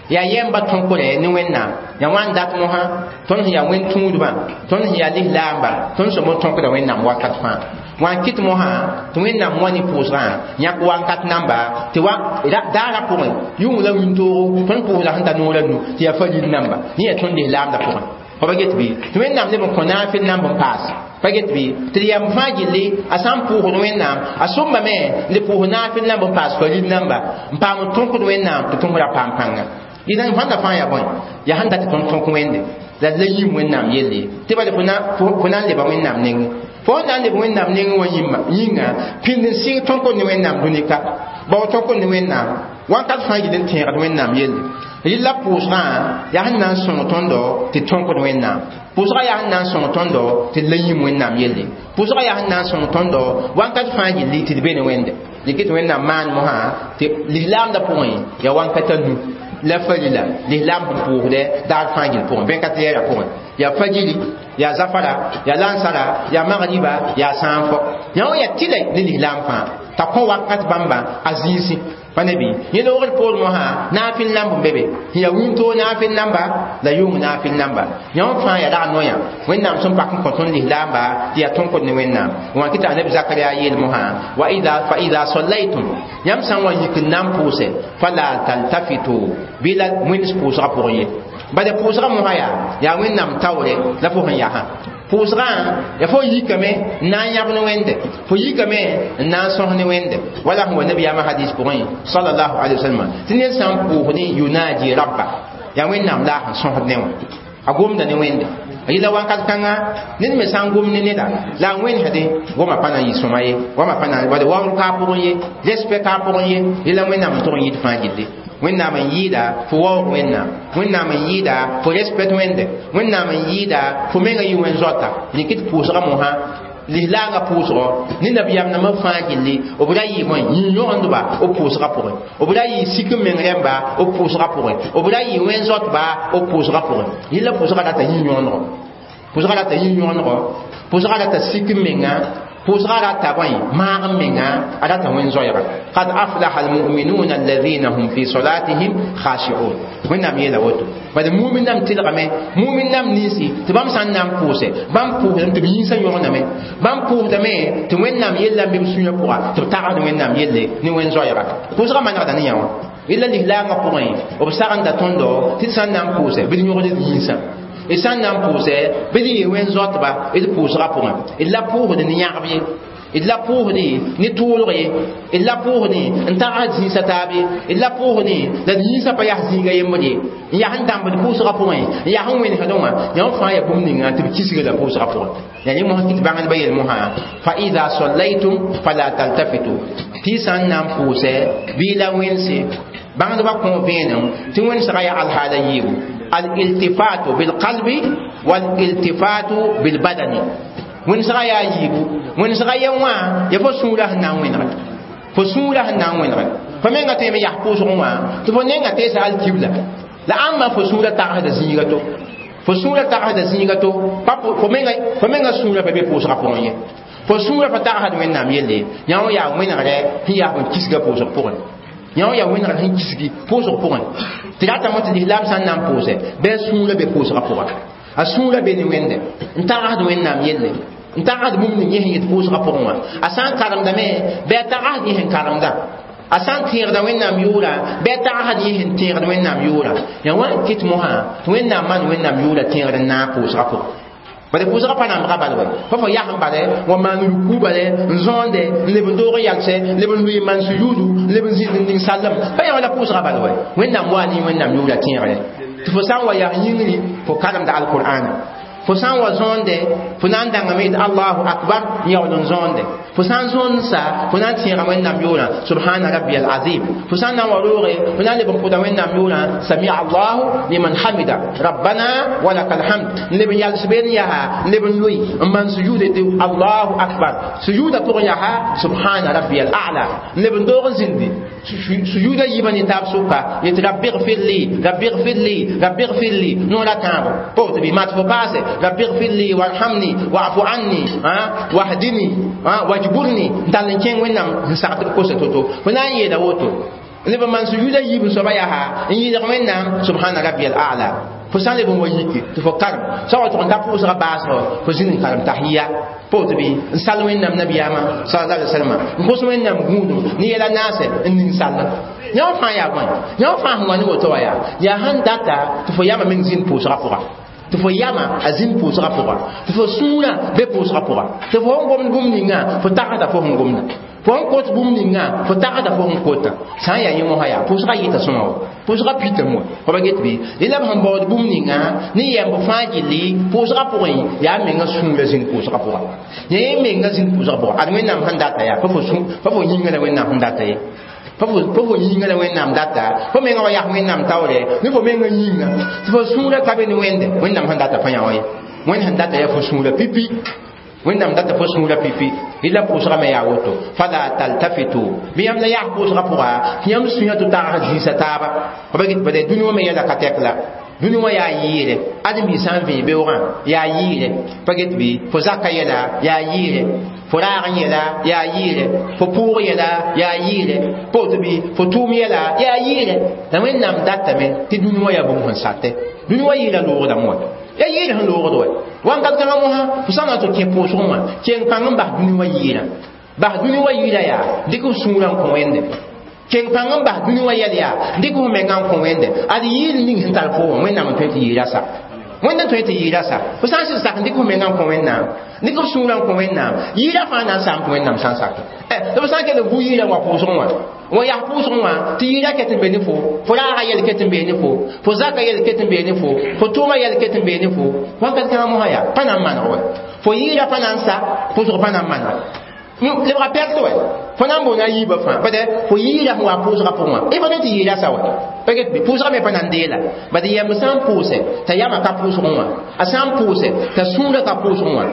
yaa yɛmba tõkdɛ ne Wẽnnaam. Yaa wãn dat mosã tõnd sẽn yaa wẽn tũudbã, tõnd sẽn yaa lislaamba, tõnd sẽn tõkda Wẽnnaam wakat fãa. Wã kɩt mosã tɩ Wẽnnaam wã ne pʋʋsgã yãk wakat namba tɩ wa daara pʋgẽ yʋng la wĩntoogo tõnd pʋʋsda sẽn ta noor a nu tɩ yaa faril namba yẽ yaa tõnd lislaamda pʋgẽ. Fa pa get bɩ tɩ Wẽnnaam leb n kõ naafɩl namb n paas pa get bɩ tɩ d yam fãa gilli a sã n pʋʋsd Wẽnnaam a sõmbame n le pʋʋs naafɩl namb n paas faril namba n paam n tõkd Wẽnnaam tɩ tõsda paam pãnga. Idan fãnda fãa yaa bõe yaa sẽn dat tɩ tõnd tõk Wẽnde la d la yĩm Wẽnnaam yelle tɩ bala fo na n leba Wẽnnaam nengẽ. Fo na n leb Wẽnnaam nengẽ wã yĩnga pĩnd n sɩng tõkd ne Wẽnnaam dũni-ka bao tõkd ne Wẽnnaam wakat fãa gil n tẽegd Wẽnnaam yelle. Rɩla pʋʋsgã yaa sẽn na n sõng tõndo tɩ tõkd Wẽnnaam. Pʋʋsgã yaa sẽn na n sõng tõndo tɩ d la yĩm Wẽnnaam yelle. Pʋʋsgã yaa sẽn na n sõng tõndo wakat fãa gilli tɩ d be ne Wẽnde. Dɩk tɩ Wẽnnaam maan mosã tɩ lislaamda pʋgẽ yaa wakat a nu la farila lislaam sẽn pʋʋsdɛ daar fãa gill pʋgẽ bẽn-ka tɩ yɛɛra pʋgẽ yaa fajiri, yaa zafara, yaa lansara, yaa magriba, yaa sãanfɔ. Yã wã yaa tɩla ne lislaam fãa t'a kõ wakat bãmba a zĩisi pa ne bɩ yẽ loogr poor mosã naafɩl namb n be be sẽn yaa wĩntoog naafɩl namba la yʋng naafɩl namba. Yã wã fãa yaa rag noyã Wẽnnaam sẽn pak n kõ tõnd lislaamba tɩ yaa tõkd ne Wẽnnaam. Wã kɩ t'a neb Zakaria yeel mosã wa ida fa ida sallaytum yãmb sã n wa yik n na n pʋʋse fala taltafitu bɩ la wẽns pʋʋsgã pʋgẽ ye. Bala pʋʋsgã mosã yaa yaa Wẽnnaam taoore la fo sẽn yasã pʋʋsgã yaa fo yikame n na n yãb ne Wẽnde, fo yikame n na n sõs ne Wẽnde. Wala sẽn wa nabiyaamã hadis pʋgẽ sallallahu alaihi wasallam tɩ ned sã n pʋʋsdẽ yunaji rabba yaa Wẽnnaam la a sẽn sõsd ne wã a gomda ne Wẽnde. Yɩla wakat kãnga ned me sã n gom ne neda la a wẽnsdẽ goma pa na n yɩ sõma ye, goamã pa na wala waoor ka a pʋgẽ ye, respect ka a pʋgẽ ye. Yɩla Wẽnnaam n tog n yɩt fãa gilli. Wẽnnaam n yɩɩda fo waoog Wẽnnaam, Wẽnnaam n yɩɩda fo respect Wẽnde, Wẽnnaam n yɩɩda fo menga yɩ wẽn zoata. Dɩk tɩ pʋʋsgã mosã lislaangã pʋʋsgɔ ne nabiyaam nambã fãa gilli b ra yɩ bõe yĩn-yõgendba b pʋʋsgã pʋgẽ, b ra yɩ sik n meng rẽmba b pʋʋsgã pʋgẽ, b ra yɩ wẽn zoatba b pʋʋsgã pʋgẽ. Yɩla pʋʋsgã rata yĩn-yõgendgo, pʋʋsgã rata yĩn-yõgendgo, pʋʋsgã rata sik n menga, pʋʋsgã rata bõe maag n menga, a rata wẽn zoɛɛga. Qad aflaha almu'minuna alladhina hum fi salatihim khashi'un. Wẽnnaam yeela woto bala mumin nam tɩlgame mumin nam ninsi tɩ bãmb sã n na n pʋʋse bãmb pʋʋsdame tɩ b yĩnsã yõgename, bãmb pʋʋsdame tɩ Wẽnnaam yella n be b sũyã pʋga tɩ b tagsd Wẽnnaam yelle ne wẽn zoɛɛga. Pʋʋsgã manegda ne yã wã. Yella lislaangã pʋgẽ b sagenda tõndo tɩ d sã n na n pʋʋse bɩ d yõgd d yĩnsã, d sã n na n pʋʋsɛ bɩ d yɩ wẽn zoatba d pʋʋsgã pʋgẽ. D la pʋʋsd ne yãgb ye, d la pʋʋsdẽ ne tʋʋlg ye, d la pʋʋsdẽ n tagsd zĩisã taab ye, d la pʋʋsdẽ la d yĩnsã pa yas zĩiga yembr ye, n yaa sẽn dãmbd pʋʋsgã pʋgẽ, n yaa sẽn wẽnesdẽ wã. Yã wã fãa yaa bũmb ninga tɩ b kisga la pʋʋsgã pʋgẽ. Yaa yẽ mosã kɩ tɩ bãngdbã yel mosã fa ida sallaytum fala taltafitu tɩ y sã n na n pʋʋsɛ bɩ la wẽnse bãngdbã kõ vẽenem tɩ wẽnsgã yaa alhaala yiibu الالتفات بالقلب والالتفات بالبدن. wẽnsgã yaa yiibu wẽnsgã yɛ wã ya fo sũurã sẽn na n wẽnegẽ, fo sũurã sẽn na n wẽnegẽ. Fo menga tõeme yas pʋʋsgẽ wã tɩ fo nenga teesa alkibla la ãmba fo sũurã tagsda zĩiga to, fo sũurã tagsda zĩiga to, fo menga fo menga sũurã pa be pʋʋsgã pʋgẽ ye, fo sũurã pa tagsd Wẽnnaam yelle. Yã wã yaa wẽnegrɛ sẽn yaa sẽn kisga pʋʋsg pʋgẽ, yã wã yaa wẽnegr sẽn kisgi pʋʋsg pʋgẽ. Tɩ ratame tɩ lislaam sã n na n pʋʋsɛ bɩ a sũurã be pʋʋsgã pʋga, a sũurã be ne Wẽnde n tagsd Wẽnnaam yelle, n tagsd bũmb ning yẽ sẽn yet pʋʋsgã pʋgẽ wã. A sã n karemdame bɩ a tagsd yẽ sẽn karemda, a sã n tẽegda Wẽnnaam yʋʋra bɩ a tagsd yẽ sẽn tẽegd Wẽnnaam yʋʋra. Yaa wã n kɩt mosã tɩ Wẽnnaam maan Wẽnnaam yʋʋra tẽegd n naag pʋʋsgã pʋgẽ. Bala pʋʋsgã pa nambga bal wɛ pa fo yas n bale wa maan ruku bale n zõonde n leb n doog n yalsɛ leb n lʋɩ n maan suyuudu n leb n zĩnd n ning sallem pa yã wã la pʋʋsgã bal wɛ. Wẽnnaam waa ne Wẽnnaam yʋʋra tẽegre tɩ fo sã n wa yaa yĩngri fo karemda alqur'ana, fo sã n wa zõonde fo na n dãngame tɩ allahu akbar n yaool n zõonde, fo sã n zõond sa fo na n tẽega Wẽnnaam yʋʋrã subhana rabbi al azim, fo sã n na n wa rooge fo na n leb n pʋda Wẽnnaam yʋʋrã samia allahu liman hamida rabbana wa laka alhamd n leb n yals been yaa n leb n lʋɩ n maan sujuude tɩ allahu akbar sujuuda pʋgẽ yaa subhana rabbi al a'la n leb n doog n zĩndi sujuuda yiibã ne taab sʋka yetɩ rabbi gfir li rabbi gfir li rabbi gfir li noora tãabo pa woto bɩ mat fo paase Rabbi ighfir li warhamni wa'fu anni wahdini wajburni n tall n kẽng wẽnnaam n sag tɩ b kosa to-to fo na n yeela woto neb n maan sujuuda yiib n soaba yaa n yɩlg wẽnnaam subhana rabbiyal a'la fo sã n leb n wa yiki tɩ fo karem sã wa tʋg n ta pʋʋsga baasgo fo zĩnd n karem tahiya pa woto bɩ n sall wẽnnaam nabiyaamã sallallahu alaihi wasallam n kos wẽnnaam gũudum ne yɛla naasɛ n ning sall yã fãa yaa bõe yã fãa sẽn wa ne woto wã yaa yaa sẽn data tɩ fo yama meng zĩnd pʋʋsga pʋga tɩ fo yama a zĩnd pʋʋsga pʋga tɩ fo sũurã be pʋʋsga pʋga tɩ fo sẽn gomd bũmb ninga fo tagsda fo sẽn gomda fo sẽn kot bũmb ninga fo tagsda fo sẽn kota sã n yaa yẽ mosã yaa pʋʋsga yɩta sõma wa pʋʋsga pitame wa fo pa get bɩ rẽ la b sẽn baood bũmb ninga ne yɛmb fãa gilli pʋʋsga pʋgẽ yaa menga sũurã zĩnd pʋʋsga pʋga yẽ menga zĩnd pʋʋsga pʋga ad wẽnnaam sẽn data yaa pa fo yĩnga la wẽnnaam sẽn data ye pa fo yĩnga la wẽnnaam data fo menga wa yaa wẽnnaam taoore ne fo menga yĩnga tɩ fo sũurã ka be ne wẽnde wẽnnaam sẽn data pa yã wa ye wẽnd sẽn data yaa fo sũurã pipi wẽnnaam data fo sũurã pipi rɩla pʋʋsga me yaa woto fala taltafitu bɩ yãmb la yaa pʋʋsga pʋga tɩ yãmb sũyã tɩ tags zĩisa taaba fa pa get bade dũni wã me yɛla ka tɛk la dũni wã yaa yɩɩre ãdem-biig sã n vẽe beoogã yaa yɩɩre pa get bɩ fo zaka yɛla yaa yɩɩre fo raag n yɛla yaa yɩɩre fo pʋʋg yɛla yaa yɩɩre pa woto bɩ fo tʋʋm yɛla yaa yɩɩre la wẽnnaam datame tɩ dũni wã yaa bũmb sẽn satɛ dũni wã yɩɩra loogdame wa ya yɩɩr sẽn loogd wa wãnkat kãngã mosã fo sã n na tɩ kẽ pʋʋsgẽ wã keng pãng n bas dũni wã yɩɩrã bas dũni wã yɩɩra yaa dɩk f sũurã n kõ wẽnde keng pãng n bas dũni wã yɛl yaa dɩk f menga n kõ wẽnde ad yɩɩr ning sẽn tar fo wã wẽnnaam n tõe tɩ yɩɩra sa wẽnd n tõe tɩ yɩɩra sa fo sã n sɩd sak n dɩk f menga n kõ wẽnnaam dɩk f sũurã n kõ wẽnnaam yɩɩra fãa na n saam tɩ wẽnnaam sã n sake la fo sã n kell n bu yɩɩrã wa pʋʋsgẽ wã wa yaa pʋʋsgẽ wã tɩ yɩɩra ket n be ne fo fo raaga yɛl ket n bee ne fo fo zaka yɛl ket n bee ne fo fo tʋʋma yɛl ket n bee ne fo wãnkat kãngã mosã yaa pa na n maneg wa fo yɩɩra pa na n sa pʋʋsg pa na n maneg lebga pɛrt wɛ fo na n boona yiibã fãa bad fo yɩɩra sẽn wa pʋʋsgã pʋgẽ wã y pa tõe tɩ yɩɩra sa wa pa get bɩ pʋʋsgã me pa na n deela bad yɛmb sã n pʋʋsɛ t'a yama ka pʋʋsgẽ wã a sã n pʋʋsɛ t'a sũurã ka pʋʋsgẽ wã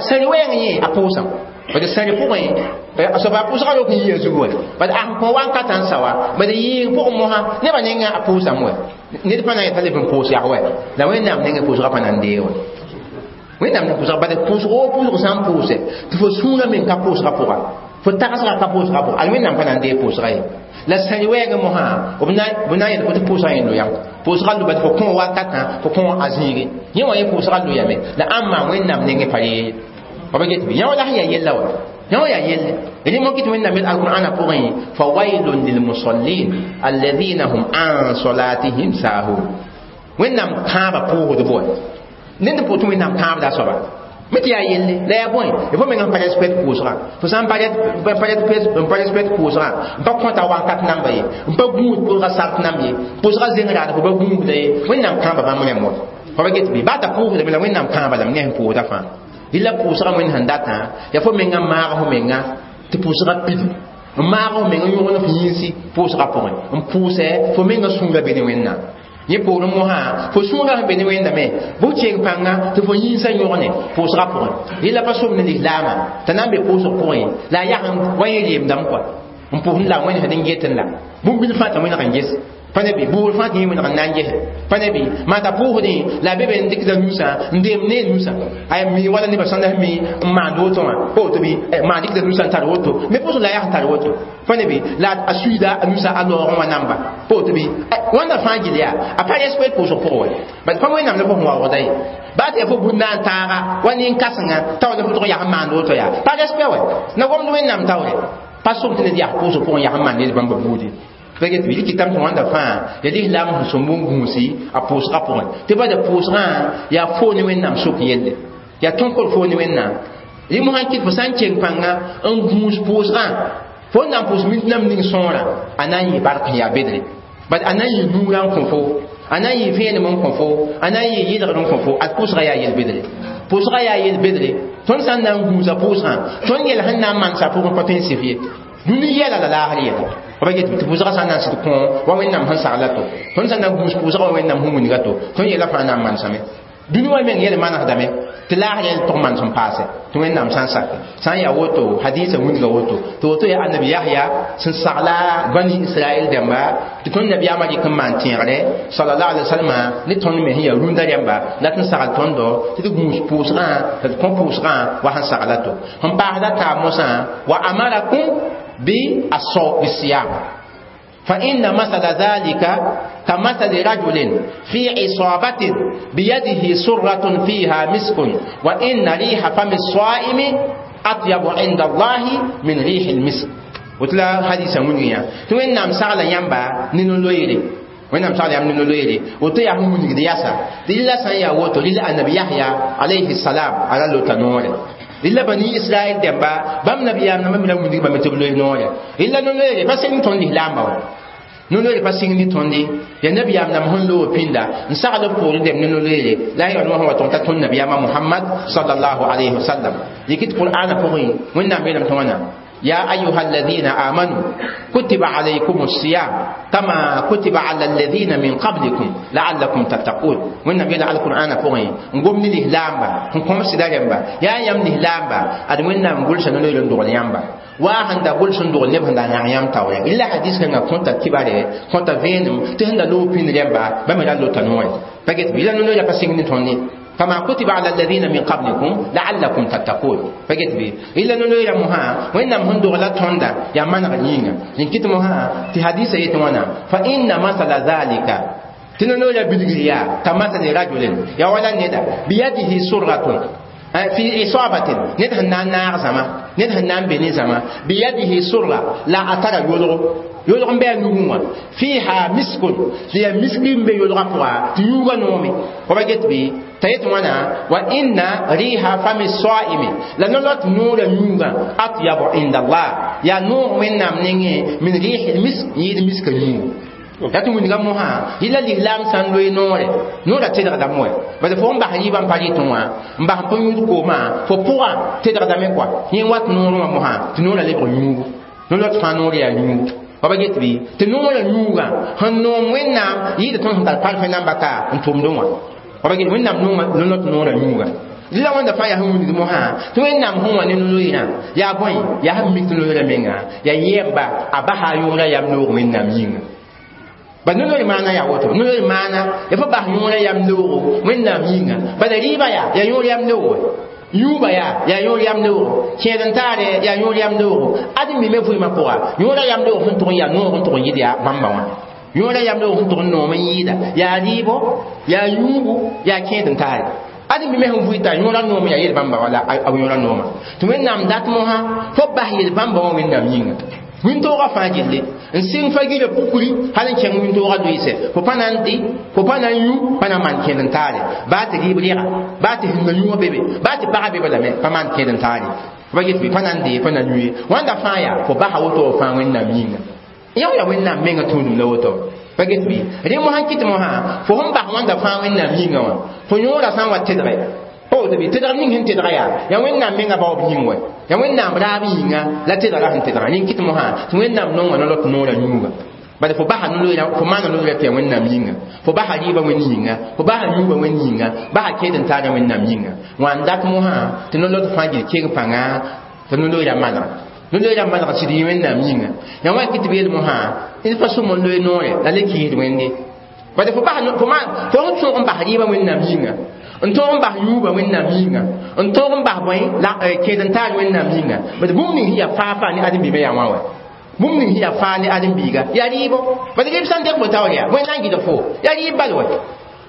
sẽn wɛɛng yẽ a pʋʋsã bad sẽn pʋgẽ a soaba pʋʋsgã rok n yia zug wɛ bad a sẽn kõ wankatã n sa wa bad yɩɩg pʋgẽ mosã nebã nengã a pʋʋsame wɛ ned pa na n yeta leb n pʋʋs yag wɛ la wẽnnaam nengẽ pʋʋsgã pa na n deeg wɛ wẽnnaam ne pʋʋsga bad pʋʋsg o pʋʋsg sã n pʋʋsɛ tɩ fo sũurã meng ka pʋʋsga pʋga fo tagsga ka pʋʋsga pʋga ad wẽnnaam pa na n deeg pʋʋsga ye la sẽn wɛɛgẽ mosã b na n yel fo tɩ pʋʋsgã yẽ loyam pʋʋsga loba tɩ fo kõ wakatã fo kõ a zĩige yẽ wã yẽ pʋʋsga loyame la ãmba wẽnnaam nengẽ pa yee fa pa get bɩ yã wã la sẽn yaa yella wa yã wã yaa yelle rẽ mo kɩt wẽnnaam yel alqur'ana pʋgẽ fawailun lilmusallin alladhina hum an salatihim sahun wẽnnaam kãabã pʋʋsdb wa ned n pʋʋs tɩ wẽnnaam kãabda soaba me tɩ yaa yelle la yaa bõe fo meng n pa respect pʋʋsgã fo sã n pa respect pʋʋsgã n pa kõta wakat namba ye n pa gũud pʋʋsgã sart namb ye pʋʋsgã zeng raad fo pa gũusda ye wẽnnaam kãaba bãmb rẽmb wa fa pa get bɩ baa t'a pʋʋsdame la wẽnnaam kãaba lame ne sẽn pʋʋsda fãa rɩla pʋʋsgã wẽnd sẽn datã yaa fo menga maag fo menga tɩ pʋʋsgã pid n maag fo menga yõgn f yĩnsi pʋʋsgã pʋgẽ n pʋʋsɛ fo menga sũurã be ne wẽnnaam yẽ poorẽ mosã fo sũurã sẽn be ne wẽndame bʋ keng pãnga tɩ fo yĩnsã yõgne pʋʋsgã pʋgẽ yẽla pa som ne lislaamã t'a na n be pʋʋsg pʋgẽ la a yas wa yẽ reemdame kɔa n pʋsd la wẽnd sẽd n getẽ la bũmb bil fãa t'a wẽneg n ges pa ne bɩ buud fãa tɩ yẽ wẽneg n na n ges pa ne bɩ maa t'a pʋʋsdẽ la a be be n dɩkda nusã n deem ne nusã a mi wala nebã sãn la mi n maand woto wã pa woto bɩ maa dɩkda nusã n tar woto me pʋʋsg la a yaa n tar woto pa ne bɩ la a suiida a nusã a loogẽ wã namba pa woto bɩ wãnda fãa gil yaa a pa respect pʋʋsg pʋgẽ wɛ bad pa wẽnnaam la fo sẽn waoogda ye baa tɩ yaa fo bũnd na n taaga wa nin-kãsenga t'a wa la fo tʋg yaa n maand woto yaa pa respect wɛ na gomd wẽnnaam taoore pa som tɩ ned yaa pʋʋsg pʋgẽ yaa n maan ned bãmba buudi pa get bɩ kɩtame tɩ wãnda fãa yaa lislaam sẽn sõm bũn-gũusi a pʋʋsgã pʋgẽ tɩ bada pʋʋsgã yaa foo ne wẽnnaam sok yelle yaa tõnkr foo ne wẽnnaam rẽ mosã n kɩt fo sã n keng pãnga n gũus pʋʋsgã fo n na n pʋʋs mint nam ning sõora a na n yɩ bark n yaa bedre bad a na n yɩ nuurã n kõ fo a na n yɩ vẽenem n kõ fo a na n yɩ yɩlgr n kõ fo ad pʋʋsgã yaa yel-bedre pʋʋsgã yaa yel-bedre tõnd sã n na n gũusa pʋʋsgã tõnd yɛl sẽn na n mansa pʋgẽ pa tõe n sɩf ye dũni yɛla la laasr yɛla pa get tɩ pʋʋsgã sã n na n sɩd kõ wa wẽnnaam sẽn sagla to tõnd sã n na n gũus pʋʋsgã wa wẽnnaam sẽn wilga to tõnd yɛla fãa na n mansame Dũni wã meng yɛl manesdame tɩ laasr yɛl tʋg maan sẽn paase tɩ Wẽnnaam sã n sake sã n yaa woto hadisa wilga woto tɩ woto yaa annabi Yahya sẽn sagla bani Israɛl dẽmba tɩ tõnd nabiyaamã rɩk n maan tẽegre sallallahu alaihi wasallam ne tõnd me sẽn yaa rũndã rẽmba dat n sagl tõndo tɩ d gũus pʋʋsgã tɩ d kõ pʋʋsgã wa sẽn sagla to sẽn paasda taab mosã wa amarakum bi asiyam فإن مثل ذلك كمثل رجل في عصابة بيده سرة فيها مسك وإن ريح فم الصائم أطيب عند الله من ريح المسك. وتلا حديث من توين نام سالا يامبا نينو لويري وين نام سالا يام نينو لويري وتو يا هم من دياسا ديلا سان يا وتو للا النبي يحيى عليه السلام على لوتانور إلا بني إسرائيل دمبا بام نبي يام نما من من بام تبلو نور إلا نور بس إن توني لامبا نور بس إن توني يا نبي يام نما هن لو بيندا نسأل بقول دم نور لا يرون هو تونتا تون نبي يام محمد صلى الله عليه وسلم يكتب القرآن فوقي وين نبي نام تونا يا أيها الذين آمنوا كتب عليكم الصيام كما كتب على الذين من قبلكم لعلكم تتقون. وين نبي على القرآن فوقي نقوم نلهلامبا نقوم سدارمبا يا يم نهلامبا أدمنا نقول شنو نقول ندور يامبا وهن دا قول شنو نقول نبهن دا نعيم تاوي إلا حديث كنا كنت كبارة كنت فينم تهند لو بين ريمبا بمرا لو تنوي بقيت بلا نقول يا بسيني توني كما كتب على الذين من قبلكم لعلكم تتقون. فقلت بي إلا نلو يا مها وإنما هندو غلط هندا يا من غنينا لكن مها في حديث يتوانا فإن مثل ذلك تنلو يا بلغيا كمثل رجل يا ولا ندى بيده سرة في إصابة ندهن نار زما ندهن نار بني زما بيده سرة لا أترى يلغو يلغم بها نجوم فيها مسك هي مسك بيلغم فيها تيوغا نومي وبقيت بي تيت وانا وإن ريح فم الصائم لنلت نور نوغا أطيب عند الله يا نور من نمني من ريح المسك يد مسك نور yatu mun ga moha ila l'islam san loy nore nora tedra da moy ba de fo mba haliba mpali tunwa mba po nyu ko ma fo pura tedra da me quoi yin wat noro ma moha tinora le bro nyu no lot fa nore ya nyu ba get bi te nora nyuga han no wenna yida ton tar parfait namba ka ntum do wa ba get wenna no no lot nora nyuga la wanda fa ya hu ni mo ha to wenna mo wa ni no ina ya boy ya ha mi no la menga ya yemba abaha yura ya no wenna minga ba nono mana ya woto nono mana ya fa ba yura yam logo wenna minga ba da riba ya ya yura yam logo yuba ya ya yura yam logo keden tare ya yura yam logo adi mi me fu ma ko yura yam logo hun to ya no hun to yidi ya bamba wa yura yam logo hun to no men yida ya ribo ya yubu ya keden tare adi mi me hun fuita yura no me ya yel bamba wala a yura no ma to wenna am dat mo ha fo ba yel bamba wa wenna minga wĩntoogã fãa gilli n sɩng fa gila pukri hal n kẽng wĩntoogã doɩɩsɛ fo pa na n dɩ fo pa na n yũ pa na n maan kẽed n taare baa tɩ rɩɩb rɛga baa tɩ sĩnga yũuga bebe baa tɩ pagã bebe lame pa maan kẽed n taare pa get bɩ pa na n dee pa na n yũ ye wãnda fãa yaa fo basa woto f fãa Wẽnnaam yĩnga yã yaa Wẽnnaam menga tũudum la woto pa get bɩ rẽ mosã kɩt mosã fo sẽn bas wãnda fãa Wẽnnaam yĩnga wã fo yõoda sã n wa tedge o tɩ tedg ning sẽn tedga yaa yaa Wẽnnaam menga baoob yĩng wɛ ya Wẽnnaam raab yĩnga la tedga sẽn tedga rẽ kɩt mosã tɩ Wẽnnaam nonga no lot noora yũuga bala fo basa no-loeera fo maana no-loeera tɩ yaa Wẽnnaam yĩnga fo basa rɩɩbã Wẽnd yĩnga fo basa yũubã Wẽnd yĩnga basa kẽed n taara Wẽnnaam yĩnga wã n dat mosã tɩ no-lot fãa gil keng pãnga tɩ no-loeera manega no-loeera maneg sɩd yĩ Wẽnnaam yĩnga yaa wã kɩ tɩ b yeel mosã d pa sõm n loe noore la le kɩɩsd Wẽnde bala fo basa fo fo sẽn tõog n bas rɩɩbã Wẽnnaam yĩnga n tõog n bas yũubã Wẽnnaam yĩnga n tõog n bas bõe la kẽed n taar Wẽnnaam yĩnga bad bũmb ning sẽn yaa faa faa ne ãdem-biimã yaa wã wa bũmb ning sẽn yaa faa ne ãdem-biiga yaa rɩɩbo bad rɩɩb sã n deg fo taoor yaa bõe na n gɩdg fo yaa rɩɩb bal wa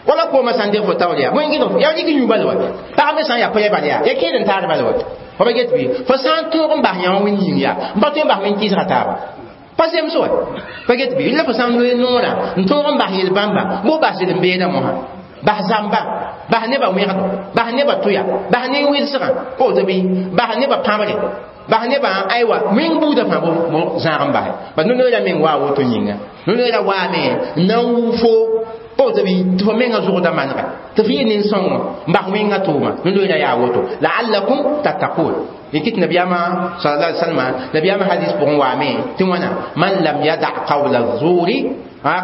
wala koomã sã n deg fo taoor yaa bõe n gɩdg fo yaa rɩk yũ bal wa pag me sã n yaa pʋyã bal yaa yaa kẽed n taar bal wa fa ba get bɩ fo sã n tõog n bas yã wã Wẽnd yĩng yaa n pa tõe n bas wẽn kɩɩsga taaba pa zems wa pa get bɩ la fo sã n loe noorã n tõog n bas yel-bãmba bo bas zel n beeda mosã bas zamba bas nebã wẽgdo bas nebã tʋya bas nin-wɩlsgã woto bɩ bas nebã pãbre bas nebã aywa wẽng buudã fãa bo zãag n basɛ bas no-loeera meng waa woto yĩnga no-loeera waame n na n wuu fo O tɩ tɩ fo menga zʋgda manega tɩ f yɩ nin-sõngo n bas wẽngã tʋʋma no-loeera yaa woto la'allakum tattaqun yikit nabiyama sallallahu alaihi wasallam nabiyama hadis pʋgẽ waame tɩ wãna man lam yada qawla zuri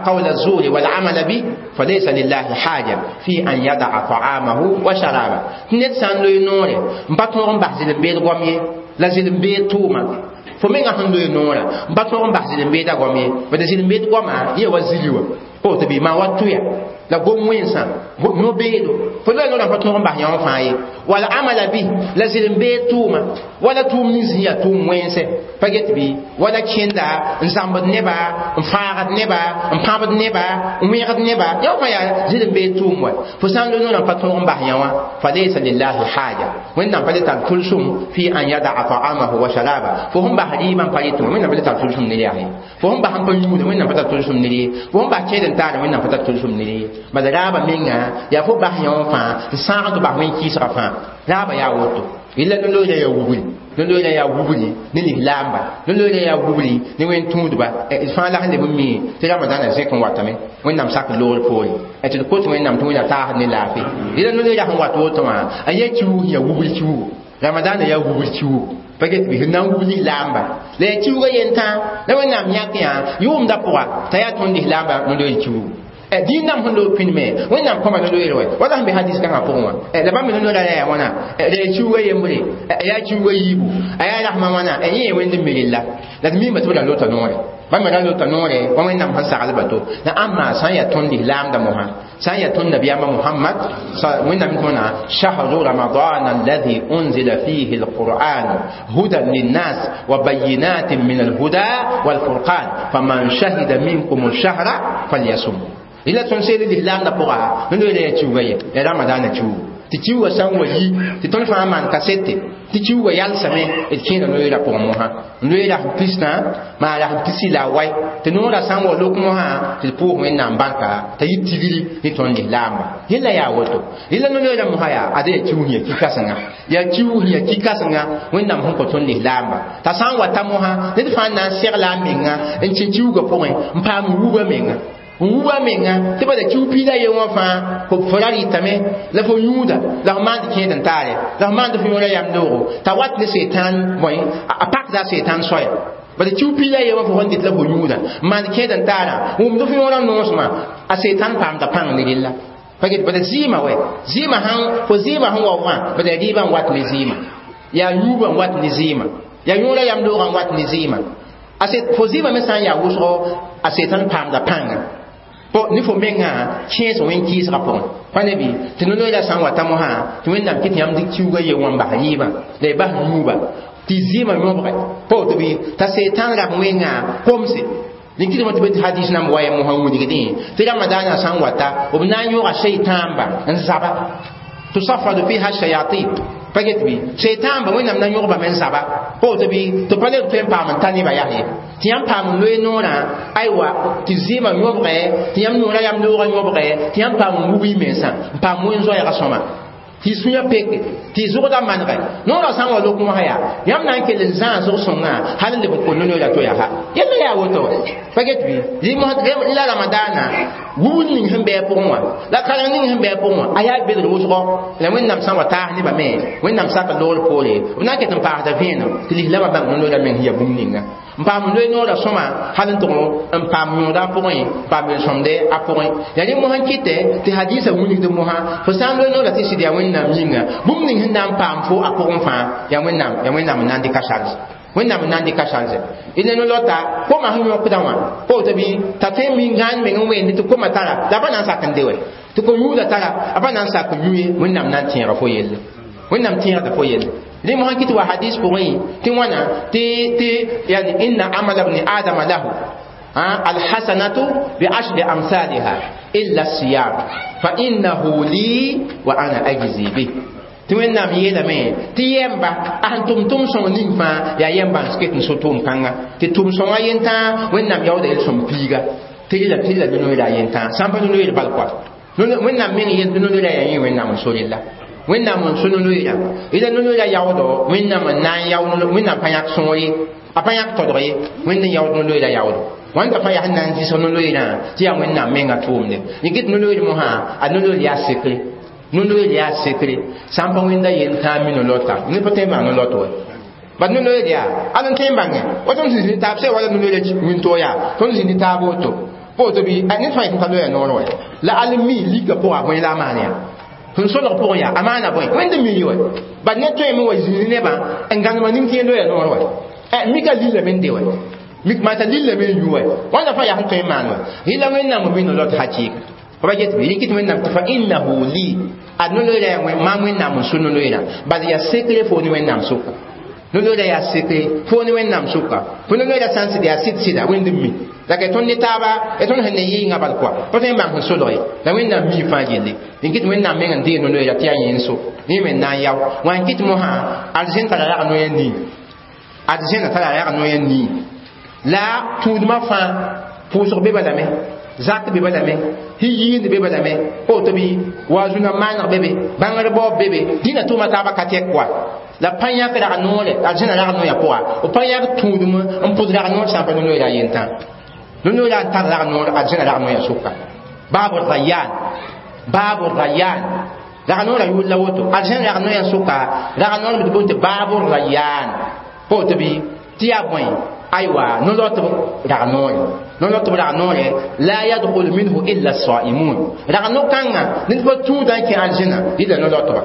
قول الزور والعمل به فليس لله حاجة في أن يدع طعامه وشرابه نت سان لوي نوري مبا tõog n bas zɩlem-beed goam ye la zɩlem-beed tʋʋma fo menga sẽn loe noorã n pa tõog n bas zɩlem-beedã goam ye bad zɩlem-beed goamã yẽ wa zili wã pa woto bɩ maa wa tʋya la gom wẽnsã no-beedo fo loe noorã pa tõog n bas yã wã fãa ye wal amala bi la zɩlem-beed tʋʋma wala tʋʋm nins sẽn yaa tʋʋm wẽnse pa get bɩ wala kẽnda n zãmbd neba n fãagd neba n pãbd neba n wẽgd neba yã fãa yaa zɩlem-beed tʋʋm wa fo sã n loe noorã pa tõog n bas yã wã falaysa lillahi haja wẽnnaam pa le tar tʋlsem fi an yadaa ta'amahu wa sharaba fo sẽn bas rɩɩbã n pa rɩtẽ wẽnnaam pa le tar tʋlsem ne yaa ye fo sẽn bas n pa yũuda wẽnnaam pa tar tʋlsem ne ye fo sẽn bas kẽed n taara wẽnnaam pa tar tʋlsem ne ye bala raaba menga yaa fo bas yã wã fãa n sãag tɩ bas wẽn-kɩɩsgã fãa raaba yaa woto illa no-loeera yaa wubri no-loeera yaa wubri ne lislaamba no-loeera yaa wubri ne wẽn-tũudba d fãa la sẽn leb n mi tɩ ramadaanã zẽk n watame wẽnnaam sak loogr poore tɩ d kot wẽnnaam tɩ wẽnna taasd ne laafɩ ila no-loeera sẽn wat woto wã a yaa kiuug yaa wubr kiuugo ramadaanã yaa wubr kiuugo pa get bɩ sẽn na n wub lislaamba la yaa kiuugã yentã la wẽnnaam yãk yã yʋʋmda pʋga t'a yaa tõnd lislaamba no-loeer kiuugo dĩin dãmb sẽn loog pĩnd-me wẽnnaam kõma no-loeer wɛ wala sẽn be hadis kãngã pʋgẽ wã la bãmb me no-loeerã ra yaa wãna la yaa kiuugã yembre a yaa kiuugã yiibu a yaa rasmã wãna yẽ yaa wẽnd n mirilla la d miime tɩ b ra lota noore bãmb me ra lota noore wa wẽnnaam sẽn saglba to la ãmba sã n yaa tõnd lislaamda mosã sã n yaa tõnd nabiyaamã muhammad wẽnnaam tõna shahru ramadan alladhi unzila fihi alquran hudan linnas wa bayinatin min alhuda walfurqan faman shahida minkum alshahra falyasum ila tõnd seel lislaamdã pʋga no-loeera yaa kiuugã ye yaa ramadaanã kiuugu tɩ kiuugã sã n wa yi tɩ tõnd fãa maan kasete tɩ kiuugã yalsame d kẽeda no-loeerã pʋgẽ mosã loeera sẽn pisdã maa ra sẽn pisi la a wai tɩ noorã sã n wa lok mosã tɩ d pʋʋs wẽnnaam barka t'a yɩ tigri ne tõnd lislaamba yella yaa woto yella no-loeerã mosã yaa ada yaa kiuug sẽn yaa ki-kãsenga yaa kiuug sẽn yaa ki-kãsenga wẽnnaam sẽn kõ tõnd lislaamba t'a sã n wa ta mosã ned fãa na n segla a menga n kẽ kiuugã pʋgẽ n paam wuba menga n wuba menga tɩ bala kiu piila ye wã fãa fo ra rɩtame la fo yũuda la fo maand kẽed n taare la fo maand fo yõora yam loogo t'a wat ne setan bõe a pakda a setan soaya bala kiu piila ye wã fo sẽn dɩt la fo yũuda n maand kẽed n taarã wʋmd fo yõora noosmã a setan paamda pãng ne rella pa get bala zɩɩmã wɛ zɩɩmã sãn fo zɩɩmã sẽn wa wã bala yaa rɩɩbã n wat ne zɩɩmã yaa yũubã n wat ne zɩɩmã yaa yõora yam loogã n wat ne zɩɩmã fo zɩɩmã me sã n yaa wʋsgo a setan paamda pãnga ne fo menga kẽes wẽn-kɩɩsgã pʋgẽ pa ne bɩ tɩ no-loeera sã n wa ta mosã tɩ wẽnnaam kɩ tɩ yãmb dɩk kiuugã ye wã n bas rɩɩbã la y bas yũuba tɩ zɩɩmã yõbge pa woto bɩ t'a setan rab wẽngã komse rẽ kɩtme tɩ be tɩ hadis nãmb wa ya mosã wilgdẽ tɩ ramadaanã sã n wata b na n yõga seitãamba n zaba tusaffadu fiha shayatin pa get bɩ seitãamba wẽnnaam na yõgbame n zaba pa woto bɩ tɩ pa leb tõe n paam n ta nebã yaa ye tɩ yãmb paam n loe noorã aywa tɩ zɩɩmã yõbge tɩ yãmb noorã yam loogã yõbge tɩ yãmb paam n wub y mensã n paam wẽn-zoɛɛgã sõma tɩ y sũyã peke tɩ y zʋgdã manegɛ noorã sã n wa lok mosã yaa yãmb na n kell n zãas zʋg-sõngã hal n leb n kõ no-loeera to yaa ha yella yaa woto pa get bɩ la ramadaana wubd ning sẽn bɩ a pʋgẽ wã la kareng ning sẽn bɩ a pʋgẽ wã a yaa belg wʋsgo la wẽnnaam sã n wa taas nebã me wẽnnaam sak loogr poore b na n ket n paasda vẽenem tɩ lislaambã bãng no-loeera meng sẽn yaa bũmb ninga n paam n loe noorã sõma hal n tʋg n paam yõoda a pʋgẽ n paam yel-sõmde a pʋgẽ yaa rẽ mosã n kɩtɛ tɩ hadiisã wilgd mosã fo sã n loe noorã tɩ sɩd yaa wẽnnaam yĩnga bũmb ning sẽn na n paam fo a pʋgẽ fãa yaa wẽnnaam yaa wẽnnaam n na n dɩka charge wẽnnaam n na n dɩka charge d ne no-lota koma sẽn yõkdã wã pa woto bɩ t'a tõe n min gãan meng n weendi tɩ koma tara la a pa na n sak n de wɛ tɩ ko-yũudã tara a pa na n sak n yũ ye wẽnnaam na n tẽega fo yelle wẽnnaam tẽegda fo yelle rẽ mosã kɩ tɩ wa hadis pʋgẽ tɩ wãna tɩ tɩ yani inna amala bni adama lahu alhasanatu biashri amsaliha illa siyam fa innahu li wa ana ajzi bih tɩ wẽnnaam yeelame tɩ yɛmba a sẽn tʋm tʋm sõng ning fãa yaa yɛmba n ket n so tʋʋm kãnga tɩ tʋm sõngã yentã wẽnnaam yaooda yel-sõm piiga tɩ rela tɩ rela no-loeera yentã sã n pa no-loeer bal koa wẽnnaam meng yel tɩ no-loeera yaa yẽ wẽnnaam n so rella wẽnnaam n so no-loeera ila no-loeera yaoodɔ wẽnnaam n na n yao wẽnnaam pa yãk sõor ye a pa yãk todg ye wẽnd n yaood no-loeera yaoodo Wãnda fãa yaa sẽn na n zɩsg no-loeerã tɩ yaa Wẽnnaam menga tʋʋmde. Yẽ no-loeer mosã a no-loeer yaa sekre, no-loeer yaa sekre. Sã n pa Wẽnda yen tãa mi no-lota ned pa tõe n bãng no-lot wɛ. Bat no-loeer yaa ad n tõe n bãnge wa tõnd zĩnd ne taab sã wala no-loeerã wĩntoog yaa tõnd zĩnd ne taab woto woto bɩ ned fãa yetɩ t'a loya noor wɛ la al mi lika pʋga bõe la a maan yaa sẽn solg pʋgẽ yaa a maana bõe Wẽnd mi wɛ bat ned tõeme wa zĩnd nebã n gãnemã ning tɩ yẽ loya noor wɛ mika lillame n de wɛ mik mata lillame n yu wɛ wãnda fãa yaa sẽn tõe n maan wɛ yɩla Wẽnnaam n mi no-lot hakɩɩka pa get bɩ rɩkɩt Wẽnnaam tɩ fa innahu li ad no-loeera yaa maam Wẽnnaam n sʋ no-loeerã bal yaa sekre fo ne Wẽnnaam sʋka no-loeera yaa sekre fo ne Wẽnnaam sʋka fo no-loeera sã n sɩd yaa sɩd sɩda Wẽnd n mi la ka tõnd ne taaba ya tõnd sẽn ne yɩɩngã bal kɔa pa tõe n bãng sẽn solg ye la Wẽnnaam mi fãa gilli n kɩt Wẽnnaam meng n deeg no-loeera tɩ yaa yẽ n so yẽ me n na n yao wã n kɩt mosã arzẽn tara rag noya nii arzẽna tara rag noya nii la tũudmã fãa pʋʋsg be balame zak be balame hiyiind be balame woto bɩ waazũna maaneg be be bãngr baoob be be dĩnã tʋʋma taabã ka tɛk kɔa la pa yãk rag noore arzẽna rag noya pʋga b pa yãk tũudm n pʋd rag noor sã n pa no-loeera yentã no-loeera n tar rag noor arzẽna rag noya sʋka baabu rayaan baabu rayaan rag noora yʋʋr la woto arzẽna rag noya sʋka rag noor b tɩ boond tɩ baabu rayaan pa woto bɩ tɩ yaa bõe aywa no-lotb rag noore no-lotb rag noore la yadkhul minhu illa as-saimun rag no-kãngã ned pa tũudã n kẽ arzẽna yɩla no-lotba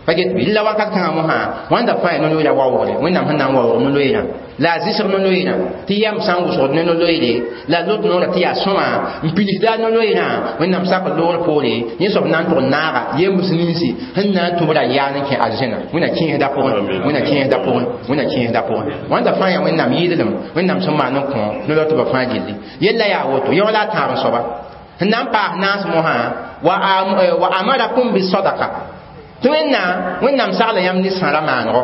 pa get bɩ la wakat kãngã mosã wãnda fãa yaa no-loeera waoogre Wẽnnaam sẽn na n waoog no-loeerã la a zɩsg no-loeerã tɩ yam sã n wʋsgd ne no-loeere la lot noorã tɩ yaa sõma n pidsda no-loeerã Wẽnnaam sak loogr poore yẽ soab na n tʋg naaga yembs ninsi sẽn na n tʋb ra yaan n kẽ arzẽna Wẽnna kẽesda pʋgẽ Wẽnna kẽesda pʋgẽ Wẽnna kẽesda pʋgẽ wãnda fãa yaa Wẽnnaam yɩɩdlem Wẽnnaam sẽn maan n kõ no-lotbã fãa gilli yella yaa woto yaoola a tãab n soaba sẽn na n paas naas mosã wa amarakum bisadaka tɩ Wẽnnaam Wẽnnaam sagla yãmb ne sãra maanego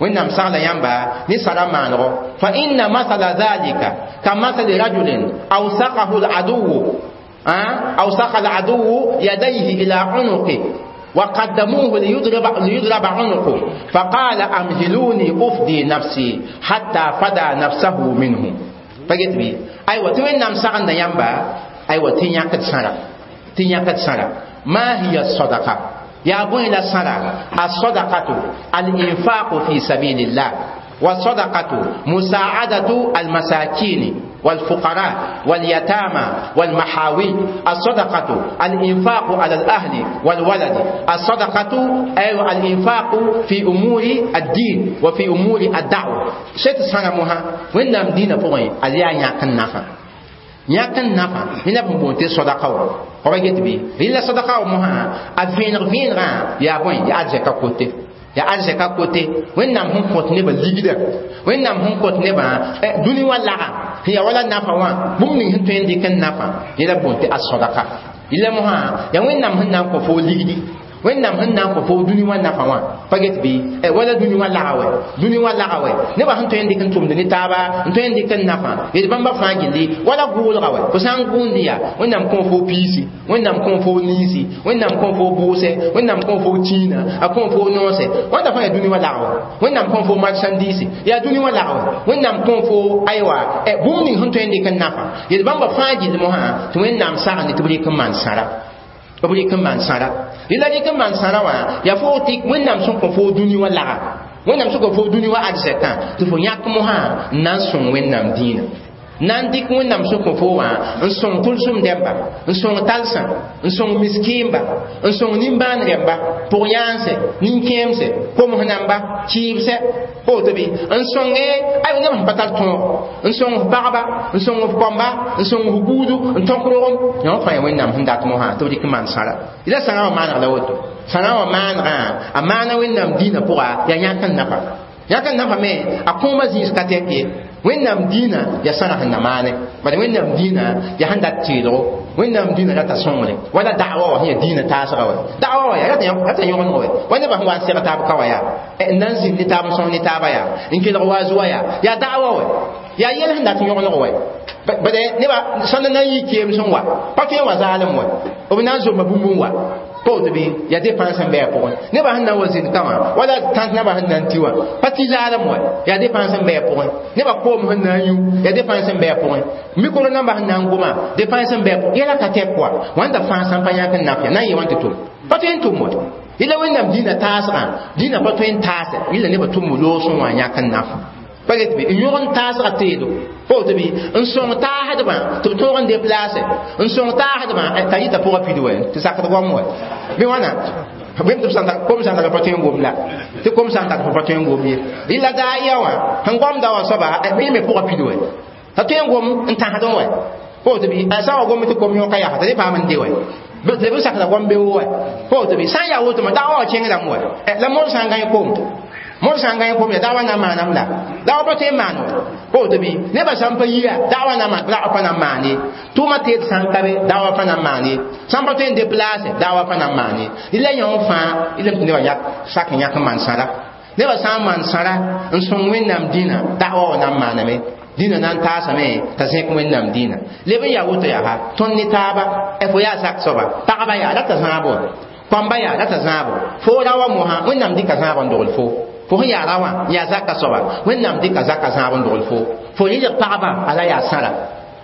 Wẽnnaam sagla yãmba ne sãra maanego fa inna masala dhalika ka masali rajulin awsaqahu al-aduwu awsaqa al-aduwu yadayhi ila unuqi وقدموه ليضرب, ليضرب عنقه فقال أمهلوني أفدي نفسي حتى فدى نفسه منه فقلت بي أيوة تي وẽnnaam sagenda yãmba aywa tɩ yãkd sãra tɩ yãkd sãra ما هي الصدقة يا بوي لا سرا الصدقة الإنفاق في سبيل الله والصدقة مساعدة المساكين والفقراء واليتامى والمحاوي الصدقة الإنفاق على الأهل والولد الصدقة أي الإنفاق في أمور الدين وفي أمور الدعوة شيء سنة وين نام دين فوين أليا يكن نفع يكن نفع هنا بنبونتي صدقة wa get bɩ rɩla sadaka wa mosã a vẽeneg vẽenegã yaa bõe yaa arzɛka kote yaa arzɛka kote Wẽnnaam sẽn kõt nebã ligda Wẽnnaam sẽn kõt nebã dũni wã laga sẽn yaa wala nafa wã bũmb ning sẽn tõe n dɩk n nafa yẽla boond tɩ a-sadaka yɩla mosã yaa Wẽnnaam sẽn na n kõ fo ligdi Wẽnnaam sẽn na n kõ fo dũni wã nafa wã pa get bɩ wala dũni wã laga wɛ dũni wã laga wɛ nebã sẽn tõe n dɩk n tʋmd ne taaba n tõe n dɩk n nafa yel bãmba fãa gilli wala gʋʋlga wɛ fo sã n gʋʋnd yaa Wẽnnaam kõ fo piisi Wẽnnaam kõ fo ninsi Wẽnnaam kõ fo bʋʋsɛ Wẽnnaam kõ fo tĩinã a kõ fo noosɛ wãnda fãa yaa dũni wã laga wɛ Wẽnnaam kõ fo marchandise yaa dũni wã laga wɛ Wẽnnaam kõ fo aywa bũmb ning sẽn tõe n dɩk n nafa yel bãmba fãa gill mosã tɩ Wẽnnaam sagende tɩ b rɩk n maan sãra b rɩk n maan sãra yẽla rɩk n maan sãra wã yaa fo tɩ Wẽnnaam sẽn kõ fo dũni wã laga Wẽnnaam sẽn kõ fo dũni wã arzɛkã tɩ fo yãk mosã n na n sõng Wẽnnaam dĩinã na n dɩk Wẽnnaam sẽn kõ fo wã n sõng tʋlsem dẽmba n sõng talsã n sõng miskiimba n sõng nimbãan rẽmba pʋg-yãanse nin-kẽemse koms namba kɩɩbsɛ woto bɩ n sõnge aywa neb sẽn pa tar tõog n sõng f pagba n sõng f kɔmba n sõng f buudu n tõk rogem yã fãa yaa Wẽnnaam sẽn dat mosã tɩ b dɩk n maan sãra yẽla sãrã wã maaneg la woto sãrã wã maanegã a maana Wẽnnaam dĩinã pʋga yaa yãk n nafa yãk n nafa me a kõoma zĩis ka tɛk ye Wẽnnaam dĩinã yaa sãra sẽn na maane bala Wẽnnaam dĩinã yaa sẽn dat teelgo Wẽnnaam dĩinã rata sõngre wala da'wa wã sẽn yaa dĩinã taasga wɛ da'wa wã yaa rata yõgemg wɛ wa nebã sẽn wa n seg taab ka wã yaa n na n zĩnd ne taab n sõs ne taaba yaa n kelg waazu wã yaa yaa da'wa wɛ Yaa yɛl sẽn dat yõgeneg wɛ bade neba sãnd na n yi keem sẽn wa pa tõe n wa zaalem wɛ b na n zomba bũmb n wa pa woto bɩ yaa dépense n bɩ a pʋgẽ nebã sẽn na n wa zĩnd ka wã wala tãns nabã sẽn na n ti wã pa tɩ zaalem wɛ yaa dépense n bɩ a pʋgẽ nebã koom sẽn na n yũ yaa dépense n bɩ a pʋgẽ micro nambã sẽn na n goma dépense n bɩ a pʋgẽ yɛla ka tɛk wa wãnda fãa sãn pa yãk n naf ya na n yɩ wãn tɩ tʋm pa tõe n tʋm wɛ yẽla wẽnnaam dĩinã taasgã dĩinã pa tõe n taase yẽla nebã tʋm loosẽ wã yãk n naf pa get bɩ n yõg n taasga teedo pa woto bɩ n sõng taasdbã tɩ b tõog n déplace n sõng taasdbã t'a yɩta pʋgã pid wɛ tɩ sakd goam wɛ bɩ wãna bẽm tɩ kom sã n tar pa tõe n gom la tɩ kom sã n tar pa tõe n gom ye rɩla daa ya wã sẽn goamda wã soaba bɩ me pʋgã pid wɛ t'a tõe n gom n tãsdẽ wɛ pa woto bɩ a sã n wa gom tɩ kom yõka yaa t'a dẽ paam n de wɛ tɩ b sakda goam beoog wɛ pa woto bɩ sã n yaa woto daa wã wa kẽngdame wɛ la moor sã n gãe kom moor sã n gãe kom ya daa wa na n maanam la daa wa pa tõe n maan wɛ pa woto bɩ nebã sã n pa yia daa wa na daa wa pa na n maan ye tʋʋmã teed sã n ka be daa wa pa na n maan ye sã n pa tõe n déplace daa wa pa na n maan ye rɩla yõ fãa rɩlame tɩ nebã yak sak n yãk n maan sãra nebã sã n maan sãra n sõng wẽnnaam dĩnã daa wa wa na n maaname dĩnã na n taasame t'a zẽk wẽnnaam dĩnã leb n yaa woto yaa tõnd ne taaba fo yaa sak soaba pagba yaa la t'a zãabo kãmba yaa la t'a zãabo fo ra wa mosã wẽnnaam dɩka zãab n dogl fo fo sẽn yaa ra wã yaa zaka soaba wẽnnaam dɩka zaka zãab n dogl fo fo rɩlg pagba ala yaa sãra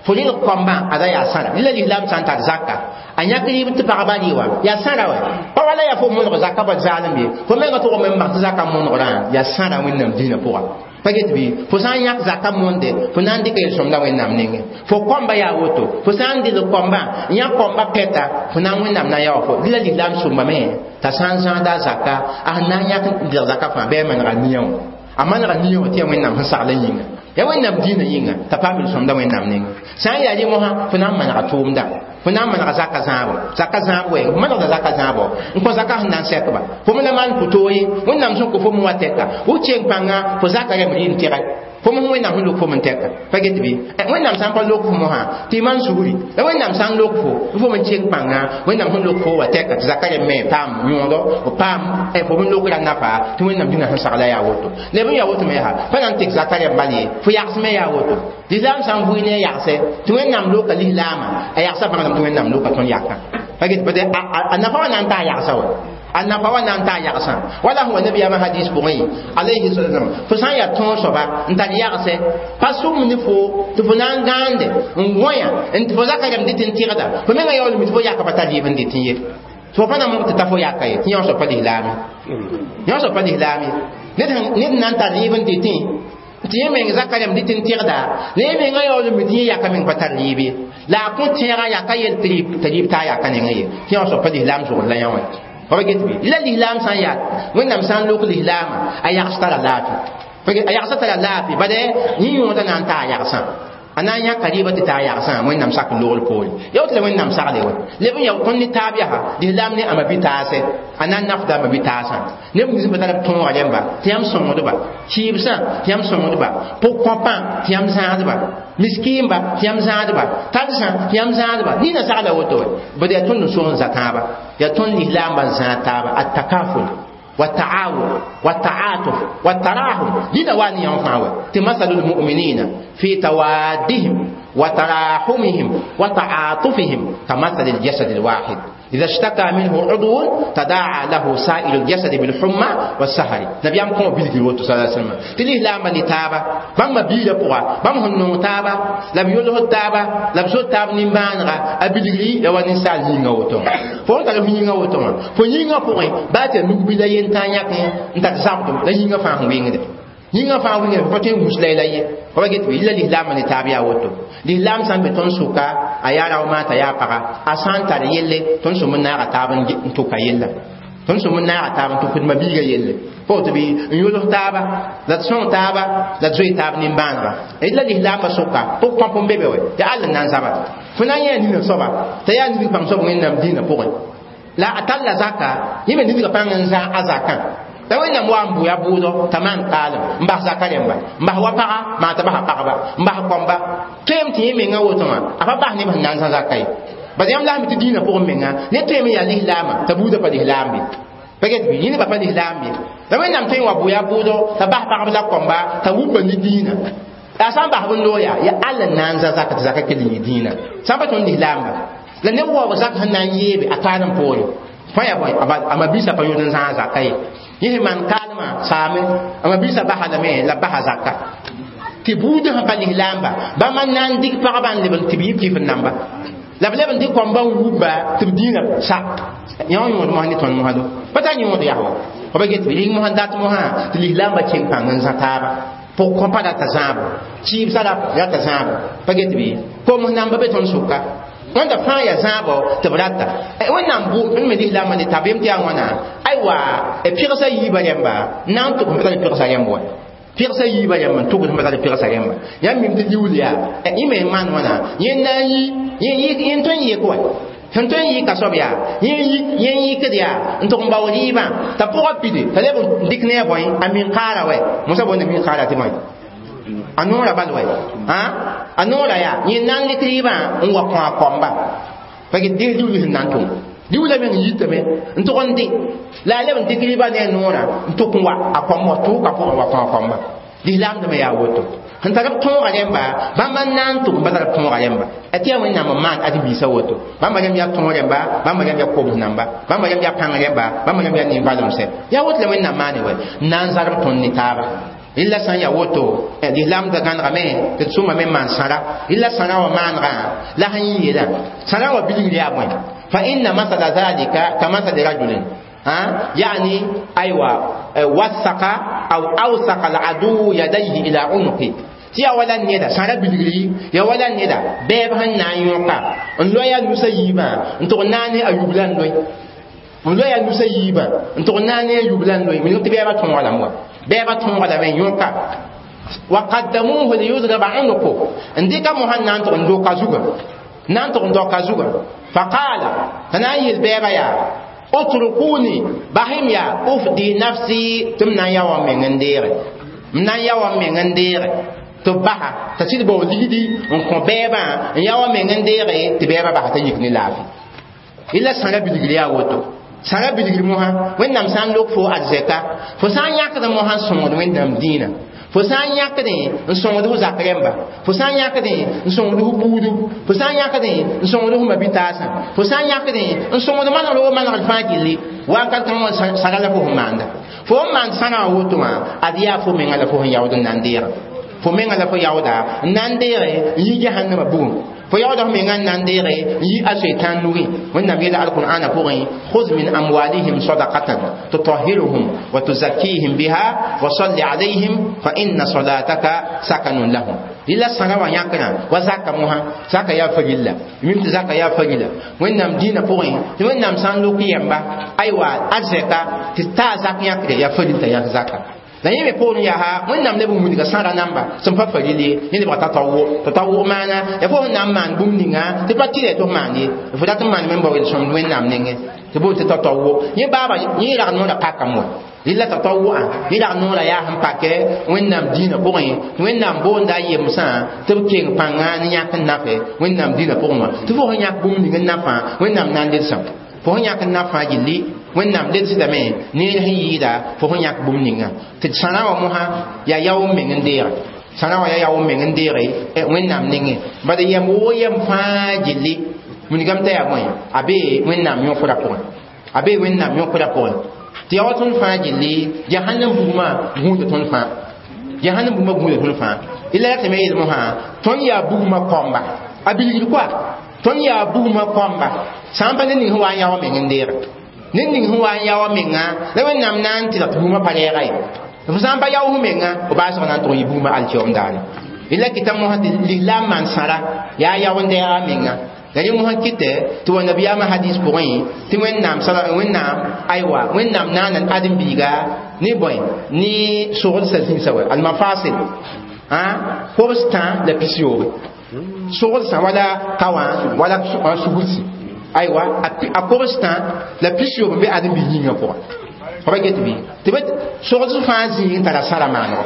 fo rɩlg kãmbã ala yaa sãra rɩla lislaam sã n tar zaka a yãk rɩɩb tɩ pagba rɩ wã yaa sãra wɛ pa wala yaa fo monog zaka bal zaalem ye fo menga tʋg me n bas tɩ zaka monegrã yaa sãra wẽnnaam dĩinã pʋga pa get bɩ fo sã n yãk zaka monde fo na n dɩka yel-sõmda wẽnnaam nengẽ fo kãmba yaa woto fo sã n dɩlg kãmbã n yãk kãmba pɛta fo na n wẽnnaam na n yaa wa fo rɩla lislaam sõmbame t'a sã n zãada a zaka a sẽn na n yãk n dɩlg zaka fãa bɩ a manega nia wã a manega nia wã tɩ yaa wẽnnaam sẽn sagl yĩnga ya wẽnnaam dĩinã yĩnga t'a paam yel-sõmda wẽnnaam nengẽ sã n yaa rẽ mosã fo na n manega tʋʋmda fo na n manega zaka zãabo zaka zãab wɛɛng fo manegda zaka zãabo n kõ zaka sẽn na n sɛkba fo me la maan pʋ-toog ye wẽnnaam sẽn kõ fo me wa tɛka w keng pãnga fo zaka rɛm rɩ n tɛgɛ fo me wẽnnaam sẽn lok fo me n tɛka pa get bɩ wẽnnaam sã n pa lok fo mosã tɩ y maan sugri la wẽnnaam sã n lok fo fo me keng pãnga wẽnnaam sẽn lok fo wa tɛka tɩ zaka rɛm me paam yõodo f paam fo me lokra nafa tɩ wẽnnaam dĩnã sẽn sagla yaa woto leb n yaa woto me yaa pa na n tek zaka rɛm bal ye fo yagsme yaa woto lislaam sã n vʋɩ ne a yagse tɩ wẽnnaam loka lislaamã a yagsa bãngdame tɩ wẽnnaam loka tõnd yakã pa get a nafa wã na n taa yagsa wa a nafa wa na n taa yagsã wala sẽn wa nabiyaamã hadis pʋgẽ alayhi salam fo sã n yaa tõog soaba n tar yagse pa sʋm ne fo tɩ fo na n gãande n gõya n tɩ fo zaka rɛm dɩt n tɩgda fo menga yaoolme tɩ fo yaka pa tar yɩb n dɩt n ye tɩ fo pa na mog tɩ ta fo yaka ye tɩ yõ soab pa lislaame yõ soab pa lislaame ned na n tar yɩb n dɩtẽ tɩ yẽ meng zaka rɛm dɩt n tɩgda la yẽ menga yaoolme tɩ yẽ yaka meng pa tar yɩb ye la a kõ tẽega yaka yel tɩ rɩɩb taa yaka nengẽ ye tɩ yõ soab pa lislaam zʋgd la yã wã pa get bɩ la lislaam sã n yaa wẽnnaam sã n lok lislaamã a yags tara laafɩ a yagsã tara laafɩ bad yẽ yõoda na n taa yagsã a na n yãka rɩɩbã tɩ taa yagsã wẽnnaam sak n logl poore ya woto la wẽnnaam sagle wɛ leb n ya tõnd ne taab yaa lislaam ne ama bɩ-taasɛ a na n nafda ama bɩ-taasã neb nins pa tar b tõoga rẽmba tɩ yãmb sõngdba kɩɩbsã tɩ yãmb sõngdba pʋg-kõpã tɩ yãmb zãadba miskiimba tɩ yãmb zãadba talsã tɩ yãmb zãadba nina sagla woto wɛ bad yaa tõnd n soog n za tãaba yaa tõnd lislaambã n zãad taaba attakaful والتعاون والتعاطف والتراحم لنا وان ينفع مثل المؤمنين في توادهم وتراحمهم وتعاطفهم كمثل الجسد الواحد إذا اشتكى منه عضو تداعى له سائر الجسد بالحمى والسهر نبي أم كون بيلغي وتو صلى الله عليه وسلم تلي لا من تابا بام بيلا بوا بام هن تابا لا بيولو تابا لا بسو تاب نيمبانغا أبيلغي يا وان سال نينغا وتو فون تال نينغا وتو فو نينغا بوين بات نوبي لا ينتا ياك انت تسامتو لا نينغا فان وينغ yĩngã fãa wĩnga pa tõe n gus layla ye pa get bɩ la lislaamã ne taab yaa woto lislaam sã n be tõnd sʋka a yaa rao t'a yaa paga a sã n tar yelle tõnd sõm n naaga taab n tʋka yella tõnd sõm n naaga taab n tʋk d mabiiga yelle pa woto bɩ n yʋls taaba la d sõng taaba la d zoe taab nimbãanega la lislaambã sʋka pʋg-kõp n be be wɛ tɩ all n na n zaba fo na n yã nina soaba t'a yaa nidg pãng soab wẽnnaam dĩinã pʋgẽ la a talla zaka yẽ me nidgã pãng n zã a zakã la wẽnnaam wa n bʋ ya bʋʋdɔ t'a maan kaalem n bas zaka rẽmba n bas wa paga maa t'a basa pagba n bas kɔmba tõem tɩ yẽ menga woto wã a pa bas neb sẽn na n zã zaka ye bad yãmb la sẽn tɩ dĩinã pʋgẽ menga ne tõem n yaa lislaamã t'a buudã pa lislaam be pa get bɩ yẽ nebã pa lislaam be la wẽnnaam tõe n wa bʋ ya bʋʋdɔ t'a bas pagb la kɔmba t'a wʋpa ne dĩinã La sã n bas b noor yaa ya all n na n za zaka tɩ zaka kell n yɩ dĩinã sã n pa tõnd lislaamba la neb waoog zak sẽn na n yeebe a kaalem poore fãa yaa bõe a mabiisã pa yõd n zãag zaka ye yẽ sẽn maan kaalmã saame a mabiisã basa lame la basa zaka tɩ buudã sẽn pa lislaamba bãmb n na n dɩk pagba n leb n tɩ b yɩ kɩf n namba la b leb n dɩk kɔmbã n wubba tɩ b dĩinã sa yã wã yõod mosã ne tõnd mosã do pa tar yõod yaa wa b get bɩ ring mosã dat mosã tɩ lislaamba kẽng pãng n zã taaba pʋg kõpa rata zãabo kɩɩbsã rata zãabo pa get bɩ koms namba be tõnd sʋka wẽnda fãa yaa zãabo tɩ b rata wẽnnaam bʋ me lislaambã ne tabeem tɩ yaa wãna aywa pɩgsa yiibã rẽmba na n tʋg n pa tar pɩgsa rẽmb wa pɩgsa yiibã rẽmb n tʋgd n pa tar pɩgsa rẽmba yãmb mim tɩ liuul yaa yẽ me n maan wãna yẽ na n yi yẽ tõe n yɩk wa sẽn tõe n yɩka soab yaa yẽ yɩkd yaa n tʋg n bao rɩɩbã t'a pʋgã pide t'a leb n dɩk ne a bõe a min-kaara wɛ mosã boonda min-kaara tɩ bõe a noora bal wɛ a noora yaa yẽ na n lɩk rɩɩbã n wa kõ a kɔmba pa get dɩs liuul sẽn na n tʋm liuula meng yitame n tʋg n dɩ la a leb n dɩk rɩɩbã ne a noora n tʋk n wa a kɔm wa tʋʋka pʋgẽ wa kõ a kɔmba lislaamdãmã yaa woto sẽn tar b tõoga rẽmba bãmb n na n tʋg n pa tar b tõoga rẽmba tɩ yaa wẽnnaam n maan ad-biisã woto bãmba rẽmb yaa tõog rẽmba bãmba rẽmb yaa kobs namba bãmba rẽmb yaa pãng rẽmba bãmba rẽmb yaa nin-valemsɛ yaa woto la wẽnnaam maane wɛ n na n zarb tõnd ne taaba rɩla sã n yaa woto lislaamdã gãnegame tɩ d sʋmame n maan sãra rɩla sãrã wã maanegã la sẽn yeelã sãrã wã bilgr yaa bõe fa inna masala zalika ka masali rajulin يعني أيوة وثق أو أوثق العدو يديه إلى عنقه tɩ yaa wala neda sãra bilgri yaa wala neda bɛɛb sẽn na n yõka n loe a nusa yiibã n tʋg na ne a yubla n loe n loe a nusa yiibã n tʋg na ne a yubla n loe wilg tɩ bɛɛbã tõoga lame wa bɛɛbã tõoga lame n yõka wa qaddamuhu liyudraba unuqu n dɩka mosã n na n tʋg n doka zugã na n tʋg n doka zugã faqaala t'a na n yel bɛɛbã yaa utrukuni bahim ya ufdi nafsi tɩ m na n ya wa meng n deege m na n ya wa meng n deege tɩ b basa t'a sɩd bao ligdi n kõ bɛɛbã n ya wa meng n deege tɩ bɛɛbã basa t'a yik ne laafɩ illa sãra bilgr yaa woto sãra bilgr mosã wẽnnaam sã n lok fo arzɛka fo sã n yãkd mosã n sõngd wẽnnaam dĩinã fo sã n yãkdẽ n sõngd f zak rẽmba fo sã n yãkdẽ n sõngd f buudu fo sã n yãkdẽ n sõngd f mabitaasã fo sã n yãkdẽ n sõngd manegr wo manegr fãa gilli wakat kãngã sãra la fo sẽn maanda fo n maand sãrã wã woto wã ad yaa fo menga la fo sẽn yaood n na n deega fo menga la fo yaooda n na n deege n yi jahannama bugum fo yaooda f menga n na n deege n yi a-soetan nugẽ wẽnnaam yeela alqur'ana pʋgẽ khuz min amwalihim sadaqatan tutahhiruhum wa tuzakkihim biha wa salli alayhim fa inna salataka sakanun lahum rɩla sãra wã yãkrã wa zaka mosã zaka yaa farilla mim tɩ zaka yaa farilla wẽnnaam dĩinã pʋgẽ tɩ wẽnnaam sã n lok yɛmba aywa arzɛka tɩ taa zak yãkre yaa faril t'a yãk zaka la yẽ me poorẽ yaa wẽnnaam leb n wilga sãra namba sẽn pa faril ye yẽ lebga tatawu tatawu maana ya fo sẽn na n maan bũmb ninga tɩ pa tɩrɛ tɩ f maan ye f dat n maaneme n bao yel-sõmd wẽnnaam nengẽ tɩ boond tɩ tatawu yẽ baaba yẽ rag noorã pakame wa rɩla tatawu'a yẽ rag noorã yaa sẽn pakɛ wẽnnaam dĩinã pʋgẽ wẽnnaam boonda a yemsã tɩ b keng pãnga ne yãk n nafɛ wẽnnaam dĩinã pʋgẽ wã tɩ fo sẽn yãk bũmb ning n nafã wẽnnaam na n ledsã fo sẽn yãk n nafã gilli wẽnnaam ledsdame neer sẽn yɩɩda fo sẽn yãk bũmb ninga tɩ sãrã wã mosã yaa yao n meng n deege sãrã wã yaa yao n meng n deege wẽnnaam nengẽ bad yɛm woo yɛm fãa gilli wilgame t'a yaa bõe a bee wẽnnaam yõkra pʋgẽ a bee wẽnnaam yõkra pʋgẽ tɩ yaa wa tõnd fãa gilli jahannam bugmã gũuda tõnd fãa jahannam bugmã gũuda tõnd fãa ila ya tɩ me yeel mosã tõnd yaa bugmã kɔmba a bilgd koa tõnd yaa bugmã kɔmba sã n pa ned ning sẽn wa n yaa wa meng n deege ned ning sẽn wa n yaa wa menga la wẽnnaam na n tɩlg tɩ bugmã pa rɛɛga ye f sã n pa yao f menga f baasg na n tʋg n yɩ bugmã alkiom daane ila kɩta mosã tɩ lislaam maan sãra yaa yao n dɛɛga a menga la rẽ mosã kɩtɛ tɩ wa nabiyaamã hadis pʋgẽ tɩ wẽnnaam wẽnnaam aywa wẽnnaam naana ãdem-biiga ne bõe ne sogdsa zĩnsã wɛ almafasil kobs tã la pis-yoobe sogdsã wala kaowã wala sugursi aywa a kobs tã la pis-yoob n be ãdem-biig yĩngã pʋgã Fo pa get bɩ tɩ b sogd fãa zĩig n tara sãra maanego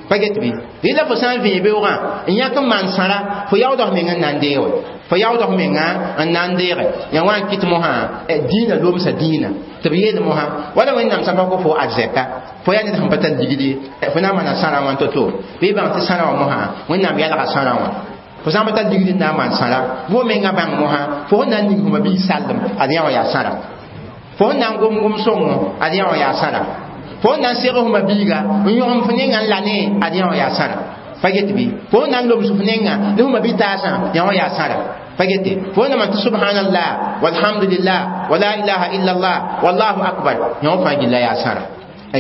pa get bɩ rɩla fo sã n vẽe beoogã n yãk n maan sãra fo yaood f meng n na n deege fo yaood f menga n na n deege ya wã n kɩt mosã dĩinã lomsa dĩinã tɩ b yeel mosã wala wẽnnaam sã pa kõ fo arzɛka fo yaa ned sẽn pa tar ligd ye fo na n maana sãrã wã to-to bɩ bãng tɩ sãrã wã mosã wẽnnaam yalga sãrã wã fo sã n pa tar ligd n na n maan sãra bʋ menga bãng mosã fo sẽn na n ning fma biig sallem ad yã wã yaa sãra fo sẽn na n gom gom sõngo ad yã wã yaa sãra fo sẽn na n seg fma biiga n yõgem f nenga n la ne ad yã wã yaa sãra pa get bɩ fo sẽn na n loms f nenga ne fma bi-taasã yã wã yaa sãra pa gete fo sẽn na maan tɩ subhanallah walhamdulillah wa la ilaha illallah wallahu akbar yã wã fãa gilla yaa sãra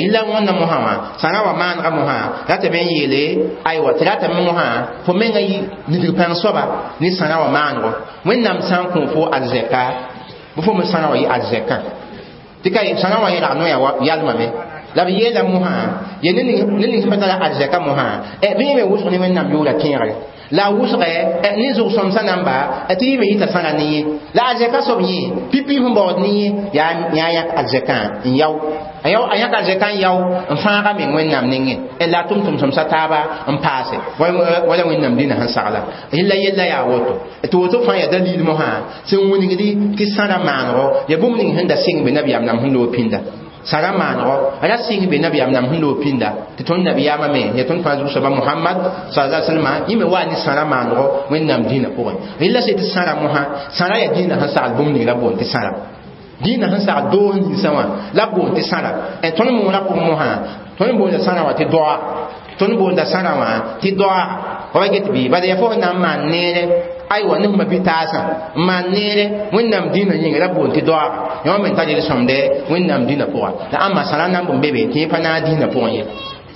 yilla wẽnna mosã wã sãra wã maanega mosã ratame n yeele aywa tɩ ratame mosã fo menga yi nidg pãng soaba ne sãra wã maanego wẽnnaam sã n kõ fo arzɛka bɩ fo me sãra wã yɩ arzɛkã tɩ ka sãra wã yẽlg noya yalmame la b yeela mosã ye ne ning sẽn pa tara arzɛka mosã bɩ yẽ me wʋsg ne wẽnnaam yʋʋra tẽegre la a wʋsgɛ ne zʋg-sõmsã namba tɩ yẽ me yita sãra ne yẽ la arzɛka soab yẽ pipi sẽn baood ne yẽ yaa yãk arzɛkã n yao a yãk arzɛka n yao n fãaga meng wẽnnaam nengẽ la a tʋm tʋm-sõmsã taaba n paase wala wẽnnaam dĩnã sẽn sagla yella yella yaa woto tɩ woto fãa yaa dalil mosã sẽn wilgdi tɩ sãra maanego ya bũmb ning sẽn da sɩng be nabiyaam nam sẽn loog pĩnda sãra maanego ra sɩng be nabiyaam nam sẽn loog pĩnda tɩ tõnd nabiyaamã me ya tõnd fãa zug-soaba Mohamad sallallahu alaihi wasallam yẽ me waa ne sãra maanego wẽnnaam dĩnã pʋgẽ rẽla sẽ tɩ sãra mosã sãra yaa dĩnã sẽn sagl bũmb ning la boond tɩ sãra dĩnã sẽn sagl doos ninsã wã la boond tɩ sãra tõnd moonã pʋgẽ mosã tõnd boonda sãra wã tɩ doa tõnd boonda sãra wã tɩ doa fa pa get bɩ bala yaa fo sẽn na n maan neere aywa ne fma bi-taasã n maan neere wẽnnaam dĩnã yĩnga la boond tɩ doaaga yã me tar yel-sõmde wẽnnaam dĩnã pʋga la ãmba sãra nan b be be tɩ yẽ pa naag dĩnã pʋgẽ ye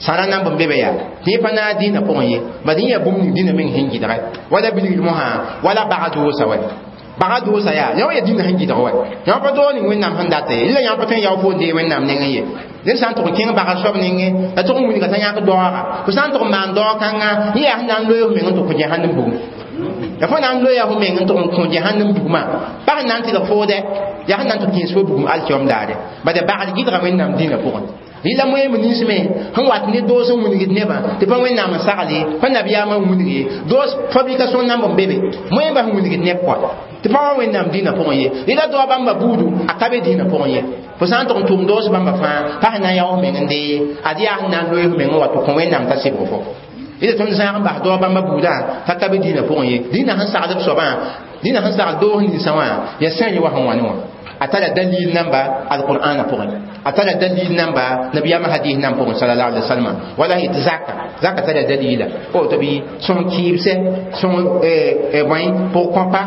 sãra nan b be be yaa tɩ yẽ pa naag dĩnã pʋgẽ ye bad yẽ yaa bũmb ning dĩnã meng sẽn gɩdgɛ wala bilgd mosã wala baga doosa wɛ baga doosa yaa yã wã yaa dĩnã sẽn gɩdg wɛ yã pa doog ning wẽnnaam sẽn data ye la yã pa tõe n yao fo n dee wẽnnaam nengẽ ye ned sã n tʋg n kẽng bagr soab nengẽ la tʋg n wilga t'a yãk daooga fo sã n tʋg n maan daoog kãnga yẽ yaa sẽn na n loe f meng n tɩ kõ jẽsãnd bugum ya fo na n loeya fo meng n tʋg n kõ jẽsãnd bugmã pa sẽn na n tɩlg foodɛ yaa sẽn na n tɩ kẽes fo bugum alkiom daare bad bagr gɩdga wẽnnaam dĩnã pʋgẽ rɩla moeem nins me sẽn wat ne doos n wilgd nebã tɩ pa wẽnnaam n sagle pa nabiyaamã n wilg ye doos fabrication namb n be be moeembã sẽn wilgd neb kɔa tɩ pa wa wẽnnaam dĩnã pʋgẽ ye rɩla doa bãmba buudu a ka be dĩnã pʋgẽ ye fo sã n tʋg n tʋm doos bãmba fãa pa sẽn na n yao f meng n dee ad yaa sẽn na n loe f meng n wa tɩ kõ wẽnnaam t'a sɩbg fo rɩla tõnd zãag n bas doa bãmba buudã t'a ka be dĩnã pʋgẽ ye dĩnã sẽn sagd b soabã dĩnã sẽn sagl doos ninsã wã yaa sẽn ye wa sẽn wa ne wã a tara dalil namba alqur'ana pʋgẽ a tara dalil namba nabiyama hadis nan pʋgẽ sallallahu alaihi wasallam wala yetɩ zaka zaka tara dalila o tɩ bɩ sõng kɩɩbsɛ sõng bõe pʋg-kõpa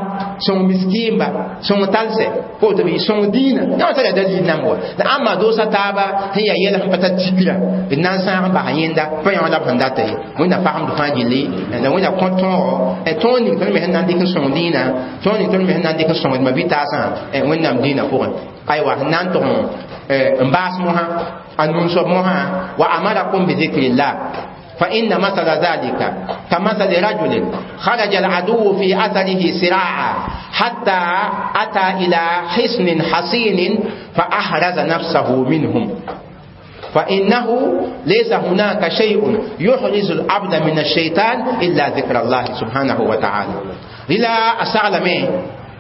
sõng miskiimba sõng talsɛ o tɩ bɩ sõng dĩinã yã wã tara dalil namb wa la ãmba doosa taaba sẽn yaa yɛl sẽn pa tar tikra d na n sãag n bas yẽnda pa yã wã la b sẽn data ye wẽnna fagemd fãa gilli la wẽnna kõ tõogo tõog ning tõnd me sẽn na n dɩk n sõng dĩinã tõog ning tõnd me sẽn na n dɩk n sõngd ma bi-taasã wẽnnaam dĩinã pʋgẽ aywa sẽn na n tʋg n baas mosã a nun-soab mosã wa amarakum bi dhikrillah فإن مثل ذلك كمثل رجل خرج العدو في أثره سراعا حتى أتى إلى حصن حصين فأحرز نفسه منهم فإنه ليس هناك شيء يحرز العبد من الشيطان إلا ذكر الله سبحانه وتعالى إلى أسأل مي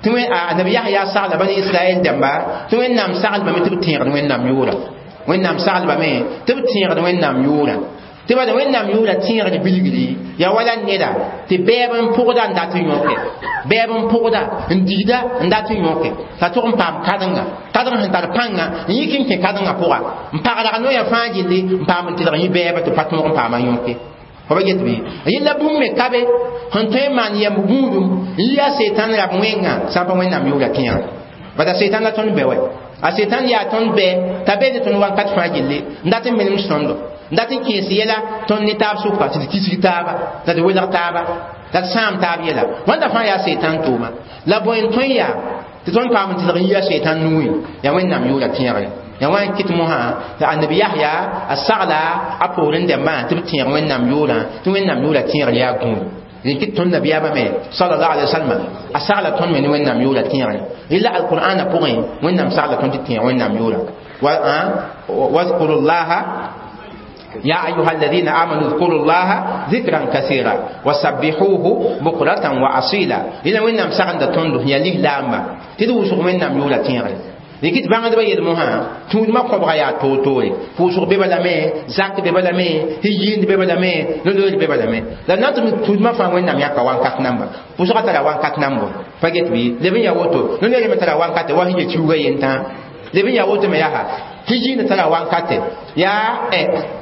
tɩ annabi yahya sagla bani israɛl dãmba tɩ wẽnnaam saglbame tɩ b tẽegd wẽnnaam yʋʋra wẽnnaam saglbame tɩ b tẽegd wẽnnaam yʋʋra tɩ bala wẽnnaam yʋʋra tẽegd bilgri yaa wala neda tɩ bɛɛb n pʋgda n dat n yõke bɛɛb n pʋgda n digda n dat n yõke t'a tʋg n paam kãdenga kãdeng sẽn tar pãnga n yik n kẽ kãdengã pʋga n pagdg noya fãa gilli n paam n tɩlg yẽ bɛɛba tɩ pa tõog n paama yõke fo pa get bɩ yella bũmb me ka be sẽn tõe n maan yɛmb gũudum n yi a setan rab wẽngã sã n pa wẽnnaam yʋʋra tẽegã bad a setan la tõnd bɛ wɛ a setan yaa tõnd bɛ t'a beede tõnd wakat fãa gilli n dat n menem sõndo n dat n kẽes yɛla tõnd ne taab sʋka tɩ d kisg taaba la d welg taaba la d sãam taab yɛla wãnda fãa yaa setan tʋʋma la bõe n tõe yaa tɩ tõnd paam n tɩlg n yi a setan nuuẽ yaa wẽnnaam yʋʋra tẽegre ya wã n kɩt mosã tɩ annabi yahya a sagla a poorẽ dãmbã tɩ b tẽeg wẽnnaam yʋʋrã tɩ wẽnnaam yʋʋra tẽegr yaa gũud rẽn kɩt tõnd nabiyaamã me sallallahu alaihi wasallam a sagla tõnd me ne wẽnnaam yʋʋra tẽegre rɩla alqur'ana pʋgẽ wẽnnaam sagla tõnd tɩ tẽeg wẽnnaam yʋʋra واذكروا الله يا أيها الذين آمنوا اذكروا الله ذكرا كثيرا وسبحوه بكرة وأصيلا إذا وين نام سغند تندو يا ليه لاما تدو سوق وين نام يولا تيغري dɩk bãngdbã yel mosã tũudmã kõbga yaa toor-toore pʋʋsg be balame zak be balame yiind be balame no-loor be balame la na tɩ tũudmã fãa wẽnnaam yãka wãnkat namba pʋʋsgã tara wãnkat nambo pa get bɩ leb n yaa woto no-loor me tara wãnkate wa sẽn ye kiuugã yentã leb n yaa woto me yaa hijiinda tara wankate yaa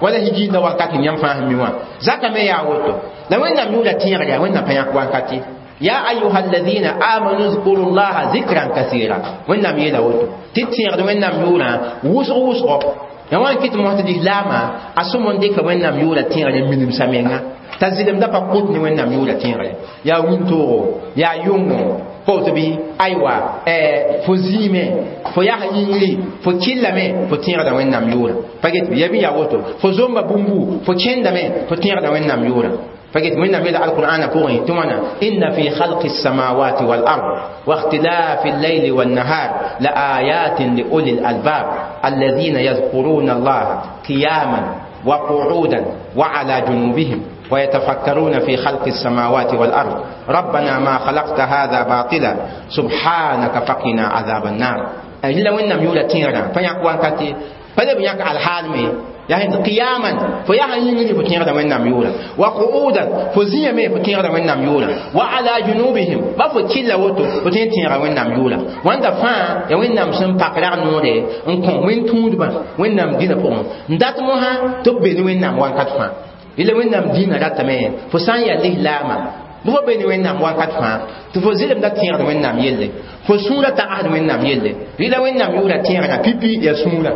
wala hijiinda wankate yãmb fãa sẽn mi wã zaka me yaa woto la wẽnnaam yʋʋra tẽegr yaa wẽnnaam pa yãk wankati يا أيها الذين آمنوا اذكروا الله ذكرا كثيرا وإنم يلا وتو تتيغد وإنم يورا وسغ وسغ يوان كت موت دي لاما أسمون ديك وإنم يورا تيغد من مسامينا تزيدم دا قوت ني وإنم يورا تيغد يا وينتورو يا يونغو قوت بي أيوا فزيمة فيا ينغلي فكيلا مي فتيغد وإنم يورا فقط يبي يا وتو فزومبا بومبو فكيندا مي فتيغد وإنم يورا فقلت من نبيل القرآن فوقي تمنى إن في خلق السماوات والأرض واختلاف الليل والنهار لآيات لأولي الألباب الذين يذكرون الله قياما وقعودا وعلى جنوبهم ويتفكرون في خلق السماوات والأرض ربنا ما خلقت هذا باطلا سبحانك فقنا عذاب النار إلا وإنم يولا تيرا فيقوان كتي فلم يقع الحال مي يعني قياما فيا ينجي فتيغدا وينام يولا وقعودا فزيا مي فتيغدا وينام يولا وعلى جنوبهم بفو كيلا وتو فتين تيغا وينام يولا واندا فا يا وينام سن باكرا نوري ان كون وين تودبا وينام دينا بون ندات موها تبني وينام وان كات فا إلا وينام دينا راتمي فسان يا ليه لاما بو بني وينام وان كات فا تفو زيلم دا تيغدا وينام يلي فو سورة تعهد وينام يلي إلا وينام يولا تيغدا بيبي يا سورة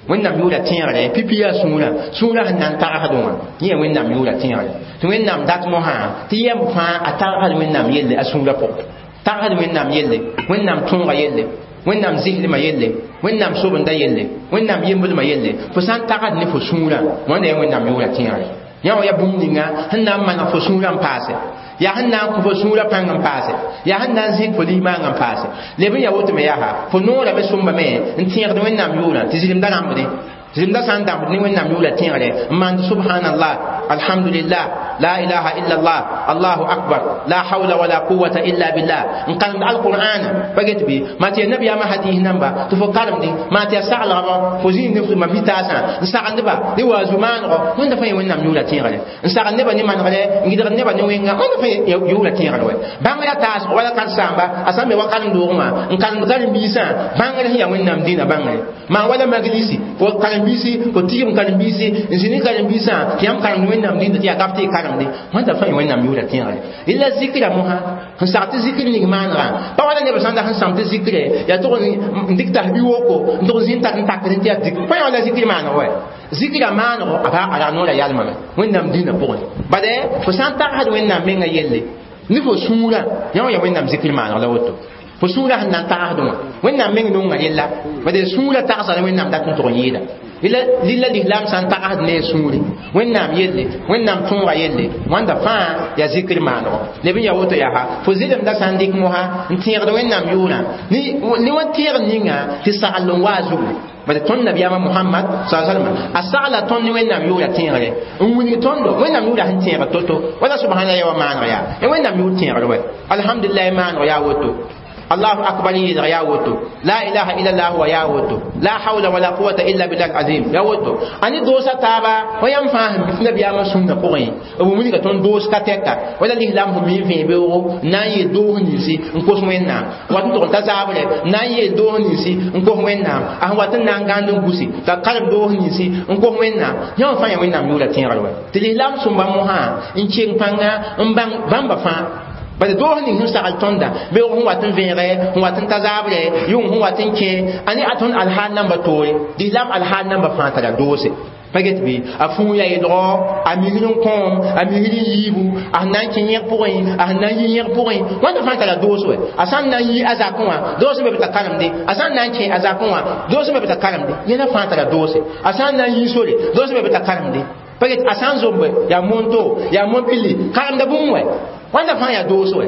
wẽnnaam yʋʋra tẽegre pipi yaa sũurã sũurã sẽn na n tagsdẽ wã yẽ yaa wẽnnaam yʋʋra tẽegre tɩ wẽnnaam dat mosã tɩ yɛm fãa a tagsd wẽnnaam yelle a sũurã pʋgẽ tagsd wẽnnaam yelle wẽnnaam tõoga yelle wẽnnaam zislmã yelle wẽnnaam sobenda yelle wẽnnaam yembdmã yelle fo sã n tagsd ne fo sũurã wãnda yaa wẽnnaam yʋʋra tẽegre yã wã yaa bũmb ninga sẽn na n maneg fo sũurã n paase yaa sẽn na n kõ fo sũurã pãng n paase yaa sẽn na n zẽk fo limaang n paase leb n yaa woto me yaa fo noorame sõmbame n tẽegd wẽnnaam yʋʋrã tɩ zɩlemda rãmbdẽ zɩlemda sã n dãmbd ne wẽnnaam yʋʋra tẽegre n maand subhanallah alhamdulillah la ilaha illa allah allahu akbar la hawla wala quwwata illa billah n karemd alqur'ana pa get bɩ maa tɩ ya nabiyaamã hadis namba tɩ fo karemdẽ maa tɩ ya saglgba fo zĩig ne ma vitaasã n sagend-ba ne wa zu-maanego wẽnda fãa ya wẽnnaam yʋʋra tẽegre n sagend nebã ne manegre n gɩdgd nebã ne wẽnga wẽnda fãa yʋʋra tẽegre wɛ bãngrã taasg wala karen-saamba a sã n be wa karen-doogẽ wã n karemd karen-biisã bãngr sẽn yaa wẽnnaam dĩinã bãngre maa wala maglisi fo karen-biisi fo tigm karen-biisi n zĩ ne karen-biisã tɩ yãmb karemd wẽnnaam dĩnda tɩ yaa kap tɩ y karemde wãnda fãa ya wẽnnaam yʋʋra tẽegre illa zikra mosã sẽn sag tɩ zikr ning maanegã pa wala neb sã n dag sẽn sãm tɩ zikre yaa tʋg n dɩk tasbi woko n tʋg zĩ n tar n takd tɩ yaa zikr pa yã wala zikr maaneg wɛ zikra maanego a pa a ra noora yalmame wẽnnaam dĩinã pʋgẽ bade fo sã n tagsd wẽnnaam menga yelle ne fo sũurã yã wã ya wẽnnaam zikr maaneg la woto fo sũurã sẽn na n tagsdẽ wã wẽnnaam meng nonga yella bade sũurã tagsa ne wẽnnaam dat n tʋg n yɩɩda lilla lislaam sã n tagsd ne a sũuri wẽnnaam yelle wẽnnaam tõoga yelle wãnda fãa yaa zikr maanego leb n yaa woto yaa fo zɩlemda sã n dɩk mosã n tẽegd wẽnnaam yʋʋrã ne wa tẽeg ninga tɩ sagl n wa a zugu bala tõnd nabiyaamã Muhammad sallallahu alaihi wasallam a sagla tõnd ne wẽnnaam yʋʋra tẽegre n wilg tõndo wẽnnaam yʋʋra sẽn tẽegr to-to wala subhana ya wa maaneg yaa ya wẽnnaam yʋʋr tẽegr wɛ alhamdulillah maaneg yaa woto الله أكبر يا وتو لا إله إلا الله ويا وتو لا حول ولا قوة إلا بالله العظيم يا وتو أني دوسا تابا ويام فاهم نبي أما سنة قوي أبو مني كتون دوس كاتيكا ولا الإسلام هم يفين بيو ناي دوه نيسي نكوس وينا واتن تقول تزابل ناي دوه نيسي نكوس وينا أه واتن نانغان نكوسي تقرب دوه نيسي نكوس وينا يوم فاهم وينا ميولا تينغلوا تلي سنبا موها إن بانغا إن بان بامبا فان bala doos ning sẽn sagl tõnda beoog sẽn wat n vẽege sẽn wat n ta zaabre yʋng sẽn wat n kẽ a ne a tõnd alhaal namba toore lislaam alhaal namba fãa tara doose pa get bɩ a fũu ya yelgo a misr n kõom a misr n yiibu a sẽn na n kẽ yẽg pʋgẽ a sẽn na n yi yẽg pʋgẽ wãnda fãa tara doos wɛ a sã n na n yi a zakẽ wã doos be b t'a karemde a sã n na n kẽ a zakẽ wã doos be b t'a karemde yẽla fãa tara doose a sã n na n yi sore doos be b t'a karemde pa get a sã n zombe yaa monto yaa mon-pili karemda bũmb wɛ wãnda fãa yaa doos wɛ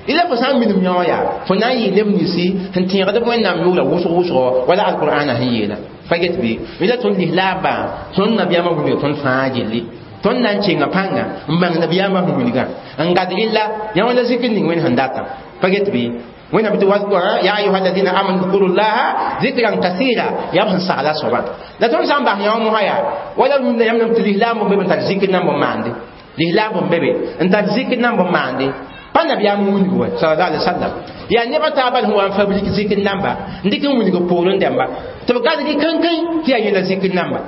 Ila fo sã n minim yõ yaa fo na n yɩ neb ninsi sẽn tẽegd b wẽnnaam yʋʋra wʋsg wʋsgo wala alqur'ana sẽn yeela pa get bɩ ila tõnd lislaambã tõnd nabiyaamã wilga tõnd fãa gilli tõnd na n kenga pãnga n bãng nabiyaamã sẽn wilgã n gad rɩlla yã wã la zikr ning wẽnd sẽn datã pa get bɩ wẽnnaam tɩ ya ayuha alladina amanu dhkuru llaha zikran kasira yaa b sẽn sagla soabã la tõnd sã n bas yã wã mosã yaa wala rũndã yãmb tɩ lislaam b be n tar zikr nan b maande lislaam b be n tar zikr nan b maande pa nabiyaam wilg wa sallallahu alaihi wasallam yaa neba taaba sẽn wa n fabrik zikr namba n dɩk n wilg poorẽ dãmba tɩ b gadg kãnkẽ tɩ yaa yẽla zikr namba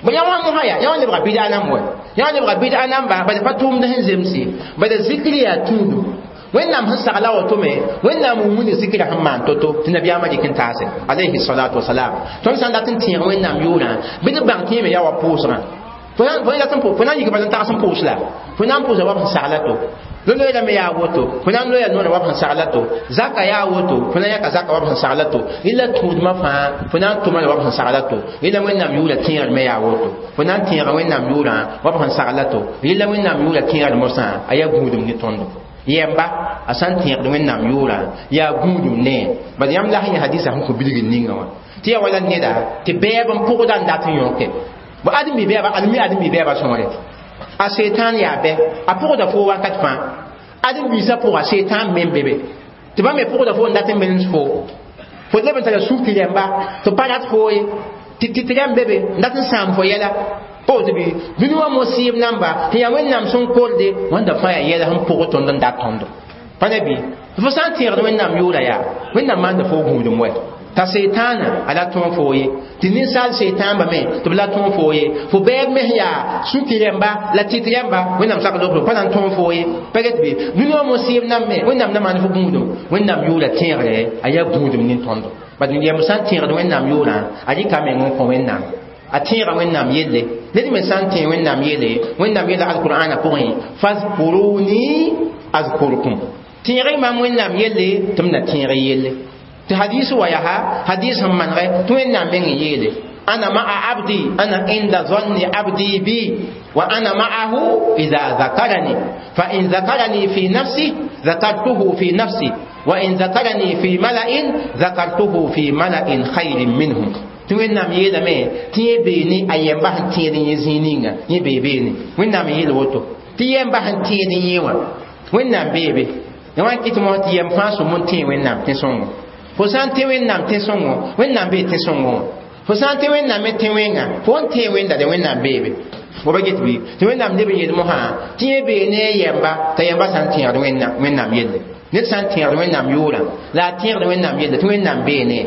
bõ yã wã mosã yaa yã wã lebga bɩda namb wa yã wã lebga bɩda namba bala pa tʋʋmd sẽn zemse bala zikr yaa tũudum wẽnnaam sẽn sagla woto me wẽnnaam n wilg zikra sẽn maan to-to tɩ nabiyaamã dɩk n taase alayhi salatu wasalam tõnd sã n dat n tẽeg wẽnnaam yʋʋrã bɩ d bãng tɩ yẽ me yaa wa pʋʋsgã fo na n yik bala n tags n pʋʋs la fo na n pʋʋsa wa b sẽn sagla to loe me yaa woto fo na n loeya noorã wa b sẽn sagla to zaka yaa woto fo na n yãka zaka wa b sẽn sagla to rɩla tũudmã fãa fo na n tʋma la wa b sẽn sagla to rɩla wẽnnaam yʋʋra tẽegr me yaa woto fo na n tẽega wẽnnaam yʋʋrã wa b sẽn sagla to rɩla wẽnnaam yʋʋra tẽegr mosã a yaa gũudum ne tõndo yɛmba a sã n tẽegd wẽnnaam yʋʋrã yaa gũudum nee bad yãmb la sẽn yã hadisa sẽn kõ bilgr ninga wã tɩ yaa wala neda tɩ bɛɛb n pʋgda n dat n yõke bo ãdem-bi bɛɛba ãdem-mi ãdem-bi bɛɛba sõore a setan yaa bɛ a pʋgda fo wakat fãa ãdem-biisã pʋga setan me n be be tɩ bãmb me pʋgda fo n dat n menes fo fo leb n tara suk rẽmba tɩ pa rat fo ye tɩ tɩ rẽmb be be n dat n sãam fo yɛla pa woto bɩ dũni wã mo-sɩɩb namba tɩ yaa wẽnnaam sẽn korde wãnda fãa yaa yɛla sẽn pʋg tõnd n dat tõndo pa ne bɩ fo sã n tẽegd wẽnnaam yʋʋra yaa wẽnnaam maanda fo gũudum wɛ ta seetãana a la tõog fo ye tɩ ninsaal seetãamba me tɩ b la tõog fo ye fo bɛɛb mes yaa sũki rẽmba la tɩt rẽmba wẽnnaam sak lobr pa na n tõog fo ye pa get bɩ dũni wã mo-sɩɩb nam me wẽnnaam na maan fo gũudum wẽnnaam yʋʋra tẽegre a yaa gũudum nin-tõndo bad yɛm sã n tẽegd wẽnnaam yʋʋrã a rɩka meng n kõ wẽnnaam a tẽega wẽnnaam yelle ned me sã n tẽeg wẽnnaam yele wẽnnaam yeela alqur'ana pʋgẽ fazkuruni azkurkum tẽeg mam wẽnnaam yelle tɩ m na tẽeg yelle tɩ hadis wa yaa hadis sẽn manegɛ tɩ wẽnnaam meng n yeele ana ma'a abdi ana inda zanni abdi bi wa ana ma'ahu idha zakarani fa in zakarani fi nafsi zakartuhu fi nafsi wa in zakarani fi mala'in zakartuhu fi mala'in khayrin minhum tɩ wẽnnaam yeelame tɩ yẽ bee ne a yɛmba sẽn tẽed yẽ zĩig ninga yẽ bee beene wẽnnaam n yeel woto tɩ yɛmba sẽn tẽed yẽ wã wẽnnaam bee be ya wã n kɩt mosã tɩ yɛm fãa sõm n tẽe wẽnnaam tẽ-sõngo fo sã n tẽ wẽnnaam tẽ-sõngo wẽnnaam bee tẽ-sõngõ wã fo sã n tẽ wẽnnaam me tẽ wẽnga fo n tẽe wẽnda de wẽnnaam beebe fo ba get bɩ tɩ wẽnnaam leb n yeel mosã tɩ yẽ bee ne a yɛmba t'a yɛmba sã n tẽegd wẽnnaam yelle ned sã n tẽegd wẽnnaam yʋʋrã la a tẽegd wẽnnaam yelle tɩ wẽnnaam bee ne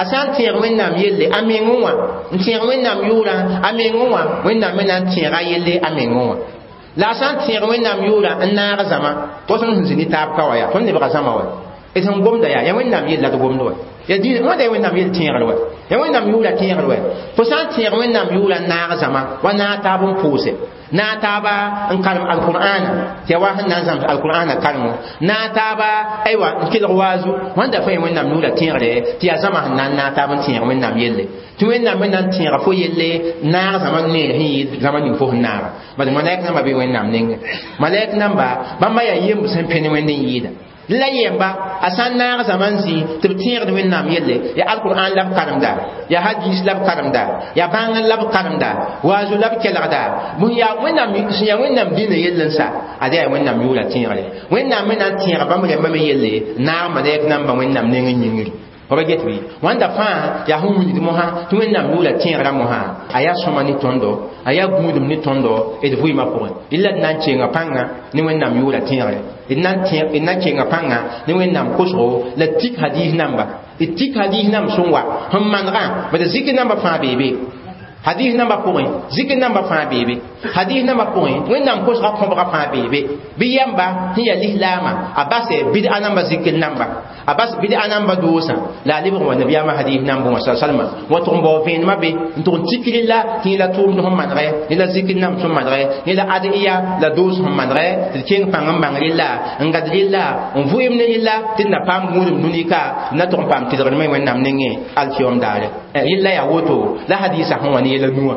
a sã n tẽeg wẽnnaam yelle a mengẽ wã n tẽeg wẽnnaam yʋʋrã a mengẽ wã wẽnnaam me na n tẽega yelle a mengẽ wã la a sã n tẽeg wẽnnaam yʋʋrã n naag zãma tɩ tõnd sẽn zĩ ne taab ka wa yaa tõnd lebga zãma wa d sẽn gomda yaa yaa wẽnnaam yell la d gomd wa yaa dĩin wãnda yaa wẽnnaam yell tẽegr wa yaa wẽnnaam yʋʋra tẽegr wa fo sã n tẽeg wẽnnaam yʋʋra n naag zãma wa naag taab n pʋʋse naag taaba n karem alqur'ana tɩ yaa wa sẽn na n zãms alqur'ana karengo naag taaba aywa n kelg waazu wãnda fãa wẽnnaam yʋʋra tẽegre tɩ yaa zãma sẽn na n naag taab n tẽeg wẽnnaam yelle tɩ wẽnnaam me na n tẽega fo yelle naag zãma neer sẽn yɩ zãma ning fo sẽn naaga bad malɛk namba bee wẽnnaam nengẽ malɛk namba bãmba yaa yemb sẽn pẽne wẽnd n yɩɩda la yɛmba a sã n naag zãma n zĩ tɩ b tẽegd wẽnnaam yelle yaa alqur'an la b karemda yaa hadis la b karemda yaa bãng la b karemda waazu la b kelgda bõe yaa wẽnnaam sẽn yaa wẽnnaam dĩnã yell n sa ad yaa wẽnnaam yʋʋra tẽegre wẽnnaam me na n tẽega bãmb rẽmbã me yelle naag malɛk namba wẽnnaam neng n yĩngri fa ba get bɩ wãnda fãa yaa sẽn wilgd mosã tɩ wẽnnaam yʋʋra tẽegrã mosã a yaa sõma ne tõndo a yaa gũudum ne tõndo d vɩɩmã pʋgẽ rɩla d na n kenga pãnga ne wẽnnaam yʋʋra tẽegre d na n kenga pãnga ne wẽnnaam kosgo la tik hadis namba d tik hadis namb sẽn wa sẽn manegã bad zikr namba fãa bee be hadis namba pʋgẽ zikr namba fãa bee be hadis namba pʋgẽ wẽnnaam kosga kõbga fãa bee be bɩ yɛmba sẽn yaa lislaamã a base bɩd'a namba zikr namba a bas bɩd'a namba doosã la a lebg wa nabiyaamã hadis nambẽ wã salma wa tʋg n bao vẽenemã be n tʋg n tik rɩla tɩ yẽ la tʋʋmd sẽn manegɛ yẽ la zikr namb sẽn manegɛ yẽ la ad'iya la doos sẽn manegɛ tɩ d keng pãng n bãng rɩla n gad rɩla n vʋɩem ne rɩla tɩ d na paam gũudum dũni ka d na tʋg n paam tɩlgdmẽ wẽnnaam nengẽ alkiyom daare rɩla yaa woto la hadisa sẽn wa ne yɛla nuwã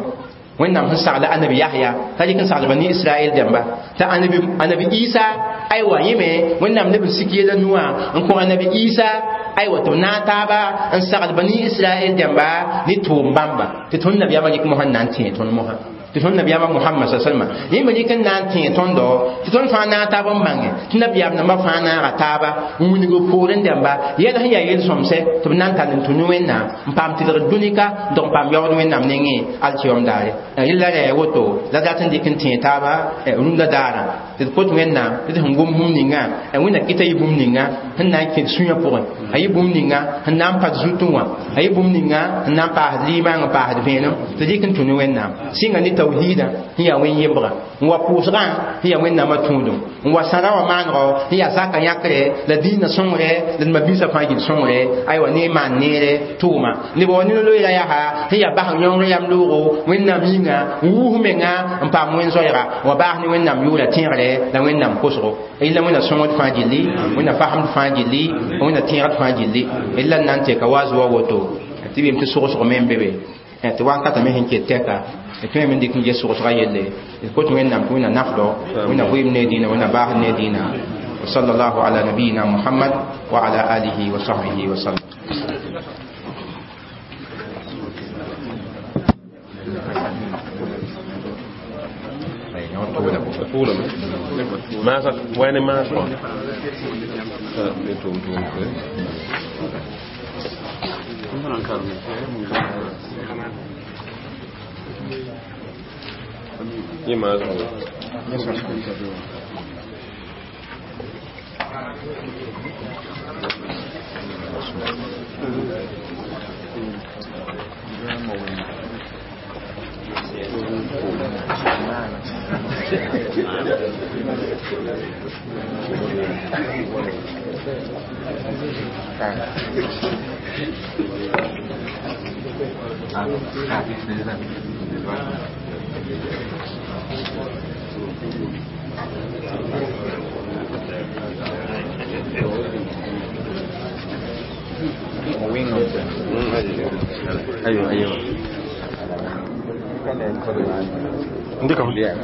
Wẽnnaam sẽn sagla anabi Yahya t'a dɩk n sagl bani Israɛl dẽmba t'a anabi anabi Isa aywa yẽme Wẽnnaam leb n sik yɛla nuwã n kõ anabi Isa aywa tɩ b naag taaba n sagl bani Israɛl dẽmba ne tʋʋm bãmba tɩ tõnd nabiyaamã rɩk mosã n na n tẽe tõnd mosã tɩ tõnd nabiyaamã Mohamad sa salma yẽ me rɩk n na n tẽe tõndo tɩ tõnd fãa naag taab n bãnge tɩ nabiyaam nambã fãa naaga taaba n wilg b poorẽ dẽmba yɛl sẽn yaa yel-sõmsɛ tɩ b na n tall n tũ ne Wẽnnaam n paam tɩlgr dũnika n tɩg n paam yaood Wẽnnaam nengẽ alkiyom daare rɩla ra yaa woto la dat n dɩk n tẽe taaba rũndã daarã tɩ d kot Wẽnnaam tɩ d sẽn gom bũmb ninga Wẽnna kɩta yɩ bũmb ninga sẽn na n kẽd sũyã pʋgẽ a yɩ bũmb ninga sẽn na n pa d zutẽ wã a yɩ bũmb ninga sẽn na n paasd limaang n paasd vẽenem tɩ dɩk n tũ ne Wẽnnaam sɩnga ne tawhiidã sẽn yaa wẽn-yembga n wa pʋʋsgã sẽn yaa Wẽnnaamã tũudum n wa sãra wã maanego sẽn yaa zaka yãkre la dĩinã sõngre la d ma-biisã fãa gil sõngre aywa ne maan neere tʋʋma neb wa ne-loeera yaa sẽn yaa bas yõngr yam loogo Wẽnnaam yĩnga n wuus menga n paam wẽn-zoɛɛga n wa baas ne Wẽnnaam yʋʋra tẽegre la Wẽnnaam kosgo illa Wẽnna sõngd fãa gilli Wẽnna fasemd fãa gilli Wẽnna tẽegd fãa gilli illa n na n teka wa zoa woto tɩ bɩm tɩ sogsg me n be be tɩ wakatã me sẽn ket tɛka d tõe me n dɩk n ges sogsga yelle d kot Wẽnnaam tɩ Wẽnna nafdo Wẽnna vɩɩm ne dĩinã Wẽnna baasd ne dĩinã وصلى الله على نبينا محمد وعلى آله وصحبه وسلم. ما وين ما ايوه ايوه عندكم يلا.